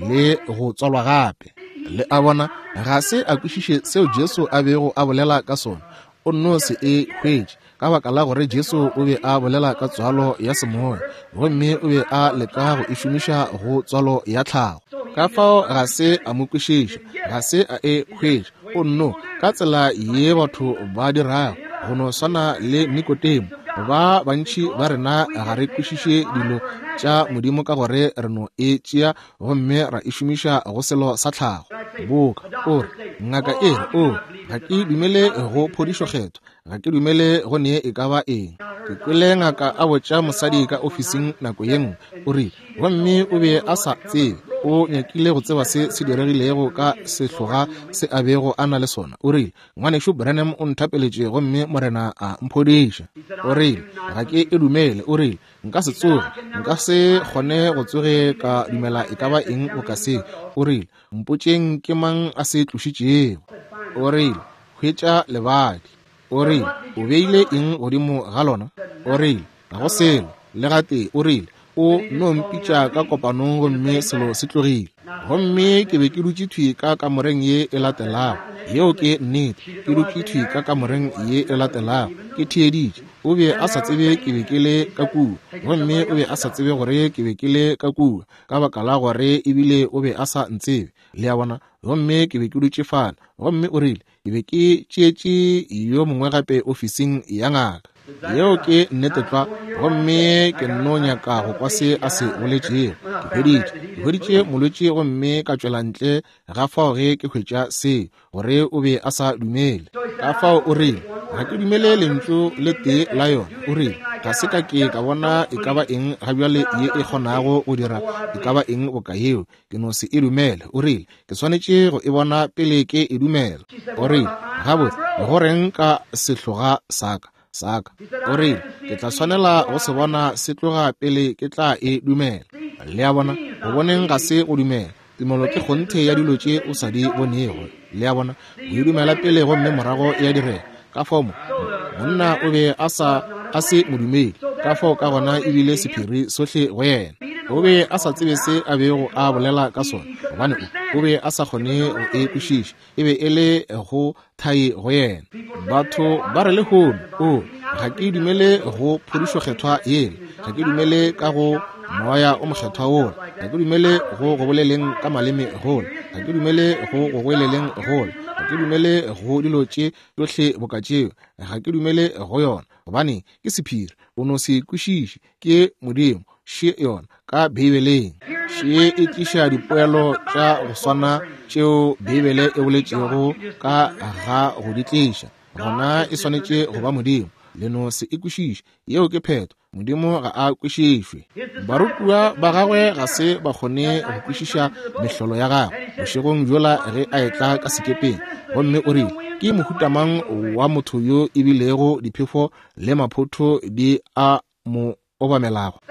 le go tswalwa gape. Le a bona, ga se a kwešiše seo Jesu a bego a bolela ka sona. O nno se e hwetše ka baka la gore Jesu o be a bolela ka tswalo ya semoya, gomme o be a leka go e šomiša go tswalo ya tlhago. Ka fao ga se a mo kwešiša, ga se a e hwetše. O nno ka tsela ye batho ba dirago, go no swana le Nikodemo. Ba bantši ba rena ga re kwešiše dilo tša Modimo ka gore re no e tšea gomme ra e šomiša go selo sa tlhago. Boka o re, ngaka e re, o ga ke dumele go phodišo kgetho, ga ke dumele go nee e ka ba eng. Ke kwele ngaka a botša mosadi ka ofising nako ye nngwe, o rile, gomme o be a sa tsebe, o nyakile go tseba se se diregilego ka sehloga se a bego a na le sona. O rile, ngwanešu Branham o nthapeletše gomme Morena a mphodiša. O rile, ga ke e dumele. O rile, nka se tsoge, nka se kgone go tsoge ka dumela e ka ba eng o ka se. O rile, mpotšeng ke mang a se tlošitšego. O rile, hwetša lebadi. O rile, o beile eng godimo ga lona? O rile, ga go selo le gatee. O rile, o no mpitša ka kopanong gomme selo se tlogile. Gomme ke be ke dutše thwi ka kamoreng ye e latelago. Yeo ke nnete, ke dutše thwi ka kamoreng ye e latelago, ke theeditše. O be a sa tsebe ke be ke le ka kua, gomme o be a sa tsebe gore ke be ke le ka kua, ka baka la gore ebile o be a sa ntsebe. Le a bona? Gomme ke be ke dutše fale. Gomme o rile, ke be ke tšeetše yo mongwe gape ofising ya ngaka. Yeo ke nnete tlwa. Gomme ke nno nyaka go kwa se a se boletšego. Ke hweditše, ke hweditše molwetši gomme ka tšwela ntle ga fao ge ke hwetša se, gore o be a sa dumele. Ka fao o rile, ga ke dumele lentšu le tee la yona. O rile, ga se ka ke ka bona e ka ba eng ga bjale ye e kgonago go dira e ka ba eng boka yeo. Ke no se e dumele. O rile, ke swanetše go e bona pele ke e dumela. O rile, gabotse, go reng ka sehloga sa ka? Saka. O rile, ke tla swanela go se bona se tloga pele ke tla e dumela. Le a bona, go boneng ga se go dumela. Tumelo ke kgonthe ya dilo tše o sa di bonego. Le a bona, o e dumela pele gomme morago ya direga. Ka fao mo, monna o be a sa a se modumedi. Ka fao ka gona ebile sephiri sohle go yena. O be a sa tsebe se a bego a bolela ka sona, gobane o be a sa kgone go e kwešiša. E be e le go thai go yena. Batho ba re lehono, o, ga ke dumele go phodišo kgethwa yela, ga ke dumele ka go moya o mokgethwa wola, ga ke dumele go go boleleng ka maleme gola, ga ke dumele go go goeleleng gola, ga ke dumele go dilo tše tšohle boka tšeo, ga ke dumele go yona, gobane ke sephiri, o no se kwešiše, ke Modimo. Še yona ka Beibeleng. Še e tliša dipoelo tša go swana tšeo Beibele e boletšego ka ga go di tliša. Gona e swanetše go ba Modimo. Le no se e kwešiše. Yeo ke phetho. Modimo ga a kwešišwe. Barutiwa ba gagwe ga se ba kgone go kwešiša mehlolo ya gagwe bošegong bjola ge a etla ka sekepeng, gomme o rile, ke mohuta mang wa motho yo e bilego diphefo le maphotho di a mo obamelago?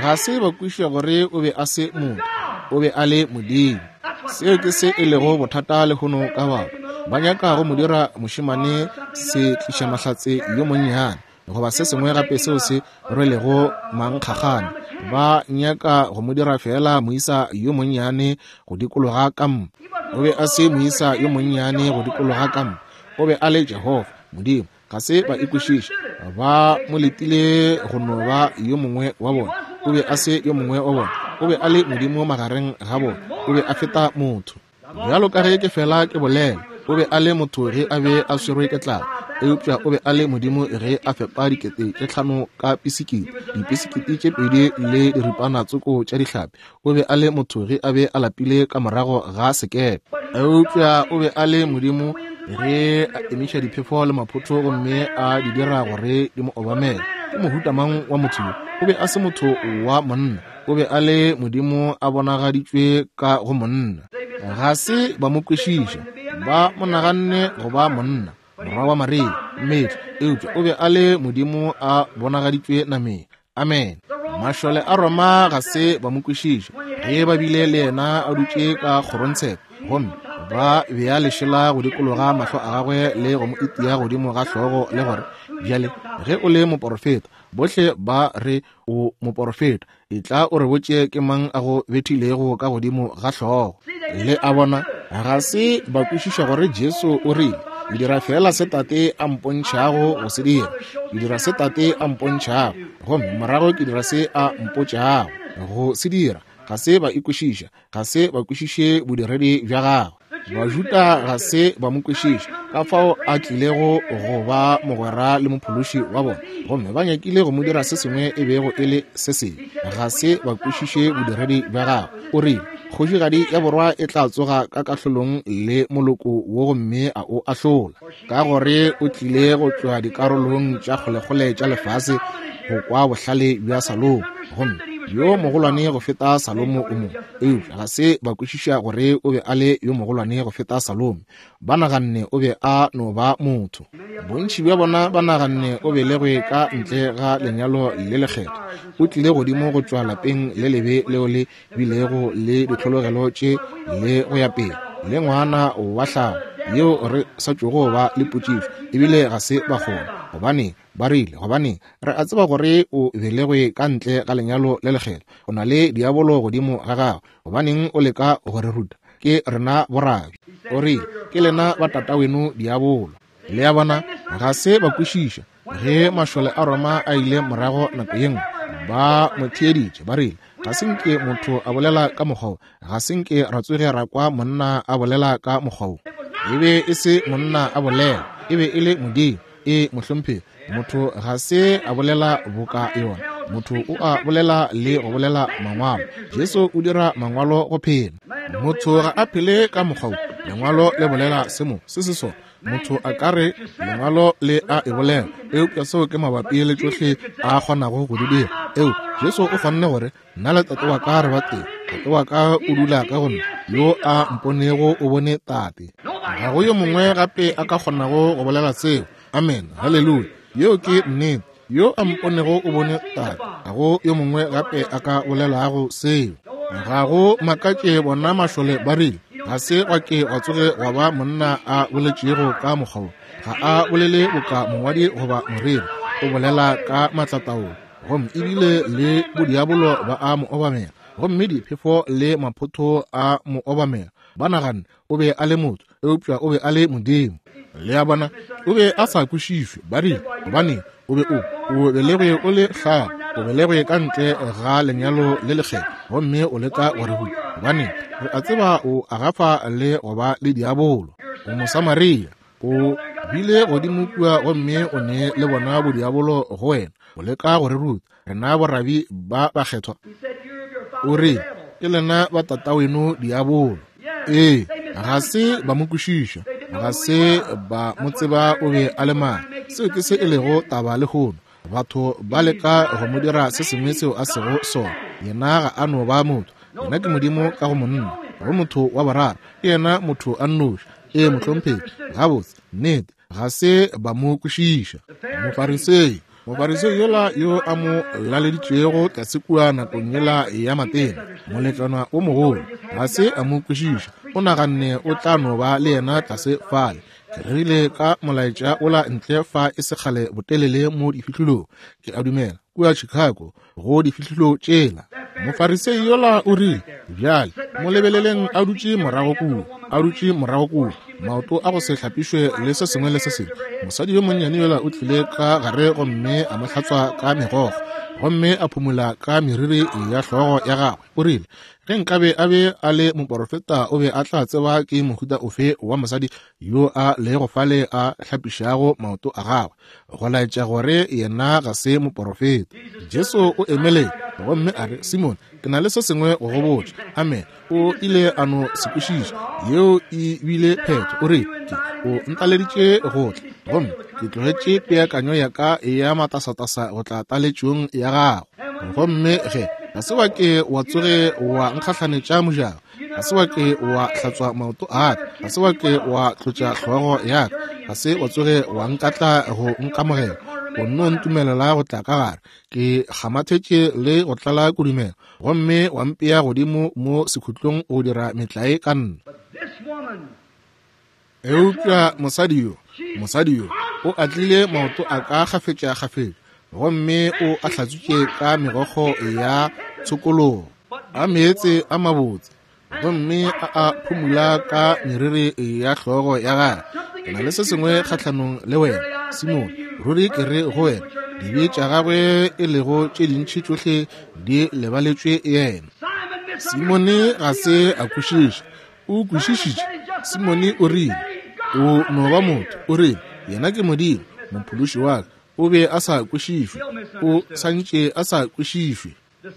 Ga se ba kwešiša gore o be a se motho, o be a le Modimo. Seo ke se e lego bothata lehono ka batho. Ba nyaka go mo dira mošemane se tliša mahlatse yo monnyane, goba se sengwe gape seo se rwelego mankgagane. Ba nyaka go mo dira fela moisa yo monnyane go dikologa kampa. O be a se moisa yo monnyane go dikologa kampa. O be a le Jehofa Modimo. Ga se ba ikwešiša. Ba mo letile go no ba yo mongwe wa bona. O be a se yo mongwe wa bona. O be a le Modimo magareng ga bona. O be a feta motho. Bjalo ka ge ke fela ke bolela, o be a le motho ge a be a swerwe ke tlala, eupša o be a le Modimo ge a fepa dikete tše hlano ka pisikiti, dipisikiti tše pedi le diripana tsoko tša dihlapi. O be a le motho ge a be a lapile ka morago ga sekepe, eupša o be a le Modimo ge a emiša diphefo le maphotho gomme a di dira gore di mo obamele. Ke mohuta mang wa motho yo? O be a se motho wa monna, o be a le Modimo a bonagaditšwe ka go monna. Ga se ba mo kwešiša, ba mo naganne go ba monna, morwa wa Maria, mmetli, eupša o be a le Modimo a bonagaditšwe nameng. Amen. Mašole a Roma ga se ba mo kwešiša ge ba bile le yena a dutše ka kgorongtsheko, gomme ba bea lešela go dikologa mahlo a gagwe le go mo itia godimo ga hlogo le gore, bjale ge o le moporofeta, bohle ba re o moporofeta, etla o re botše ke mang a go bethilego ka godimo ga hlogo. Le a bona, ga se ba kwešiša gore Jesu o rile, ke dira fela se Tate a mpontšhago go se dira, ke dira se Tate a mpontšhago, gomme morago ke dira se a mpotšago go se dira. Ga se ba ikwešiša, ga se ba kwešiše bodiredi bja gagwe. Bajuda ga se ba mo kwešiša ka fao a tlilego go ba mogwera le mophološi wa bona, gomme ba nyakile go mo dira se sengwe e bego e le se sengwe. Ga se ba kwešiše bodiredi bja gagwe. O rile, kgošigadi ya borwa e tla tsoga ka kahlolong le moloko wo gomme a o ahlola, ka gore o tlile go tšwa dikarolong tša kgolekgole tša lefase go kwa bohlale bja Salomo, gomme yo mogolwane go feta Salomo o mo. Eupša ga se ba kwešiša gore o be a le yo mogolwane go feta Salomo. Ba naganne o be a no ba motho. Bontši bja bona ba naganne o belegwe ka ntle ga lenyalo le lekgetho. O tlile godimo go tšwa lapeng le lebe leo le bilego le ditlhologelo tše le go ya pele, le ngwana wa hlago yeo re sa tšogo ba le potšišo, ebile ga se ba kgona. Gobane ba rile, gobane re a tseba gore o belegwe ka ntle ga lenyalo le lekgetho, o na le diabolo godimo ga gago, gobaneng o leka go re ruta? Ke rena borabi. O rile, ke lena ba tataweno diabolo. Le a bona, ga se ba kwešiša. Ge mašole a Roma a ile morago nako ye nngwe, ba mo theeditše, ba rile, ga se nke motho a bolela ka mokgwa wo, ga se nke ra tsoge ra kwa monna a bolela ka mokgwa wo. E be e se monna a bolela, e be e le Modimo. E mohlomphegi, motho ga se a bolela boka yona. Motho o a bolela le go bolela mangwalo. Jesu o dira mangwalo go phela. Motho ga a phele ka mokgwa wo. Lengwalo le bolela se mo, se se sona. Motho a ka re lengwalo le a e bolela, eupša seo ke mabapi le tšohle a kgonago go di dira. Eo Jesu o kgonne gore, nna le Tate wa ka re ba tee, Tate wa ka o dula ka go nna, yo a mponego o bone Tate. Ga go yo mongwe gape a ka kgonago go bolela seo. Amen, haleluya. Yeo ke nnete. Yo a mponego o bone Tate. Ga go yo mongwe gape a ka bolelago seo. Ga go makatše bona mašole ba rile, ga se gwa ke gwa tsoge gwa ba monna a boletšego ka mokgwa wo. Ga a bolele boka mongwadi goba moreri, o bolela ka maatlataolo. Gomme ebile le bodiabolo ba a mo obamela, gomme diphefo le maphotho a mo obamela. Ba naganne o be a le motho, eupša o be a le Modimo. Le a bona, o be a sa kwešišwe. Ba rile, gobane o be o o belegwe o le hlago, o belegwe ka ntle ga lenyalo le lekgetho, gomme o leka go re ruta. Gobane re a tseba o agafa le go ba le diabolo. O Mosamaria, o bile godimo kua gomme o ne le bona bodiabolo go wena, o leka go re ruta rena borabi ba bakgethwa. O re, ke lena ba tataweno diabolo. Ee, ga se ba mo kwešiša, ga se ba mo tseba o be a le mang. Seo ke se e lego taba lehono. Batho ba leka go mo dira se sengwe seo a sego sona. Yena ga a no ba motho, yena ke Modimo ka go monna, go motho wa boraro, ke yena motho a nnoši. Ee, mohlomphegi, gabotse, nnete, ga se ba mo kwešiša. Mofarisei, Mofarisei yola yo a mo laleditšego tlase kua nakong yela ya matena, moletlwana o mogolo, ga se a mo kwešiša. O naganne o tla no ba le yena tlase fale. Ke rerile ka molaetša ola ntle fa e sekgale botelele mo difihlolong, ke a dumela, kua Chicago, go difihlolo tšela. Mofarisei yola o rile, bjale, mo lebeleleng a dutše morago kua, a dutše morago kua, maoto a go se hlapišwe le se sengwe le se sengwe. Mosadi yo monnyane yola o tlile ka gare gomme a mo hlatswa ka megokgo, gomme a phumula ka meriri ya hlogo ya gagwe. O rile, ge nkabe a be a le moporofeta, o be a tla tseba ke mohuta ofe wa mosadi yo a lego fale a hlapišago maoto a gagwe, go laetša gore yena ga se moporofeta. Jesu o emeletse gomme a re, Simon, ke na le se sengwe go go botša. Amen. O ile a no se kwešiša. Yeo e bile phetho. O re, ke o ntaleditše go tla, gomme ke tlogetše peakanyo ya ka ya matasatasa go tla taletšong ya gago. Gomme ge ga se wa ke wa tsoge wa nkgahlanetša mojako, ga se wa ke wa hlatswa maoto a ka, ga se wa ke wa tlotša hlogo ya ka, ga se wa tsoge wa nkatla go nkamogela, o nno ntumelela go tla ka gare. Ke kgamathetše le go tlala kudumela, gomme wa mpea godimo mo sekhutlong go dira metlae ka nna. Eupša mosadi yo, mosadi yo o atlile maoto a ka kgafetša-kgafetša, gomme o a hlatswitše ka megokgo ya tshokologo, a meetse a mabotse, gomme a a phumula ka meriri ya hlogo ya gagwe. Ke na le se sengwe kgahlanong le wena, Simon. Ruri ke re go wena, dibe tša gagwe e lego tše dintši tšohle di lebaletšwe yena. Simone ga se a kwešiša. O kwešišitše. Simone o rile, o no ba motho. O rile, yena ke Modimo, mophološi wa ka. O be a sa kwešišwe. O santše a sa kwešišwe.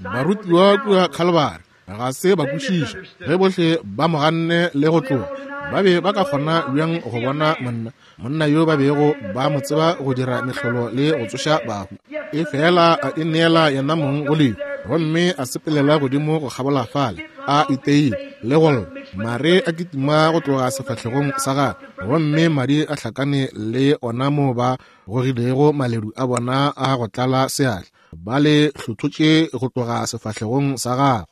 Barutiwa kua Kalvari ga se ba kwešiša. Ge bohle ba mo ganne le go tloga, ba be ba ka kgona bjang go bona monna, monna yo ba bego ba mo tseba go dira mehlolo le go tsoša bahu? E fela a ineela yena mong go lehu, gomme a sepelela godimo go kgabola fale, a iteile le go lla. Mare a kitima go tloga sefahlegong sa gagwe, gomme madi a hlakane le ona mo ba gogilego maledu a bona a go tlala seatla, ba le hlothotše go tloga sefahlegong sa gagwe.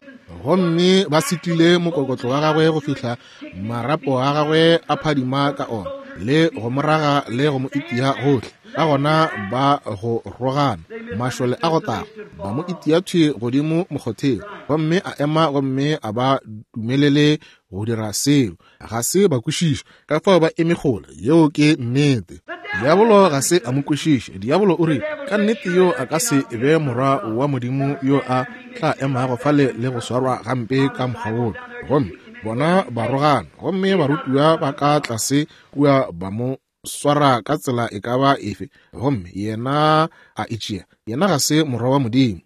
Gomme ba setlile mokokotlo wa gagwe go fihla marapo a gagwe a phadima ka ona, le go moraga le go mo itia gohle. Ka gona ba go rogana, mašole a go taga ba mo itia thwi godimo mokgotheng, gomme a ema gomme a ba dumelele go dira seo. Ga se ba kwešiša, ka fao ba eme kgole. Yeo ke nnete. Diabolo ga se a mo kwešiše. Diabolo o rile, ka nnete yo a ka se be morwa wa Modimo yo a tla emago fale le go swarwa gampe ka mokgwa wola. Gomme bona ba rogana, gomme barutiwa ba ka tlase kua ba mo swara ka tsela e ka ba efe, gomme yena a itšea. Yena ga se morwa wa Modimo.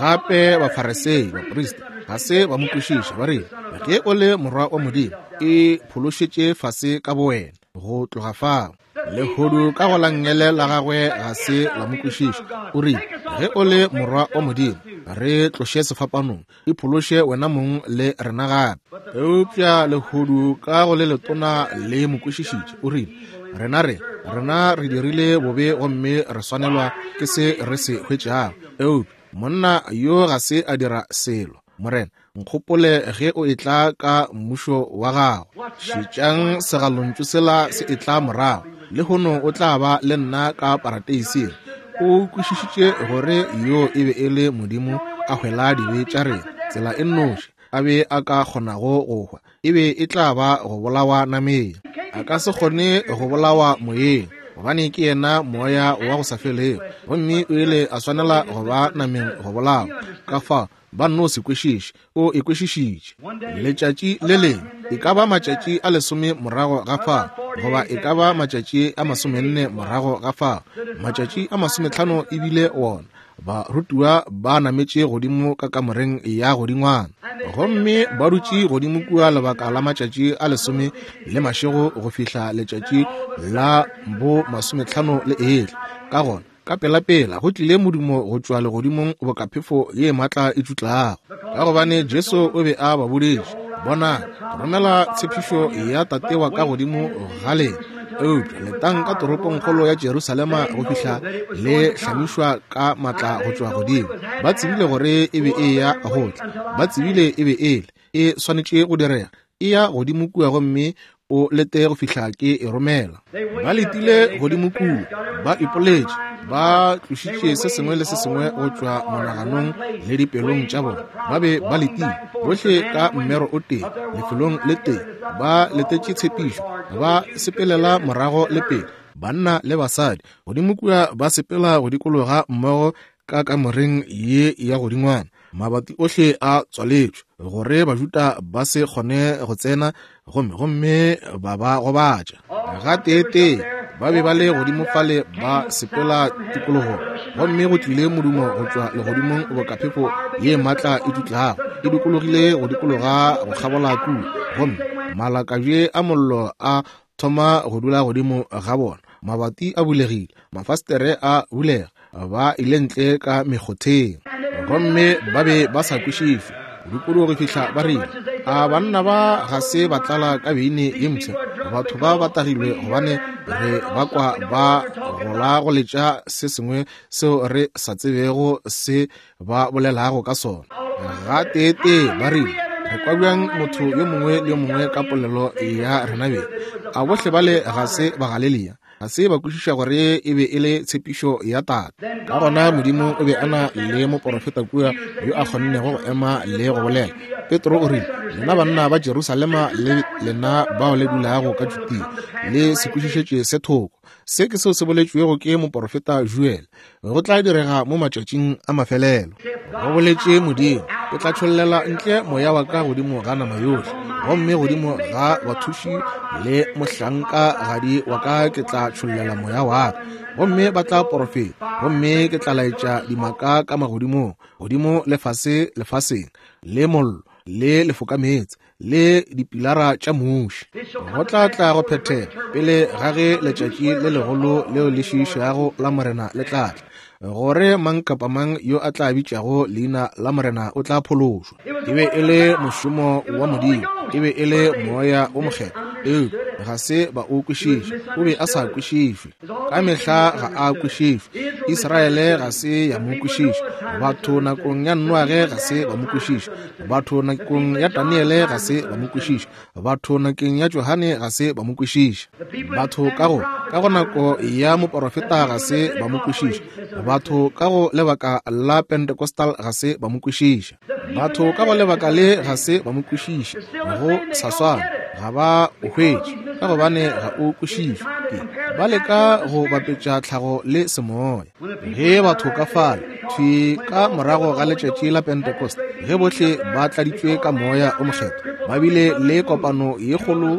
Gape Bafarisei, baprista, ga se ba mo kwešiša. Ba rile, ge o le morwa wa Modimo, e phološetše fase ka bowena go tloga fao. Lehodu ka go la nngele la gagwe ga se la mo kwešiša. O rile, ge o le morwa wa Modimo, re tloše sefapanong, e phološe wena mong le rena gape. Eupša lehodu ka go le letona le mo kwešišitše. O rile, rena re rena re dirile bobe gomme re swanelwa ke se re se hwetšago. Eupša monna yo ga se a dira selo. Morena, nkgopole ge o etla ka mmušo wa gago. Šetšang segalontšu sela se etla morago. Lehono o tla ba le nna ka parateising. O kwešišitše gore yo e be e le Modimo a hwela dibe tša rena. Tsela e nnoši a be a ka kgonago go hwa e be e tla ba go bolawa nameng. A ka se kgone go bolawa moyeng, gobane ke yena moya wa go sa felego, gomme o ile a swanela go ba nameng go bolawa. Ka fao ba nno se kwešiše, o e kwešišitše. Letšatši le lengwe, e ka ba matšatši a lesome morago ga fao, goba e ka ba matšatši a masomenne morago ga fao, matšatši a masometlhano e bile wona, barutiwa ba nametše godimo ka kamoreng ya godingwana, gomme ba dutše godimo kua lebaka la matšatši a lesome le mašego go fihla letšatši la bo masometlhano le etla. Ka gona ka pelapela go tlile modumo go tšwa legodimong boka phefo ye maatla e tšutlago, ka gobane Jesu o be a ba boditše, bona, ke romela tshepišo ya Tate wa ka godimo ga lena, eupša letang ka toropongkgolo ya Jerusalema go fihla le hlamišwa ka maatla go tšwa godimo. Ba tsebile gore e be e ya go tla, ba tsebile e be e le e swanetše go direga. E ya godimo kua gomme o lete go fihla ke e romela. Ba letile godimo kua, ba ipoletše, ba tlošitše se sengwe le se sengwe go tšwa monaganong le dipelong tša bona. Ba be ba letile bohle ka mmero o tee, lefelong le tee, ba letetše tshepišo, ba sepelela morago le pele, banna le basadi godimo kua ba sepela go dikologa mmogo ka kamoreng ye ya godingwana. Mabati ohle a tswaletšwe gore Bajuda ba se kgone go tsena, gomme gomme ba ba gobatša. Gateetee ba be ba le godimo fale ba sepela tikologong, gomme go tlile modumo go tšwa legodimong boka phefo ye maatla e dutlago e dikologile go dikologa go kgabola kua, gomme malakabje a mollo a thoma go dula godimo ga bona. Mabati a bulegile, mafastere a bulega, ba ile ntle ka mekgotheng, gomme ba be ba sa kwešiše kudu go fihla ba rile, a banna ba ga se ba tlala ka beine ye mpsha? Batho ba ba tagilwe, gobane re ba kwa ba gola go letša se sengwe seo re sa tsebego se ba bolelago ka sona. Gateetee ba rile, re kwa bjang motho yo mongwe le yo mongwe ka polelo ya rena beng? A bohle bale ga se ba Galelia? Ga se ba kwešiša gore e be e le tshepišo ya Tate. Ka gona Modimo o be a na le moporofeta kua yo a kgonnego go ema le go bolela. Petro o rile, lena banna ba Jerusalema le lena bao le dulago ka Judea, le se kwešišetše se thoko. Se ke seo se boletšwego ke moporofeta Joel, go tla direga mo matšatšing a mafelelo. Go boletše Modimo, ke tla tšhollela ntle moya wa ka godimo ga nama yohle, gomme godimo ga bathuši le mohlankagadi wa ka ke tla tšhollela moya wa ka, gomme ba tla porofeta, gomme ke tla laetša dimaka ka magodimong, godimo le fase lefaseng, le mollo le lefokameetse le dipilara tša muši. Go tla tla go phethega pele ga ge letšatši le legolo leo le šiišago la Morena le tla tla, gore mang kapa mang yo a tla bitšago leina la Morena o tla phološwa. E be e le mošomo wa Modimo, e be e le moya o mokgethwa, eupša ga se ba o kwešiše. O be a sa kwešišwe ka mehla, ga a kwešišwe. Israele ga se ya mo kwešiša, batho nakong ya Noage ga se ba mo kwešiša, batho nakong ya Daniele ga se ba mo kwešiša, batho nakong ya Johane ga se ba mo kwešiša, batho ka go ka go nako ya moporofeta ga se ba mo kwešiša, batho ka go lebaka la Pentecostal ga se ba mo kwešiša, batho ka go lebaka le ga se ba mo kwešiša. Go sa swana, ga ba o hwetše, ka gobane ga o kwešišwe. Ba leka go bapetša tlhago le semoya. Ge batho ka fale thwi ka morago ga letšatši la Pentecost, ge bohle ba tladitšwe ka moya o mokgethwa, ba bile le kopano ye kgolo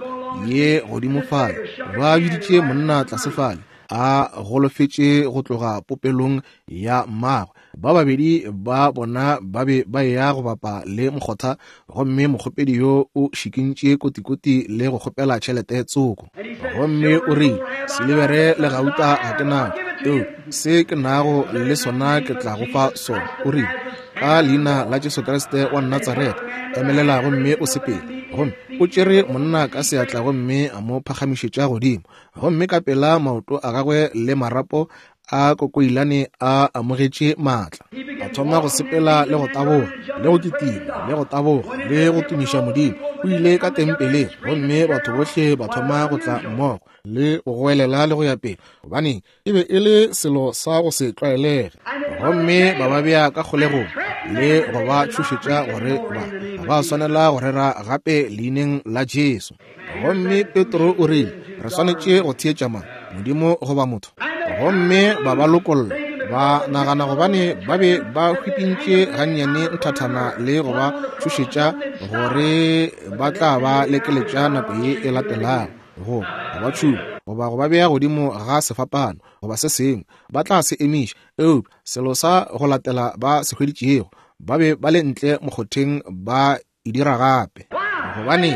ye godimo fale, ba biditše monna tlase fale a golofetše go tloga popelong ya mmagwe. Ba babedi ba bona ba be ba ya go bapa le mokgotha, gomme mokgopedi yo o šikintše kotikoti le go kgopela tšhelete tsoko, gomme o rile, silibere le gauta ga ke nago, eupša se ke nago le sona ke tla go fa sona. O rile, ka leina la Jesu Kriste wa Natsaretha, emelela gomme o sepele. Gomme o tšere monna ka seatla gomme a mo phagamišetša godimo, gomme ka pela maoto a gagwe le marapo a kokoilane a amogetše maatla. A thoma go sepela le go taboga, le go kitima, le go taboga, le go tumiša Modimo. O ile ka tempeleng, gomme batho bohle ba thoma go tla mmogo le go goelela le go ya pele, gobane e be e le selo sa go se tlwaelege. Gomme ba ba bea ka kgolegong le go ba tšhošetša gore ba ga ba swanela go rera gape leineng la Jesu. Gomme Petro o rile, re swanetše go theetša mang, Modimo goba motho? Gomme ba ba lokolla, ba nagana gobane ba be ba hwipintše gannyane nthathana le go ba tšhošetša gore ba tla ba lekeletša nako ye e latelago, go ba tšhuma goba go ba bea godimo ga sefapano goba se sengwe, ba tla se emiša. Eupša selo sa go latela ba se hweditšego, ba be ba le ntle mokgotheng ba e dira gape, gobane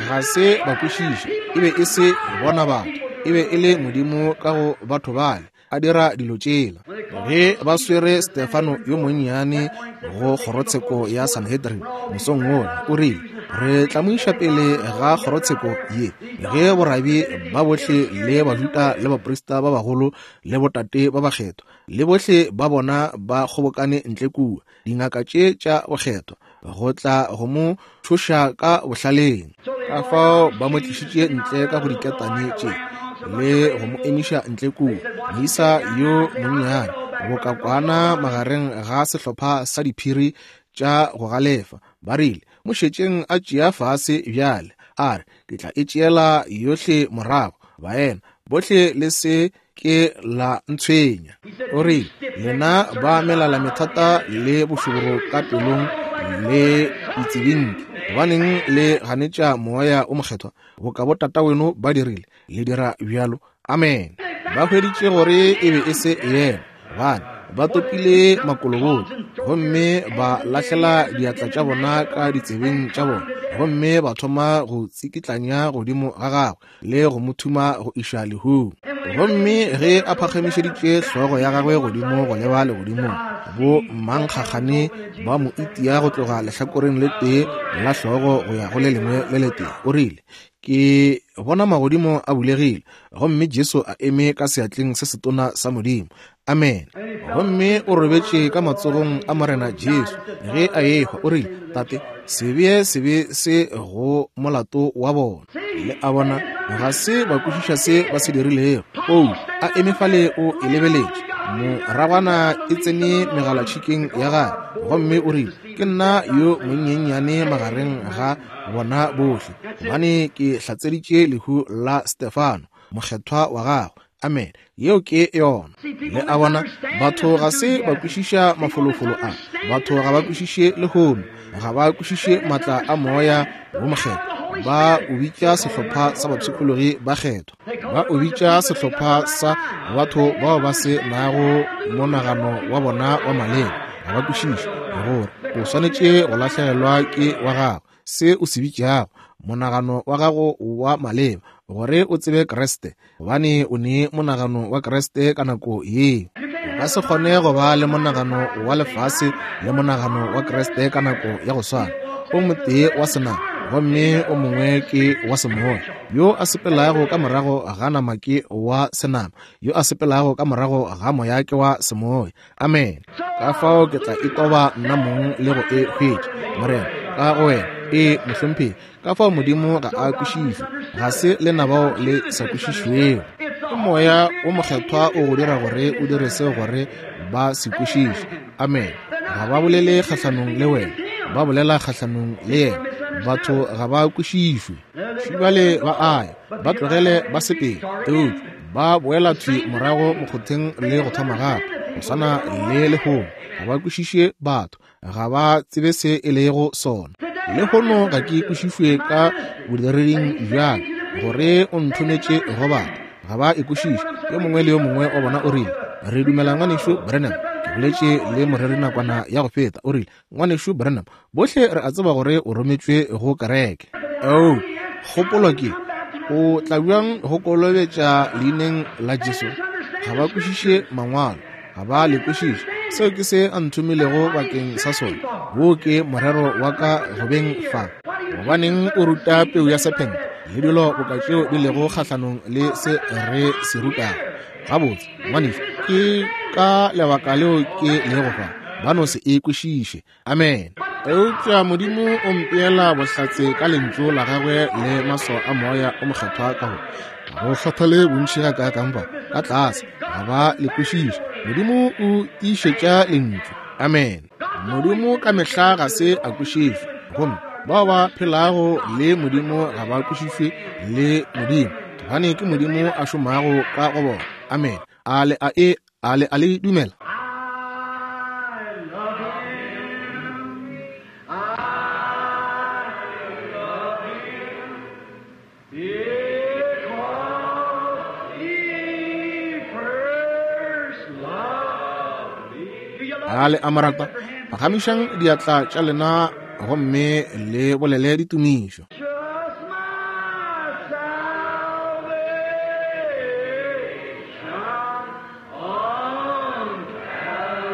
ga se ba kwešiše. E be e se bona batho, e be e le Modimo ka go batho bale a dira dilo tšela. Ge ba swere Stefano yo monnyane go kgorotsheko ya Sanhedrin mosong wola, o rile, re tla mo iša pele ga kgorotsheko ye, ge borabi ba bohle le Bajuda le baprista ba bagolo le botate ba bakgethwa le bohle ba bona ba kgobokane ntle kua, dingaka tše tša bokgethwa, go tla go mo tšhoša ka bohlaleng. Ka fao ba mo tlišitše ntle ka go diketane tše le go mo emiša ntle kua, moisa yo monnyane boka kwana magareng ga sehlopha sa diphiri tša go galefa. Ba rile, mo šetšeng a tšea fase bjale, a re, ke tla e tšeela yohle morago, baena bohle le se ke la ntshwenya. O rile, lena ba melala methata le bošoboro ka pelong le ditsebinki, gobaneng le ganetša moya o mokgethwa boka botataweno ba dirile, le dira bjalo. Amen. Ba hweditše gore e be e se yena, gobane ba topile makolobolo gomme ba lahlela diatla tša bona ka ditsebeng tša bona, gomme ba thoma go tsikitlanya godimo ga gagwe le go mo thuma go iša lehung. Gomme ge a phagamišeditše hlogo ya gagwe godimo go leba legodimong, bo mankgagane ba mo itia go tloga lehlakoreng le tee la hlogo go ya go le lengwe le letee. O rile, ke bona magodimo a bulegile, gomme Jesu a eme ka seatleng se setona sa Modimo. Amen. Gomme o robetše ka matsogong a Morena Jesu ge a ehwa. O rile, Tate, se bee sebe se go molato wa bona. Le a bona, ga se ba kwešiša se ba se dirilego. Paulo a eme fale o e lebeletše, moragwana e tsene megalatšhikeng ya gagwe, gomme o rile, ke nna yo monyenyane magareng ga bona bohle, gobane ke hlatseditše lehu la Stefano, mokgethwa wa gagwe. Amen. Yeo ke yona. Le a bona, batho ga se ba kwešiša mafolofolo a. Batho ga ba kwešiše lehono, ga ba kwešiše maatla a moya wo mokgethwa. Ba o bitša sehlopha sa bapshikologi ba kgethwa, ba o bitša sehlopha sa batho bao ba se nago monagano wa bona wa maleba. Ga ba kwešiše gore o swanetše go lahlegelwa ke wa gago, se o se bitšago monagano wa gago wa maleba, gore o tsebe Kriste, gobane o ne monagano wa Kriste ka nako yeo. O ka se kgone go ba le monagano wa lefase le monagano wa Kriste ka nako ya go swana. O motee wa senama gomme o mongwe ke wa semoya. Yo a sepelago ka morago ga nama ke wa senama, yo a sepelago ka morago ga moya ke wa semoya. Amen. Ka fao ke tla itoba nna mong le go e hwetša, Morena, ka go wena. E mohlomphegi. Ka fao Modimo ga a kwešišwe, ga se lena bao le sa kwešišwego. Ke moya wo mokgethwa o go dira gore o dire seo gore ba se kwešiše. Amen. Ga ba bolele kgahlanong le wena, ba bolela kgahlanong le yena. Batho ga ba kwešišwe. Šibale ba aya, ba tlogele ba sepele, eupša ba boela thwi morago mokgotheng le go thoma gape. Go swana le lehono, ga ba kwešiše batho, ga ba tsebe se e lego sona. Lehono ga ke kwešišwe ka bodireding bjaka gore o nthometše go batho, ga ba e kwešiše. Yo mongwe le yo mongwe wa bona o rile, re dumela ngwanešu Branham. Ke boletše le moreri nakwana ya go feta, o rile, ngwanešu Branham, bohle re a tseba gore o rometšwe go kereke. Oh, kgopolo ke, o tla bjang go kolobetša leineng la Jesu? Ga ba kwešiše mangwalo, ga ba le kwešiše. Seo ke se a nthomilego bakeng sa sona. Wo ke morero wa ka go beng fa. Gobaneng o ruta peu ya sephente le dilo boka tšeo di lego kgahlanong le se re se rutago? Gabotse, ngwanešu, Ke ka lebaka leo ke lego fa. Ba no se e kwešiše. Amen. Eupša Modimo o mpeela bohlatse ka lentšu la gagwe le maswao a Moya o Mokgethwa ka gore go kgathale bontši ga kaakang ba ka tlase ga ba le kwešiše. Modimo o tiišetša lentšu. Amen. Modimo ka mehla ga se a kwešišwe, gomme bao ba phelago le Modimo ga ba kwešišwe le Modimo, gobane ke Modimo a šomago ka go bona. Amen. A le a e a le a le dumela? A le a mo rata? Phagamišang diatla tša lena gomme le bolele ditumišo. Just my salvation on Calvary.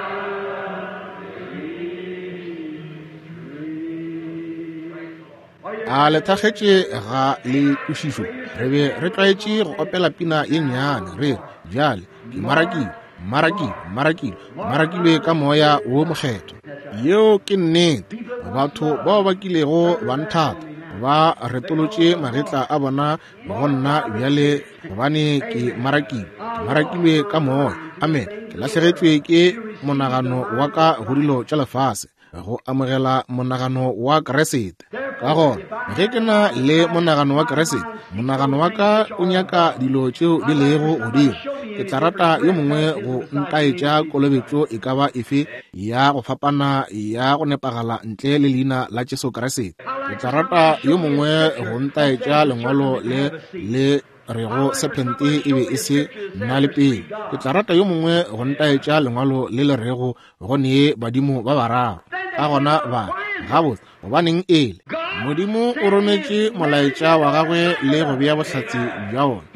A le thakgetše ga le kwešišo? Re be re tlwaetše go opela pina ye nnyane re re, bjale ke marakile, marakile, marakile, marakilwe ka Moya wo Mokgethwa. Yeo ke nnete. Batho bao ba kilego ba nthata ba retolotše magetla a bona go nna bjale, gobane ke marakilwe, ke marakilwe ka Moya. Amen. Ke lahlegetšwe ke monagano wa ka go dilo tša lefase, go amogela monagano wa Kriste. Ka gona ge ke na le monagano wa Kriste, monagano wa ka o nyaka dilo tšeo di lego godimo. Ke tla rata yo mongwe go ntaetša kolobetšo e ka ba efe ya go fapana ya go nepagala ntle le leina la Jesu Kriste. Ke tla rata yo mongwe go ntaetša lengwalo le le rego sephente e be e se nna le pele. Ke tla rata yo mongwe go ntaetša lengwalo le le rego go nee badimo ba bararo. Ka gona ba gabotse, gobaneng ele Modimo o rometše molaetša wa gagwe le go bea bohlatse bja wona.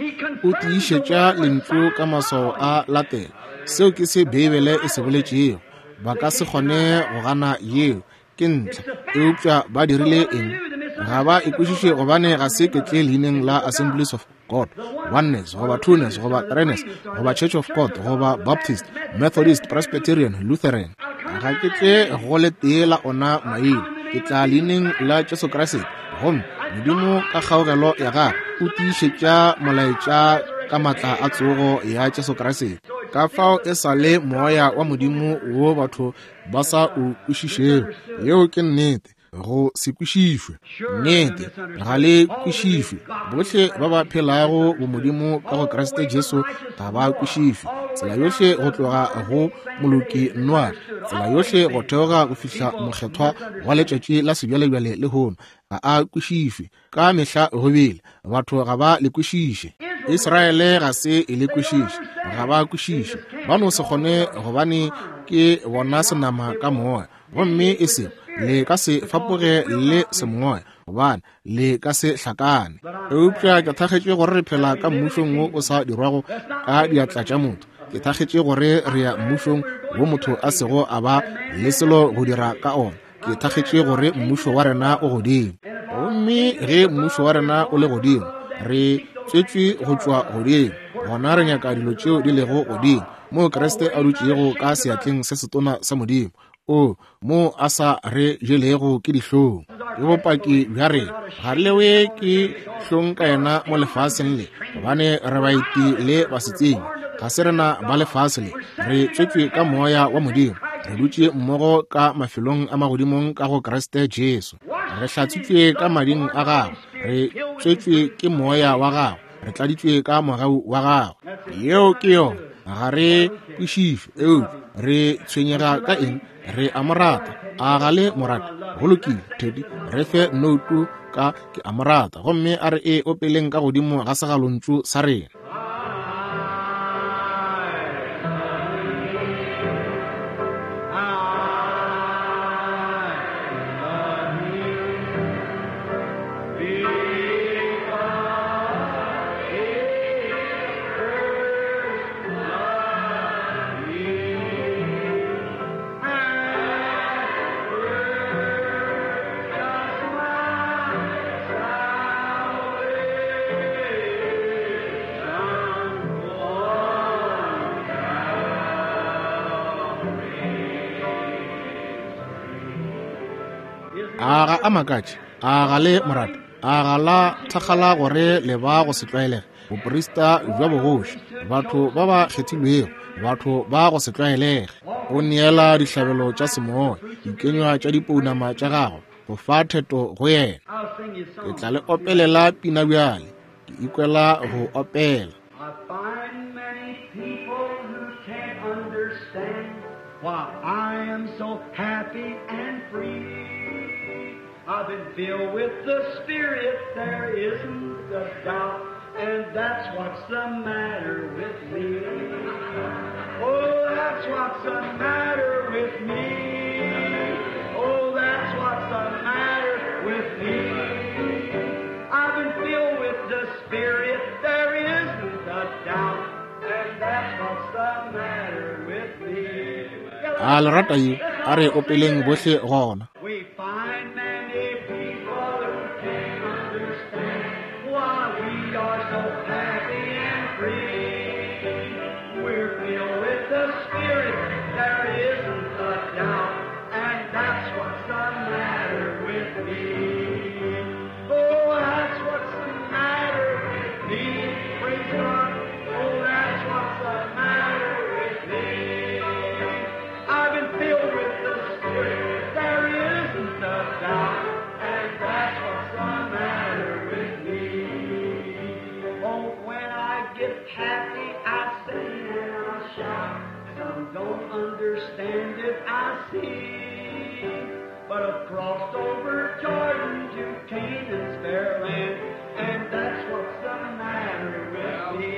O tiišetša lentšu ka maswao a latela. Seo ke se Beibele e se boletšego. Ba ka se kgone go gana yeo, ke ntlha. Eupša ba dirile eng? Ga ba e kwešiše, gobane ga se ke tle leineng la Assemblies of God, Oneness goba Twoness goba Threeness goba Church of God goba Baptist, Methodist, Presbyterian, Lutheran. Ga ke tle go le tee la ona maina. Ke tla leineng la Jesu Kriste, gomme Modimo ka kgaogelo ya gagwe o tiišetša molaetša ka matla a tsogo ya Jesu Kriste. Ka fao e sa le moya wa Modimo wo batho ba sa o kwešišego. Yeo ke nnete. Go se kwešišwe. Nnete, ga le kwešišwe. Bohle ba ba phelago bomodimo ka go Kriste Jesu ga ba kwešišwe. Tsela yohle go tloga go moloki Noa, tsela yohle go theoga go fihla mokgethwa wa letšatši la sebjalebjale lehono, ga a kwešišwe. Ka mehla go bile batho ga ba le kwešiše. Israele ga se e le kwešiše, ga ba kwešiše. Ba no se kgone, gobane ke bona senama ka moya, gomme e se le ka se fapoge le semoya, gobane le ka se hlakane. Eupša ke thakgetše gore re phela ka mmušong wo o sa dirwago ka diatla tša motho. Ke thakgetše gore re ya mmušong wo motho a sego a ba le selo go dira ka ona. Ke thakgetše gore mmušo wa rena o godimo. Gomme ge mmušo wa rena o le godimo, re tswetšwe go tšwa godimo, gona re nyaka dilo tšeo di lego godimo, moo Kriste a dutšego ka seatleng se setona sa Modimo, o mo a sa re jelego ke dihlong. Ke bopaki bja rena. Ga re lewe ke hlong ka yena mo lefaseng le, gobane re baeti le basetsebje. Ga se rena ba lefase le, re tswetšwe ka moya wa Modimo. Re dutše mmogo ka mafelong a magodimong ka go Kriste Jesu. Re hlatswitšwe ka mading a gagwe, re tswetšwe ke moya wa gagwe, re tladitšwe ka mogau wa gagwe. Yeo ke yona. Ga re kwešišwe, eupša re tshwenyega ka eng? Re a mo rata. A ga le mo rata? Go lokile, Teddy, re fe noutu ka ke a mo rata, gomme a re e opeleng ka godimo ga segalontšu sa rena. Salvation. A ga a makatše, a ga le morata, a ga la thakgala gore le ba go se tlwaelege, boprista bja bogoši, batho ba ba kgethilwego, batho ba go se tlwaelege. O neela dihlabelo tša semoya, dikenywa tša dipounama tša gago, go fa theto go yena. Ke tla le opelela pina bjale, ke ikwela go opela. I find many people who can't understand why I am so happy and free. I've been filled with the Spirit, there isn't a doubt, and that's what's the matter with me. Oh, that's what's the matter with me. Oh, that's what's the matter with me. I've been filled with the Spirit, there isn't a doubt, and that's what's the matter with me. A le rata ye, a re opeleng bohle gona. We find many people who can't understand why we are so happy and free. We're filled with the Spirit, there isn't a doubt, and that's what's the matter with me. Oh, that's what's the matter with me. Praise God. Oh, that's what's the matter with me. I've been filled with the Spirit, there isn't a doubt, and that's what's the matter with me. Oh, when I get happy, I sing and I shout. Some don't understand it, I see. But I've crossed over Jordan to Canaan's fair land, and that's what's the matter with me.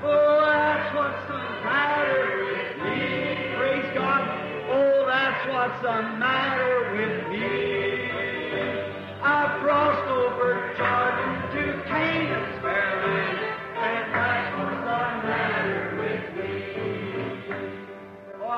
Oh, that's what's the matter with me. Praise God. Oh, that's what's the matter with me. I've crossed over Jordan to Canaan's fair land, and that's what's the matter with me.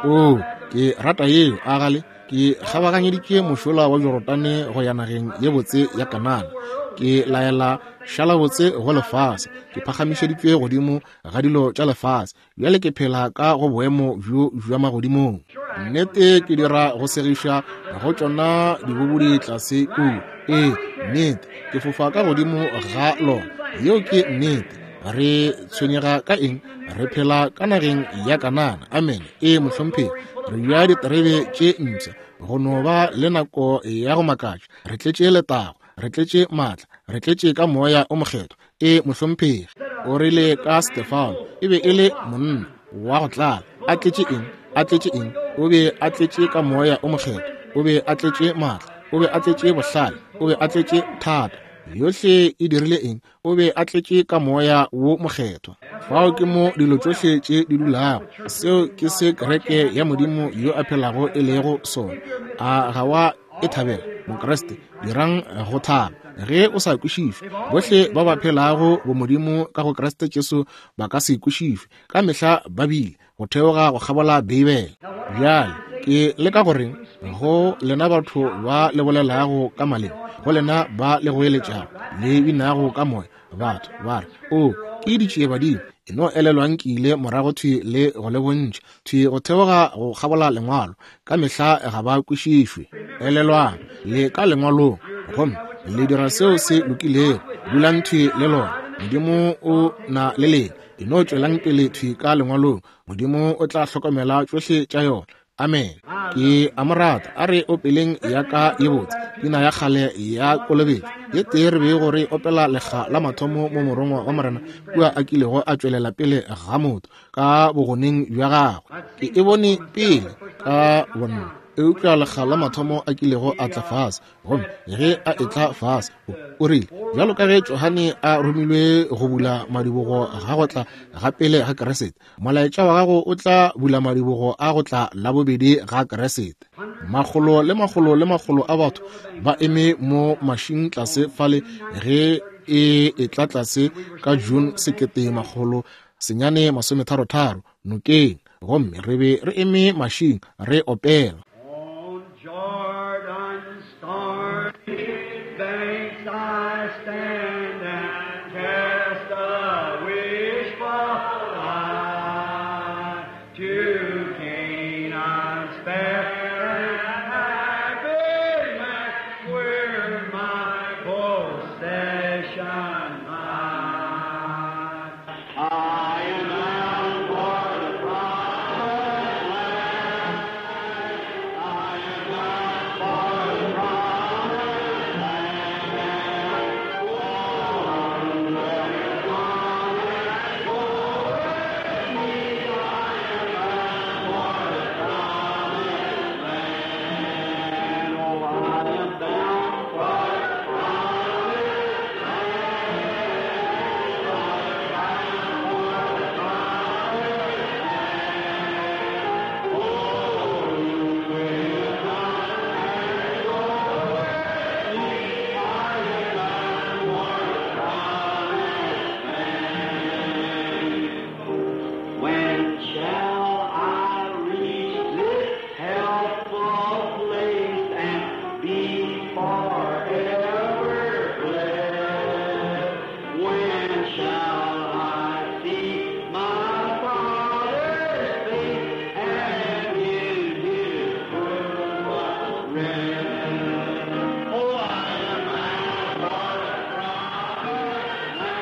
Oh, ke rata yeo, a gale ke kgabaganyeditše mošola wa Jorodane go ya nageng ye botse ya Kanana. Ke laela šala botse go lefase, ke phagamišeditšwe godimo ga dilo tša lefase. Bjale ke phela ka go boemo bjo bja magodimong. Nnete ke dira go segiša go tšona dibobodi tlase kua. Ee, nnete ke fofa ka godimo ga lona. Yeo ke nnete. Re tshwenyega ka eng? Re phela ka nageng ya Kanana. Amen. Ee, mohlomphegi, re bja diterebe tše mpsha go no ba le nako ya go makatša. Re tletše letago, re tletše maatla, re tletše ka moya o mokgethwa. Ee, mohlomphegi. O rile ka Stefano, e be e le monna wa go tlala. A tletše eng? A tletše eng? O be a tletše ka moya o mokgethwa, o be a tletše maatla, o be a tletše bohlale, o be a tletše thata. Yohle e dirile eng? O be a tletše ka moya wo mokgethwa. Fao ke mo dilo tšohle tše di dulago. Seo ke se kereke ya Modimo yo a phelago e lego sona. A ga wa e thabela, Mokreste? Dirang go thaba ge o sa kwešišwe. Bohle ba ba phelago bomodimo ka go Kriste Jesu ba ka se kwešišwe. Ka mehla ba bile go theoga go kgabola Beibele. Bjale ke leka goreng go lena batho ba le bolelago ka maleme, go lena ba le goeletšago le binago ka moya, batho ba re, o ke ditšiebadimo. E no elelwang ke ile morago thwi le go le bontšha thwi go theoga go kgabola lengwalo. Ka mehla ga ba kwešišwe. Elelwang le ka lengwalong, gomme le dira seo se lokilego. Dulang thwi le lona. Modimo o na le lena. E no tšwelang pele thwi ka lengwalong. Modimo o tla hlokomela tšohle tša yona. Amen. Ke a mo rata. A re opeleng ya ka ye botse, pina ya kgale ya kolobetšo ye tee re bego re opela lekga la mathomo mo morongwa wa Morena kua a kilego a tšwelela pele ga motho ka bogoneng bja gagwe. Ke e bone pele ka bonna, eupša lekga la mathomo a kilego a tla fase. Gomme ge a etla fase, o rile, bjalo ka ge Johane a romilwe go bula madibogo ga go tla ga pele ga Kriste, molaetša wa gago o tla bula madibogo a go tla la bobedi ga Kriste. Makgolo le makgolo le makgolo a batho ba eme mo mašing tlase fale ge e etla tlase ka June sekete makgolo senyane masometharo-tharo nokeng, gomme re be re eme mašing re opela. On Jordan's stormy banks I stand and cast a wishful eye to Canaan's fair and happy Possession mine. I am bound for the promised land. I am bound for the promised land. Oh, there is one that goes with me. I am bound for the promised land. Oh, I am bound for the promised When shall I reach this helpful place and be forever blessed? When shall I see my Father's face and in His bosom rest? Oh, I am bound for the promised land.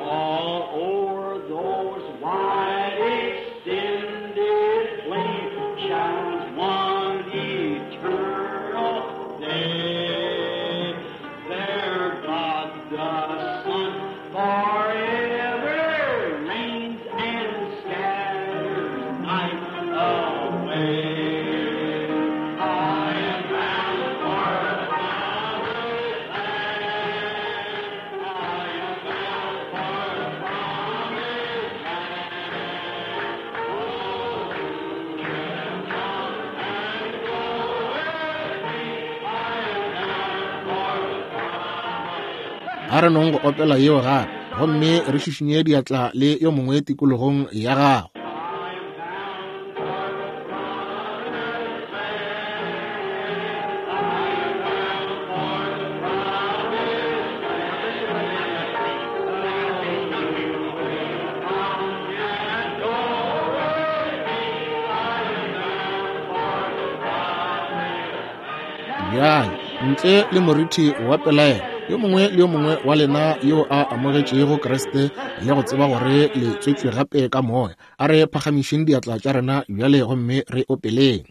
All o'er those wide extended plains shines one eternal day. There God the Son forever reigns and scatters night away. I am bound for the promised land. I am bound for the promised land. Oh, come and go with me. I am bound for the promised A re nong go opela yeo gape, gomme re šišinye diatla le yo mongwe tikologong ya gago. Bjale, ntle le moriti wa pelaelo, yo mongwe le yo mongwe wa lena yo a amogetšego Kriste le go tseba gore le tswetšwe gape ka moya, a re phagamišeng diatla tša rena bjale gomme re opeleng.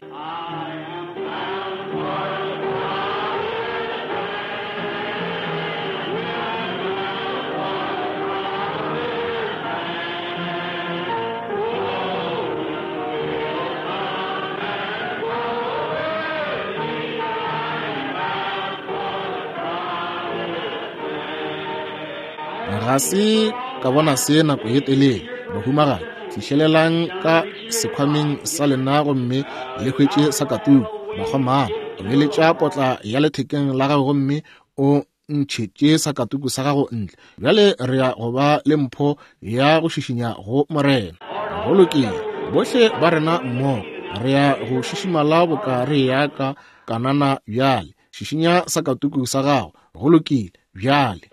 Ga se ka bona se nako ye telele, bahumagadi, fihlelelang ka sekhwameng sa lena gomme le hwetše sakatuku. Bakgomana, omeletša potla ya lethekeng la gago gomme o ntšhetše sakatuku sa gago ntle. Bjale re ya go ba le mpho ya go šišinya go Morena. Go lokile, bohle ba rena mmogo re ya go šišimala boka re ya ka Kanana bjale. Šišinya sakatuku sa gago. Go lokile bjale.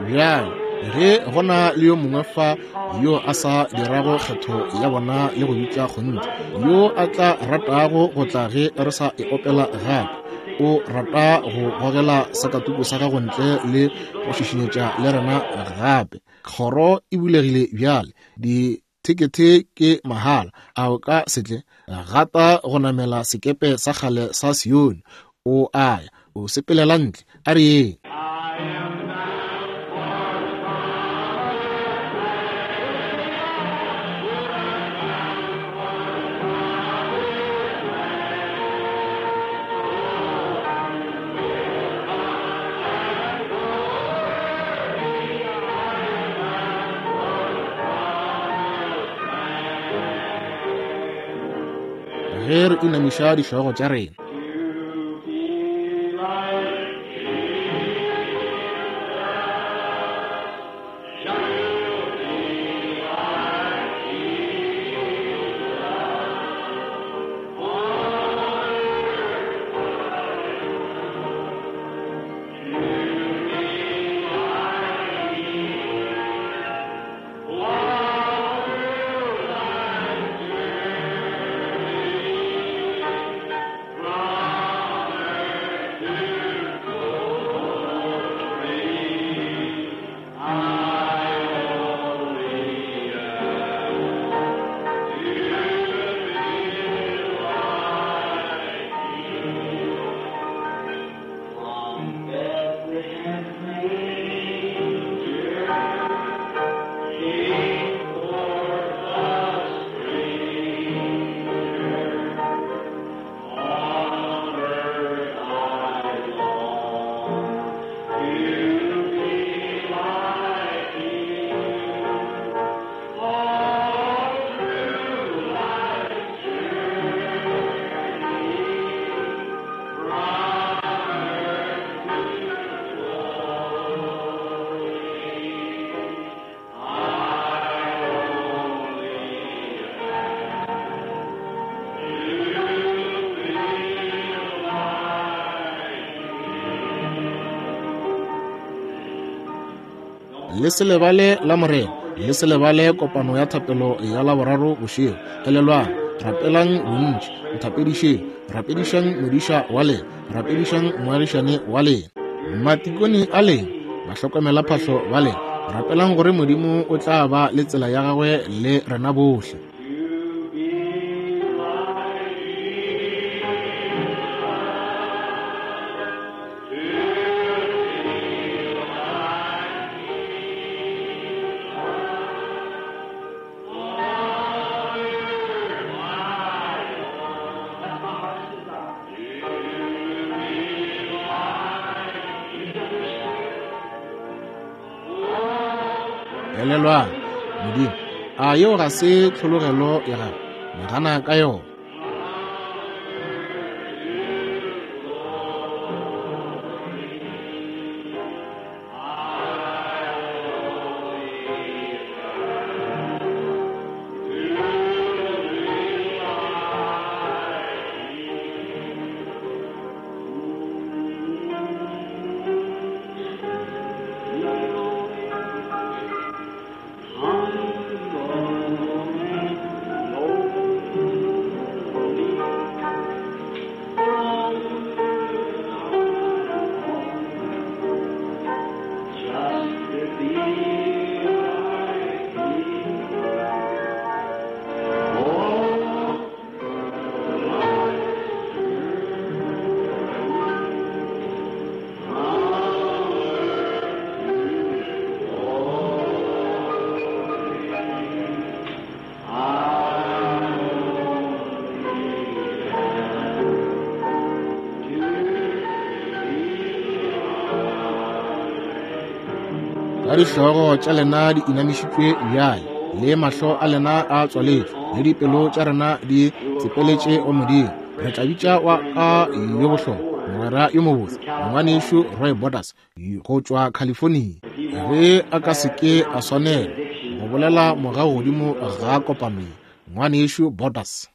Bjale ge gona le yo mongwe fa yo a sa dirago kgetho ya bona le go bitša kgonthe, yo a tla ratago go tla ge re sa e opela gape, o rata go gogela sakatuku sa gago ntle le go šišinyetša le rena gape, kgoro e bulegile bjale. Dithekethe ke mahala. A o ka se tle? Gata go namela sekepe sa kgale sa Sione. O a ya, o sepelela ntle. A re yeng. I Ge re inamiša dihlogo tša rena. Le se lebale la Morena, le se lebale kopano ya thapelo ya Laboraro bošego. Elelwang, rapelang bontši, nthapedišeng, rapedišang modiša wa lena, rapedišang moagišane wa lena, matikone a lena, bahlokomela phahlo ba lena. Rapelang gore Modimo o tla ba le tsela ya gagwe le rena bohle. Elelwang, Modimo, a yeo ga se tlhologelo ya gago? Nagana ka yona. Ka dihlogo tša lena di inamišitšwe bjale, le mahlo a lena a tswaletšwe, le dipelo tša rena di tsepeletše go Modimo, re tla bitša wa ka yo bohlokwa, mogwera yo mobotse, ngwanešu Roy Borders go tšwa California. Ge a ka se ke a swanela go bolela morago godimo ga kopano ye, ngwanešu Borders.